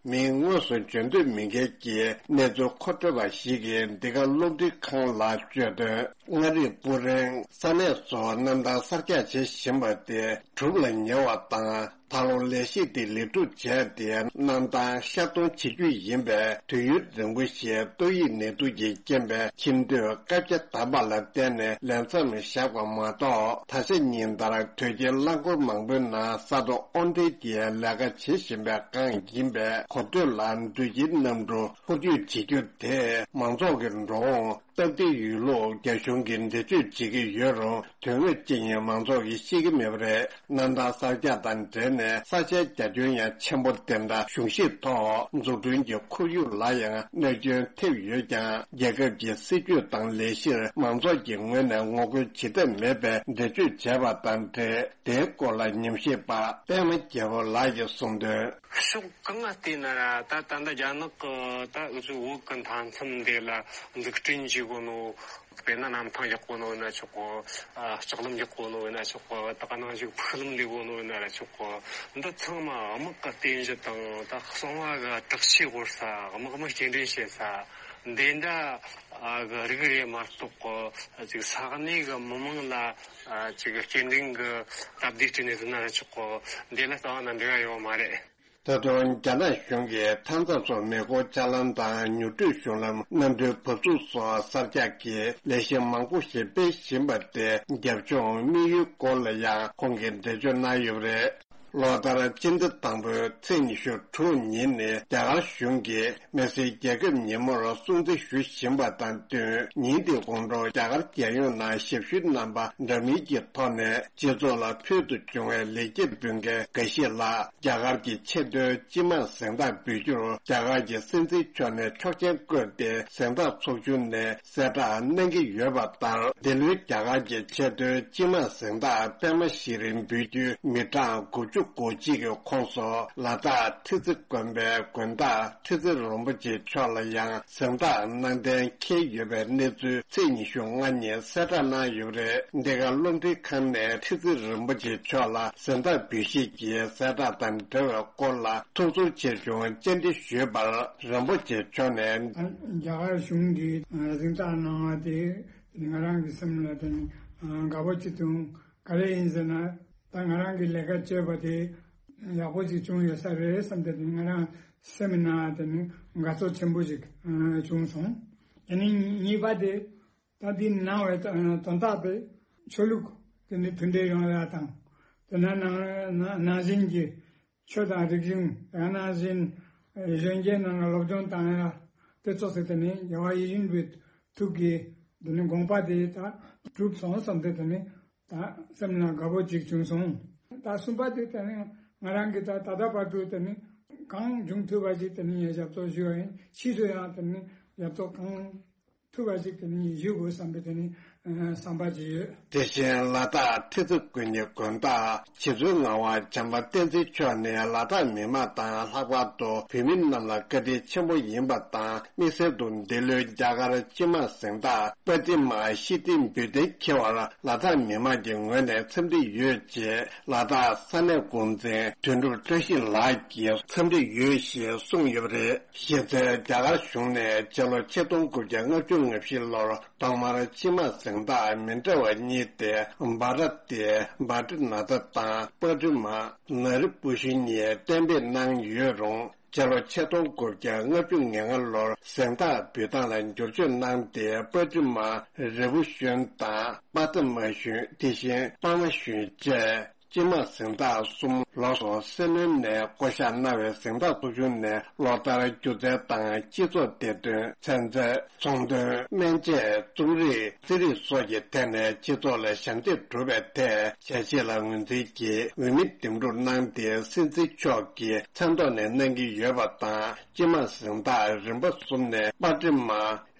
མི་དངོས་སུ་འབྱོར་འདོད་མེད་མཁན་གྱི་གནས་ཚུལ་མཁོ་སྤྲོད་པ་ཞིག་གིས་འདི་ག་རླུང་འཕྲིན་ཁང་ལ་བརྗོད་དོན། མངའ་རིས་སྤུ་རང་ས་གནས་སུ་གནམ་ཐང་གསར་རྒྱག་བྱེད་བཞིན་པ་དེ་གྲུབ་ལ་ཉེ་བ་དང་། ད་ལོ་ལས་གཞི་དེ་ལེགས་གྲུབ་བྱས་ཏེ། གནམ་ཐང་ཤར་གཏོང་བྱེད་རྒྱུ་ཡིན་པས། དུས་ཡུན་རིང་པོ་ཞིག་ཏོག་དབྱིབས་ནད་དུག་གི་རྐྱེན་པས་ཁྱིམ་སྡོད་བཀའ་རྒྱ་བསྡམས་པ་ལ་བརྟེན་ནས་ལས་མཚམས་བཞག་པ་མ་གཏོགས། ད་ཆ་ཉིན་ལྟར་དོལ་རྒྱལ་རླངས་འཁོར་མང་པོའི་ནང་ས་མཐོ་དབང་འབྲེལ་གྱི་ལས་ཀ་བྱེད་བཞིན་པའི་སྒང་ཡིན་པས། གོ་ཐོས་ལ་འགྲུལ་སྐྱེལ་གནམ་གྲུ་འཕུར་སྐྱོད་བྱེད་རྒྱུ་དེ་མང་ཚོགས་ཀྱི་འགྲོ་འོང་སྟབས་བདེ་ཡོད་ལུགས་རྒྱ་གཞུང་གིས་འགྲེལ་བརྗོད་བྱེད་ཀྱི་ཡོད་རུང་། དོན་དངོས་ཅི་ཡིན་མང་ཚོགས་ཀྱིས་ཤེས་ཀྱི་མེད་པ་རེད། གནམ་ཐང་གསར་རྒྱག་དང་འབྲེལ་ནས་ས་ཆའི་རྒྱ་ཁྱོན་ཡང་ཆེན་པོ། དེ་འདྲ་གཞུང་བཞེས་ཐོག་འཛུགས་སྐྲུན་གྱི་ཁོར་ཡུག་ལ་ཡང་གནོད་སྐྱོན་ཐེབས་ཡོད་ཀྱང་། རྒྱལ་ཁབ་ཀྱི་སྲིད་ཇུས་དང་ལས་གཞིར་མང་ཚོགས་ཀྱི་ངོས་ནས་ངོ་རྒོལ་བྱེད་ཐབས་མེད་པའི་འགྲེལ་བརྗོད་བྱས་པ་དང་འབྲེལ། དེའི་སྐོར་ལ་ཉམས་ཞིབ་པ་པད་མ་རྒྱལ་པོ་ལགས་ཀྱིས་གསུངས་དོན། ཕྱོགས་གང་ང་བལྟས་ན་ར། ད་ད་ལྟ་རྒྱ་ནག་གི་ད་འུ་ཚོའི་བོད་ཀྱི་མཐའ་མཚམས་འདི་ལ་འཛུགས་སྐྲུན་བྱེད་དགོས་ནོ། དཔེར་ན་གནམ་ཐང་ཡག་པོ་ནོ་ཡིན་ན་ཆོག་གོ། ལྕགས་ལམ་ཡག་པོ་ནོ་ཡིན་ན་ཆོག་གོ། ད་ག་ནང་བཞིན་ཕུག་ལམ་ལེགས་པོ་ནོ་ཡིན་ན་ར་ཆོག་གོ། འདི་ཚང་མ་དམག་གི་རྟེན་གཞི་དང་། ད་གསང་བ་གི་བྲག་ཆའི་བོར་ས། དམག་མི་སྐྱེལ་འདྲེན་བྱེད་ས་འདི་འདྲ་གི་རིགས་རེད་མ་གཏོགས་གོ། ཅིག་ས་གནས་གི་མི་མང་ལ་ཅིག་སྐྱེལ་འདྲེན་གི་སྟབས་བདེ་སྤྲད་ནས་ཟིན་ན་ར་ཆོག་གོ། འདི་ལ་རྩ་བ་ནས་འབྲེལ་བ་ཡོད་མ་རེད། ད་དུང་རྒྱ་ནག་གཞུང་གིས་མཐའ་མཚམས་སུ་མེ་འཁོར་ལྕགས་ལམ་དང་། མྱུར་བགྲོད་གཞུང་ལམ། གནམ་གྲུའི་བབས་ཚུགས་སོགས་གསར་རྒྱག་གི་ལས་གཞི་མང་པོ་ཞིག་སྤེལ་བཞིན་པ་དེ། རྒྱབ་ལྗོངས་དམིགས་ཡུལ་སྐོར་ལ་ཡང་ཁོང་གིས་འགྲེལ་བརྗོད་གནང་ཡོད་པ་རེད། ལོ་ལྟར་སྤྱི་ཟླ་དང་པོའི་ཚེས་ཉི་ཤུ་དྲུག་ཉིན་ནི་རྒྱ་གར་གཞུང་གིས་མི་སེར་རྒྱལ་ཁབ་ཉིན་མོར་སྲུང་བརྩི་ཞུ་བཞིན་པ་དང་བསྟུན། ཉིན་དེའི་གོང་དུ་རྒྱ་གར་རྒྱལ་ཡོངས་ནང་ཞབས་ཞུའི་རྣམ་པ་འདྲ་མིན་གྱི་ཐོག་ནས་སྤྱི་ཚོགས་ལ་ཕུལ་དུ་བྱུང་བའི་ལེགས་སྐྱེས་འབུལ་མཁན་འགའ་ཞིག་ལ། རྒྱ་གར་གྱི་ཆེས་མཐོའི་སྤྱི་དམངས་གཟེངས་རྟགས་འབུལ་རྒྱུར་རྒྱ་གར་གྱི་སྲིད་འཛིན་མཆོག་ནས་ཆོག་མཆན་བཀོད་དེ། གཟེངས་རྟགས་ཚོགས་ཆུང་ནས་གསལ་བསྒྲགས་གནང་གི་ཡོད་པ་ལྟར། འདི་ལོའི་རྒྱ་གར་གྱི་ཆེས་མཐོའི་སྤྱི་དམངས་གཟེངས་རྟགས་པདྨ་ཤྲི་འབུལ་རྒྱུའི་མི་གྲངས་དགུ་བཅུ་གོ་གཅིག་གི་ཁོངས་སུ། ལ་དྭགས་ཁྲི་རྩེ་དགོན་པའི་དགོན་བདག་ཁྲི་རྩེ་རིན་པོ་ཆེ་མཆོག་ལ་ཡང་གཟེངས་རྟགས་གནང་གཏན་འཁེལ་ཡོད་པའི་གནས་ཚུལ་ཚེས་ཉི་ཤུ་ལྔ་ཉིན་གསལ་བསྒྲགས་གནང་ཡོད་པ་རེད། འདི་ག་རླུང་འཕྲིན་ཁང་ནས་ཁྲི་རྩེ་རིན་པོ་ཆེ་མཆོག་ལ་གཟེངས་རྟགས་འབུལ་བཞེས་ཀྱི་གསལ་བསྒྲགས་དང་འབྲེལ་བའི་སྐོར་ལ་ཐུགས་ཚོར་ཆེ་ཆུང་བཅར་འདྲི་ཞུས་པར། རིན་པོ་ཆེ་མཆོག་ནས། རྒྱ་གར་གཞུང་གིས་གཟེངས་རྟགས་གནང་བ་དེ་ང་རང་གི་སེམས་ལ་དེ་ནི་དགའ་པོ་ཅིག་བྱུང་། ག་རེ་ཡིན་ཟེར་ན། ད་ང་རང་གི་ལས་ཀ་བྱས་པ་དེ་ཡག་པོ་ཅིག་བྱུང་ཡོད་ས་རེད་བསམ་སྟེ། ང་རང་སེམས་ནང་དེ་ནི་དགའ་ཚོར་ཆེན་པོ་ཞིག་བྱུང་སོང་། དེ་ནི་གཉིས་པ་དེ། ད་འདི་གནང་བའི་དོན་དག་དེ་ཆོས་ལུགས་དེ་ནི་མཐུན་སྒྲིལ་ཡོང་ཡ་དང་། དེ་ན་ནང་ནང་བཞིན་གྱི་ཆོས་དང་རིག་གཞུང་། ཡང་ན་གཞན་གཞོན་སྐྱེས་རྣམས་ལ་སློབ་སྦྱོང་བཏང་ཡ་དེ་ཚོ་ཟེར་ཏེ་ནི་རྒྱལ་བ་ཡིད་བཞིན་པའི་ཐུགས་ཀྱི་དེ་ནི་དགོངས་པ་དེ་ད་གྲུབ་སོང་བསམ་སྟེ། དེ་ནི་ད་སེམས་ལ་དགའ་པོ་ཅིག་བྱུང་སོང་། ད་གསུམ་པ་དེ་དེ་ནི་ང་རང་གིས་ད་ད་ལྟ་བར་དུ་དེ་ནི་གང་འབྱུང་ཐུབ་པ་ཞིག་དེ་ནི་ཞབས་ཏོག་ཞུ་བ་ཡིན། ཕྱིས་སུ་ཡང་དེ་ནི་ཞབས་ཏོག་གང་ཐུབ་པ་ཞིག་དེ་ནི་ཞུ་དགོས་བསམ་པའི་དེ་ནི་བསམ་པ་ཅིག་ཡོད། དེ་བཞིན་ལ་དྭགས་ཁྲི་རྩེ་དགོན་གྱི་དགོན་བདག་རྗེ་བཙུན་ངག་དབང་བྱམས་པ་བསྟན་འཛིན་མཆོག་ནས། ལ་དྭགས་མི་མང་དང་ལྷག་པར་དུ་བོད་མི་རྣམས་ལ་བཀའ་དྲིན་ཆེན་པོ་ཡིན་པ་དང་། དམིགས་བསལ་དུ་འདི་ལོའི་རྒྱ་གར་སྤྱི་དམངས་གཟེངས་རྟགས་པདྨ་ཤྲི་འབུལ་གཏན་འཁེལ་བར་ལ་དྭགས་མི་མང་གི་ངོས་ནས་འཚམས་འདྲི་ཡོད་ཅེས་ལ་དྭགས་ས་གནས་འགོ་འཛིན་དོན་གྲུབ་བཀྲ་ཤིས་ལགས་ཀྱིས་འཚམས་འདྲི་ཡོད་ཞེས་གསུངས་ཡོད་པ་རེད། གཞི་རྩའི་རྒྱ་གར་གཞུང་ནས་སྤྱི་ལོ་ཆིག་སྟོང་དགུ་བརྒྱ་ལྔ་བཅུ་ང་བཞི་ལོར་ཐོག་མར་སྤྱི་དམངས་གཟེངས་རྟགས་མི་འདྲ་བ་གཉིས་ཏེ། བྷ་ར་ཏི་བྷ་ཏི་ན་ཐ་དང་པ་ཏི་མ་ན་རི་པུ་ཤི་གཉིས་གཏན་འབེབས་གནང་ཡོད་རུང་། སྤྱི་ལོ་ཆིག་སྟོང་དགུ་བརྒྱ་ལྔ་བཅུ་ང་ལྔ་ལོར་གཟེངས་རྟགས་འབུལ་སྟངས་ལ་འགྱུར་བཅོས་གནང་སྟེ། པ་ཏི་མ་རི་བུ་ཤོན་དང་པ་ཏི་མ་ཤོན། དེ་བཞིན་པ་མ་ཤོན་བཅས། སྤྱི་དམངས་གཟེངས་རྟགས་གསུམ། ལོ་སོ་སྲེ་ལོན་ནས་བསྐོ་གཞག་གནང་བའི་གཟེངས་རྟགས་ཚོགས་ཆུང་ནས་ལོ་ལྟར་སྒྱུ་རྩལ་དང་སྤྱི་ཚོགས་བདེ་དོན། ཚན་རྩལ། ཚོང་དོན། སྨན་དཔྱད། རྩོམ་རིག་རྩིས་རིག་སོགས་ཀྱི་ཐད་ནས་སྤྱི་ཚོགས་ལ་ཞབས་འདེགས་སྒྲུབ་པའི་ཐད་ཞལ་བཞེས་ལ་ངོས་འཛིན་གྱིས་འོས་མི་འདེམས་སྒྲུག་གནང་སྟེ། སྲིད་འཛིན་མཆོག་གིས་མཚན་ཐོག་ནས་གནང་གི་ཡོད་པ་དང་། སྤྱི་དམངས་གཟེངས་རྟགས་རིམ་པ་གསུམ་ནས་པ་ཏི་མ་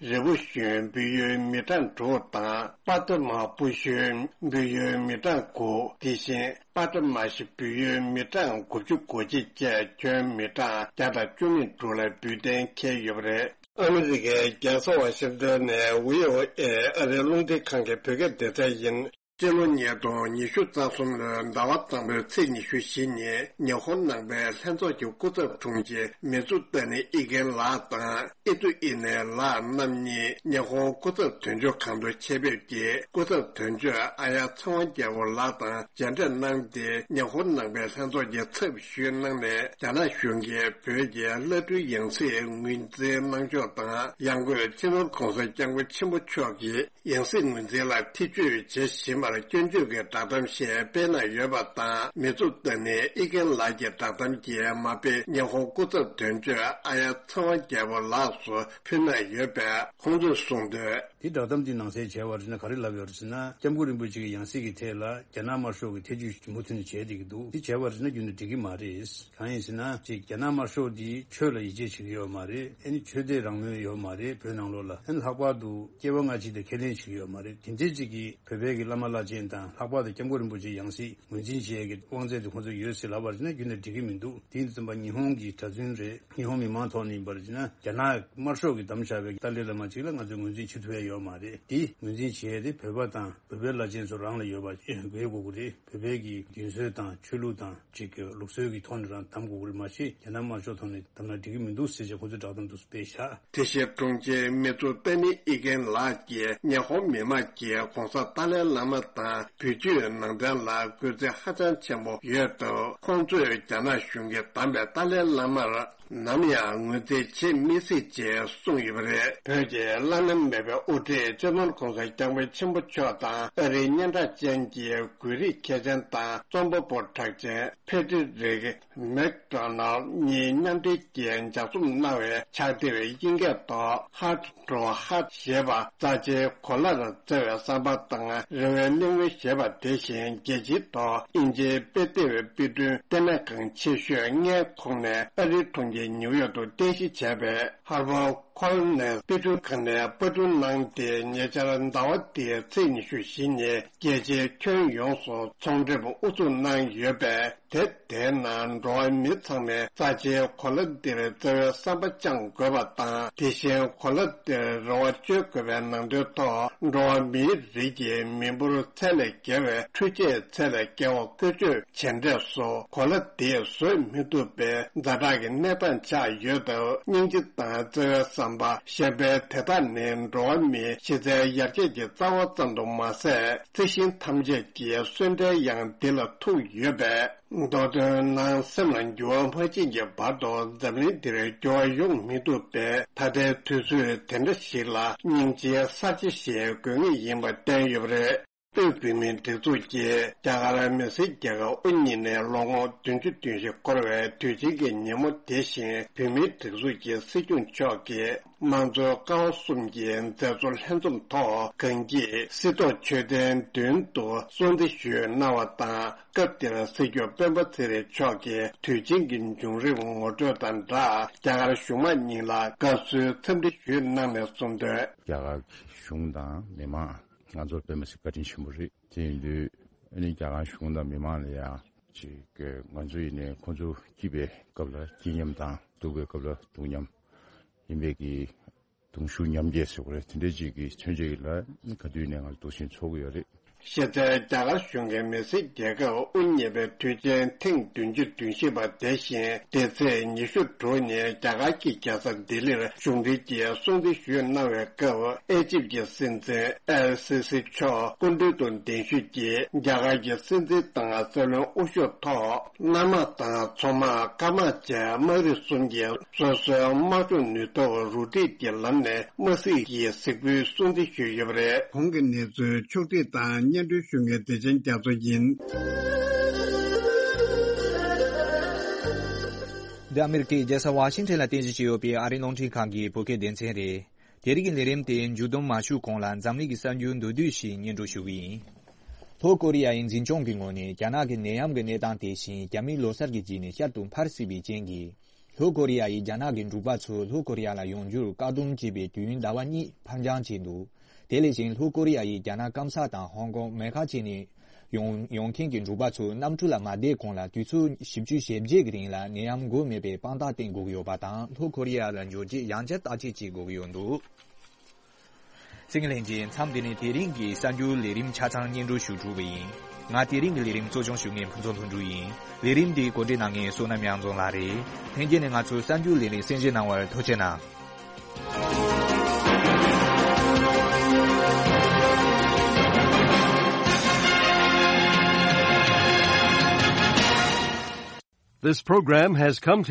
རི་བོ་གཞོན་འབུལ་ཡོད་མི་གྲངས་དྲུག་དང་། པ་ཏི་མ་བུ་གཞོན་འབུལ་ཡོད་མི་གྲངས་དགུ། དེ་བཞིན་པ་ཏི་མ་ཞི་འབུལ་ཡོད་མི་གྲངས་དགུ་བཅུ་གོ་གཅིག་བཅས་ཁྱོན་མི་གྲངས་བརྒྱ་དང་བཅུ་གཉིས་དྲུག་ལ་འབུལ་གཏན་འཁེལ་ཡོད་པ་རེད། ཨ་མི་རི་ཀའི་རྒྱལ་ས་ཝ་ཤིང་ཏོན་ནས་ཝི་ཨོ་ཨེ་ཨ་རིའི་རླུང་འཕྲིན་ཁང་གི་བོད་སྐད་སྡེ་ཚན་ཡིན། སྤྱི་ལོ་ཉིས་སྟོང་ཉི་ཤུ་རྩ་གསུམ་ལོའི་ཟླ་བ་དང་པོའི་ཚེས་ཉི་ཤུ་བཞི་ཉིན་ཉི་ཧོང་ནང་པའི་ལྷན་ཚོགས་ཀྱི་སྐུ་ཚབ་དྲུང་ཆེ་མི་ཙུ་ཏ་ནི་ཨི་ཀེན་ལགས་དང་ཨི་ཙུ་ཨི་ནེ་ལགས་རྣམ་གཉིས་ཉི་ཧོང་སྐུ་ཚབ་དོན་གཅོད་ཁང་དུ་ཆེད་ཕེབས་ཀྱིས། སྐུ་ཚབ་དོན་གཅོད་ཨ་ཡ་ཚེ་དབང་རྒྱལ་པོ་ལགས་དང་མཇལ་འཕྲད་གནང་སྟེ། ཉི་ཧོང་ནང་པའི་ལྷན་ཚོགས་ཀྱི་ཚབ་ཞུས་གནང་ནས། རྒྱ་ནག་གཞུང་གིས་བོད་ཀྱི་བླ་སྤྲུལ་ཡང་སྲིད་ངོས་འཛིན་གནང་ཕྱོགས་དང་། ཡང་སྒོས་སྤྱི་ནོར་༸གོང་ས་༸སྐྱབས་མགོན་ཆེན་པོ་མཆོག་གིས་ཡང་སྲིད་ངོས་འཛིན་ལ་ཐེ་བྱུས་བྱེད་བཞིན་པར་སྐྱོན་བརྗོད་ཀྱི་བསྒྲགས་གཏམ་ཞིག་སྤེལ་གནང་ཡོད་པ་དང་། མི་ཙུ་ཏ་ནི་ཨི་ཀེན་ལགས་ཀྱི་བསྒྲགས་གཏམ་གྱིས་མ་དཔེ་ཉི་ཧོང་སྐུ་ཚབ་དོན་གཅོད་ཨ་ཡ་ཚེ་དབང་རྒྱལ་པོ་ལགས་སུ་ཕུལ་གནང་ཡོད་པས། ཁོང་ཚོས་གསུངས་དོན། དེ་བསྒྲགས་གཏམ་དེ་ནང་གསལ་བྱས་པར་ན། ག་རེ་ལབ་ཡོད་རེད་ཟེར་ན། སྐྱབས་མགོན་རིན་པོ་ཆེ་གི་ཡང་སྲིད་ཀྱི་ཐད་ལ་རྒྱ་ནག་དམར་ཤོག་གི་ཐེ་བྱུས་མུ་མཐུད་ནས་བྱས་བསྡད་ཀྱི་འདུག་དེ་བྱས་པར་ན་རྒྱུན་དུ་འགྲིག་གི་མ་རེད། གང་ཡིན་ཟེར་ན། ཅིག་རྒྱ་ནག་དམར་ཤོག་འདིས་ཆོས་ལ་ཡིད་ཆེས་བྱེད་ཀྱི་ཡོད་མ་རེད། ཨ་ནི་ཆོས་དད་རང་མོས་ཡོད་མ་རེད། བོད་ནང་ལོགས་ལ། ཨ་ནི་ལྷག་པར་དུ་སྐྱེ་བ་སྔ་ཕྱི་དང་ཁས་ལེན་བྱེད་ཀྱི་ཡོད་མ་རེད། དེ་འདྲའི་ཅིག་གིས་བོད་པའི་གི་བླ་མ་བླ་ཆེན་དང་། ལྷག་པར་དུ་སྐྱབས་མགོན་རིན་པོ་ཆེ་ཡང་སྲིད་ངོས་འཛིན་བྱེད་ཡས་ཀྱི་དབང་ཚད་དེ་ཁོང་ཚོ་ཡོད་ཟེར་ལབ་པར་ན་རྒྱུན་དུ་འགྲིག་གི་མི་འདུག་དེ་ཡིན་དུས་ཙམ་པ་ཉི་ཧོང་གི་གྲྭ་བཙུན་རེད། ཉི་ཧོང་མི་མང་ཐོག་ནས་ཡིན་པར་བྱས་ན། རྒྱ་ནག་དམར་ཤོག་གིས་བདམས་བཞག་པའི་ཏཱ་ལའི་བླ་མ་ཅིག་ལ་ང་ཚོས་ངོས་འཛིན་བྱེད་ཐུབ་ཡ་ཡོད་མ་རེད། དེ་ངོས་འཛིན་བྱེད་ཡ་དེ་བོད་པ་དང་བོད་པའི་བླ་ཆེན་ཚོ་རང་ལ་ཡོད་པ་དགོས་དགོས་ཀྱི་རེད། བོད་པའི་གི་རྒྱུན་སྲོལ་དང་ཆོས་ལུགས་དང་ཅིག་གི་ལུགས་སྲོལ་གྱི་ཐོག་ནས་རང་བདམས་དགོས་ཀྱི་རེད། མ་གཞི་རྒྱ་ནག་དམར་ཤོག་ཐོག་ནས་བདམས་ན་འགྲིག་གི་མི་འདུག་ཟེར་བྱས་ཁོ་ཚོས་བསྒྲགས་གཏམ་དེ་ཚོ་སྤེལ་བཞག་དེ་བཞིན་དྲུང་ཆེ་མི་ཙུ་ཏ་ནི་ཨི་ཀེན་ལགས་ཀྱིས་ཉི་ཧོང་མི་མང་གིས་༸གོང་ས་ཏཱ་ལའི་བླ་མ་དང་བོད་བརྒྱུད་ནང་བསྟན་ལ་གུས་བརྩི་ཧ་ཅང་ཆེན་པོ་ཡོད་སྟབས། ཁོང་ཚོས་རྒྱ་ནག་གཞུང་གིས་བདམས་པའི་ཏཱ་ལའི་བླ་མར་ནམ་ཡང་ངོས་འཛིན་བྱེད་མི་སྲིད་ཅེས་གསུངས་ཡོད་པ་རེད། བོད་ཀྱི་བླ་ན་མེད་པའི་དབུ་ཁྲིད་སྤྱི་ནོར་༸གོང་ས་༸སྐྱབས་མགོན་ཆེན་པོ་མཆོག་དང་། ཨ་རིའི་སྙན་གྲགས་ཅན་གྱི་འགུལ་རིས་མཁས་ཅན་དང་རྩོམ་པ་པོ་གྲགས་ཅན་ཕེ་ཏི་རིག་མེག་ཌོ་ནལ་གཉིས་མཉམ་འབྲེལ་གྱིས་ལྗགས་རྩོམ་གནང་བའི་ཕྱག་དེབ་དབྱིན་སྐད་ཐོག་Heart to Heart ཞེས་པ་རྩ་ཆེའི་གོ་ལར་བསྩལ་བའི་བསམ་པ་དང་། རེ་བའི་གླེང་མོལ་ཞེས་པ་དེ་བཞིན་རྒྱལ་སྤྱིའི་ཐོག་དབྱིན་ཇིའི་དཔེ་དེབ་དཔེ་སྐྲུན་ལྟེ་གནས་ཁང་ཆེ་ཤོས་ལྔའི་ཁོངས་ནས་ཨ་རིའི་གྲོང་ཁྱེར་ནིའུ་ཡོག་ཏུ་རྟེན་གཞི་བྱས་པའི་ཧར་བར་ཁོལ་ནས་དཔེ་སྐྲུན་ཁང་ནས་པར་སྐྲུན་གནང་སྟེ། ཉེ་ཆར་ཟླ་བ་འདིའི་ཚེས་ཉི་ཤུ་བཞི་ཉིན་རྒྱལ་སྤྱིའི་ཁྱོན་ཡོངས་སུ་ཚོང་འགྲེམས་དབུ་འཛུགས་གནང་ཡོད་པས། དེ་དེའི་ནང་འགྲོ་བ་མི་ཚང་མས་རྩ་ཆེའི་གོ་ལ་འདིར་བརྩེ་བའི་བསམ་པ་བཅངས་དགོས་པ་དང་། དེ་བཞིན་གོ་ལ་འདིར་རེ་བ་བཅོལ་དགོས་པའི་ནང་དོན་ཐོག་འགྲོ་བ་མིའི་རིགས་ཀྱི་མི་འབོར་ཚད་ལས་བརྒལ་བའི་འཕྲུལ་ཆས་ཚད་ལས་བརྒལ་བ་བཀོལ་སྤྱོད་བྱས་འབྲས་སུ། གོ་ལ་འདིས་བཟོད་མི་ཐུབ་པའི་ཛ་དྲག་གི་གནས་སྟངས་ཆགས་ཡོད་སྟབས། སྙིང་རྗེ་དང་བརྩེ་བའི་བསམ་པ་གཞན་ཕན་དེ་དག་ནི་འགྲོ་བ་མིའི་གཞི་རྩའི་ཡར་རྒྱས་ཀྱི་རྩ་བ་ཙམ་དུ་མ་ཟད། རྩི་ཤིང་ཐམས་ཅད་ཀྱི་གསོན་བྲལ་ཡང་འདི་ལ་ཐུག་ཡོད་པས། མདོ་དོན་ནང་སེམས་ལ་འགྱུར་བ་མ་ཕྱིན་གྱི་བར་དུ་འཛམ་གླིང་འདིར་འགྱུར་བ་ཡོང་མི་ཐུབ་པས། ད་ལྟའི་དུས་ཚོད་དེ་འདྲ་ཞིག་ལ་སྙིང་རྗེའི་གསར་བརྗེ་ཞིག་དགོས་ངེས་ཡིན་པ་བསྟན་ཡོད་པ་རེད། དབུས་བོད་མིའི་སྒྲིག་འཛུགས་ཀྱིས་རྒྱ་གར་མི་སེར་རྒྱལ་ཁབ་དབུ་བརྙེས་ནས་ལོ་ངོ་བདུན་ཅུ་དོན་བཞི་འཁོར་བའི་དུས་ཆེན་གྱི་ཉིན་མོ་དེ་བཞིན། བོད་མིའི་སྒྲིག་འཛུགས་ཀྱི་སྲིད་སྐྱོང་མཆོག་གིས་དམངས་གཙོའི་ཀ་བ་གསུམ་གྱི་མཛད་གཙོ་ལྷན་འཛོམས་ཐོག་གངས་སྐྱིད་སྲིད་ཐོག་མཆོད་རྟེན་མདུན་དུ་སྲུང་བརྩི་ཞུས་གནང་བ་དང་། སྐབས་དེར་སྲིད་སྐྱོང་སྤེན་པ་ཚེ་རིང་མཆོག་གིས་དུས་ཆེན་གྱི་བྱུང་རིམ་ངོ་སྤྲོད་དང་སྦྲགས། རྒྱ་གར་གཞུང་མང་གཉིས་ལ་དགའ་བསུའི་འཚམས་འདྲི་ཞུས་གནང་ནས་གསུངས་དོན། རྒྱ་གར་གཞུང་དང་མི་མང་། ང་ཚོར་དཔེ་མི་སྲིད་བཀའ་དྲིན་ཆེན་པོ་རེད། དེ་ཡིན་དུས་ཨ་ནི་རྒྱ་གར་གཞུང་དང་མི་མང་ལ་ཡང་ཅིག་ང་ཚོ་ཡིན་ནའི་ཁོང་ཚོ་སྐྱིད་པའི་སྐབས་ལ་སྐྱིད་མཉམ་དང་། སྡུག་པའི་སྐབས་ལ་སྡུག་མཉམ་ཡིན་པའི་གི་གདུང་ཤུགས་མཉམ་སྐྱེད་ཟེར་དགོས་རེད། དེ་འདྲའི་ཅིག་གི་མཚོན་བྱེད་ཀྱི་ལ་ག་དུས་ནས་ང་ཚོ་འདུག་སེ་འཚོགས་ཀྱི་ཡོད་རེད། གཞི་རྩའི་རྒྱ་གར་གཞུང་གིས་མི་སེར་རྒྱལ་ཁབ་དབུ་བརྙེས་པའི་དུས་ཆེན་ཐེངས་བདུན་ཅུ་དོན་བཞི་པ་དེ་བཞིན་འདི་ཚེས་ཉི་ཤུ་དྲུག་ཉིན་རྒྱ་གར་གྱི་རྒྱལ་ས་ལྡི་ལིར་གཞུང་འབྲེལ་གྱིས་སྲུང་བརྩི་ཞུས་གནང་བའི་སྐབས། ཨེ་ཇིབ་ཀྱི་སྲིད་འཛིན་ཨེལ་སི་སི་མཆོག་སྐུ་མདུན་དུ་གདན་ཞུས་ཀྱིས་རྒྱ་གར་གྱི་སྲིད་འཛིན་དང་སྲིད་བློན་དབུ་བཞུགས་ཐོག་གནམ་དམག་དང་མཚོ་དམག་སྐར་དམག་བཅས་དམག་རིགས་གསུམ་གྱི་སོ་སོའི་དམག་སྦྱོང་ནུས་སྟོབས་རུ་སྒྲིག་གི་ལམ་ནས་དམག་སྲིད་ཀྱི་གཟིགས་འབུལ་སྲུང་བརྩི་ཞུས་ཡོད་པ་རེད། གོང་གི་གནས་ཚུལ་ཕྱོགས་སྒྲིག་དང་སྙན་སྒྲོན་ཞུ་མཁན་བདེ་ཆེན་རྒྱ་མཚོ་ཡིན། འདི་ཨ་མི་རི་ཀའི་རྒྱལ་ས་ཝ་ཤིང་ཊོན་ལ་རྟེན་གཞི་བྱས་ཡོད་པའི་ཨ་རིའི་རླུང་འཕྲིན་ཁང་གི་བོད་སྐད་སྡེ་ཚན་རེད། དེ་རིང་གི་ལས་རིམ་དེ་མཇུག་བསྡོམས་མ་ཞུས་གོང་ལ་འཛམ་གླིང་གི་གསར་འགྱུར་མདོར་བསྡུས་ཤིག་སྙན་སྒྲོན་ཞུ་གི་ཡིན། ལྷོ་ཀོ་རི་ཡ་ཡི་འཛིན་སྐྱོང་གི་ངོས་ནས་རྒྱ་ནག་གི་ནད་ཡམས་ཀྱི་གནས་སྟངས་དེ་བཞིན་རྒྱ་མིའི་ལོ་གསར་གྱི་རྗེས་ནས་བསྐྱར་དུ་འཕར་སྲིད་པའི་རྐྱེན་གྱིས། ལྷོ་ཀོ་རི་ཡ་ཡིས་རྒྱ་ནག་གི་འབྲུག་པ་ཚོ་ལྷོ་ཀོ་རི་ཡ་ལ་ཡོང་རྒྱུར་བཀག་སྡོམ་བྱས་པའི་དུས་ཡུན་ཟླ་བ་གཉིས་ཕར་འགྱངས་བྱས་འདུག་དེ་ལས་གཞན་ལྷོ་ཀོ་རི་ཡ་ཡིས་རྒྱ་ནག་སྐམ་ས་དང་ཧོང་ཀོང་མེ་ཁ་བྱས་ནས་ཡོང་ཡོང་མཁན་གྱི་འབྲུག་པ་ཚོ་གནམ་གྲུ་ལ་མ་བསྡད་གོང་ལ་དུས་ཚོད་བཞི་བཅུ་ཞེ་བརྒྱད་ཀྱི་རིང་ལ་ནད་ཡམས་འགོས་མེད་པའི་དཔང་རྟགས་བསྟན་དགོས་ཀྱི་ཡོད་པ་དང་། ལྷོ་ཀོ་རི་ཡ་ལ་འབྱོར་རྗེས་ཡང་བསྐྱར་བརྟག་དཔྱད་བྱེད་དགོས་ཀྱི་ཡོད་འདུག་སྲིད་ལྷན་རྒྱས། མཚམས་འདི་ནས་དེ་རིང་གི་གསར་འགྱུར་ལས་རིམ་ཆ་ཚང་སྙན་སྒྲོན་ཞུ་གྲུབ་པ་ཡིན། ང་དེ་རིང་གི་ལས་རིམ་གཙོ་སྐྱོང་ཞུ་མཁན་ཕུན་ཚོགས་ལྷུན་གྲུབ་ཡིན། ལས་རིམ་འདི་གོ་སྒྲིག་གནང་མཁན་བསོད་ནམས་དབྱངས་འཛོམས་ལགས་རེད། ལྷན་རྒྱས་ནས་ང་ཚོའི་གསར་འགྱུར་ལས་རིམ་གསན་བཞེས་གནང་བར་ཐུགས་རྗེ་གནང་། This program has come to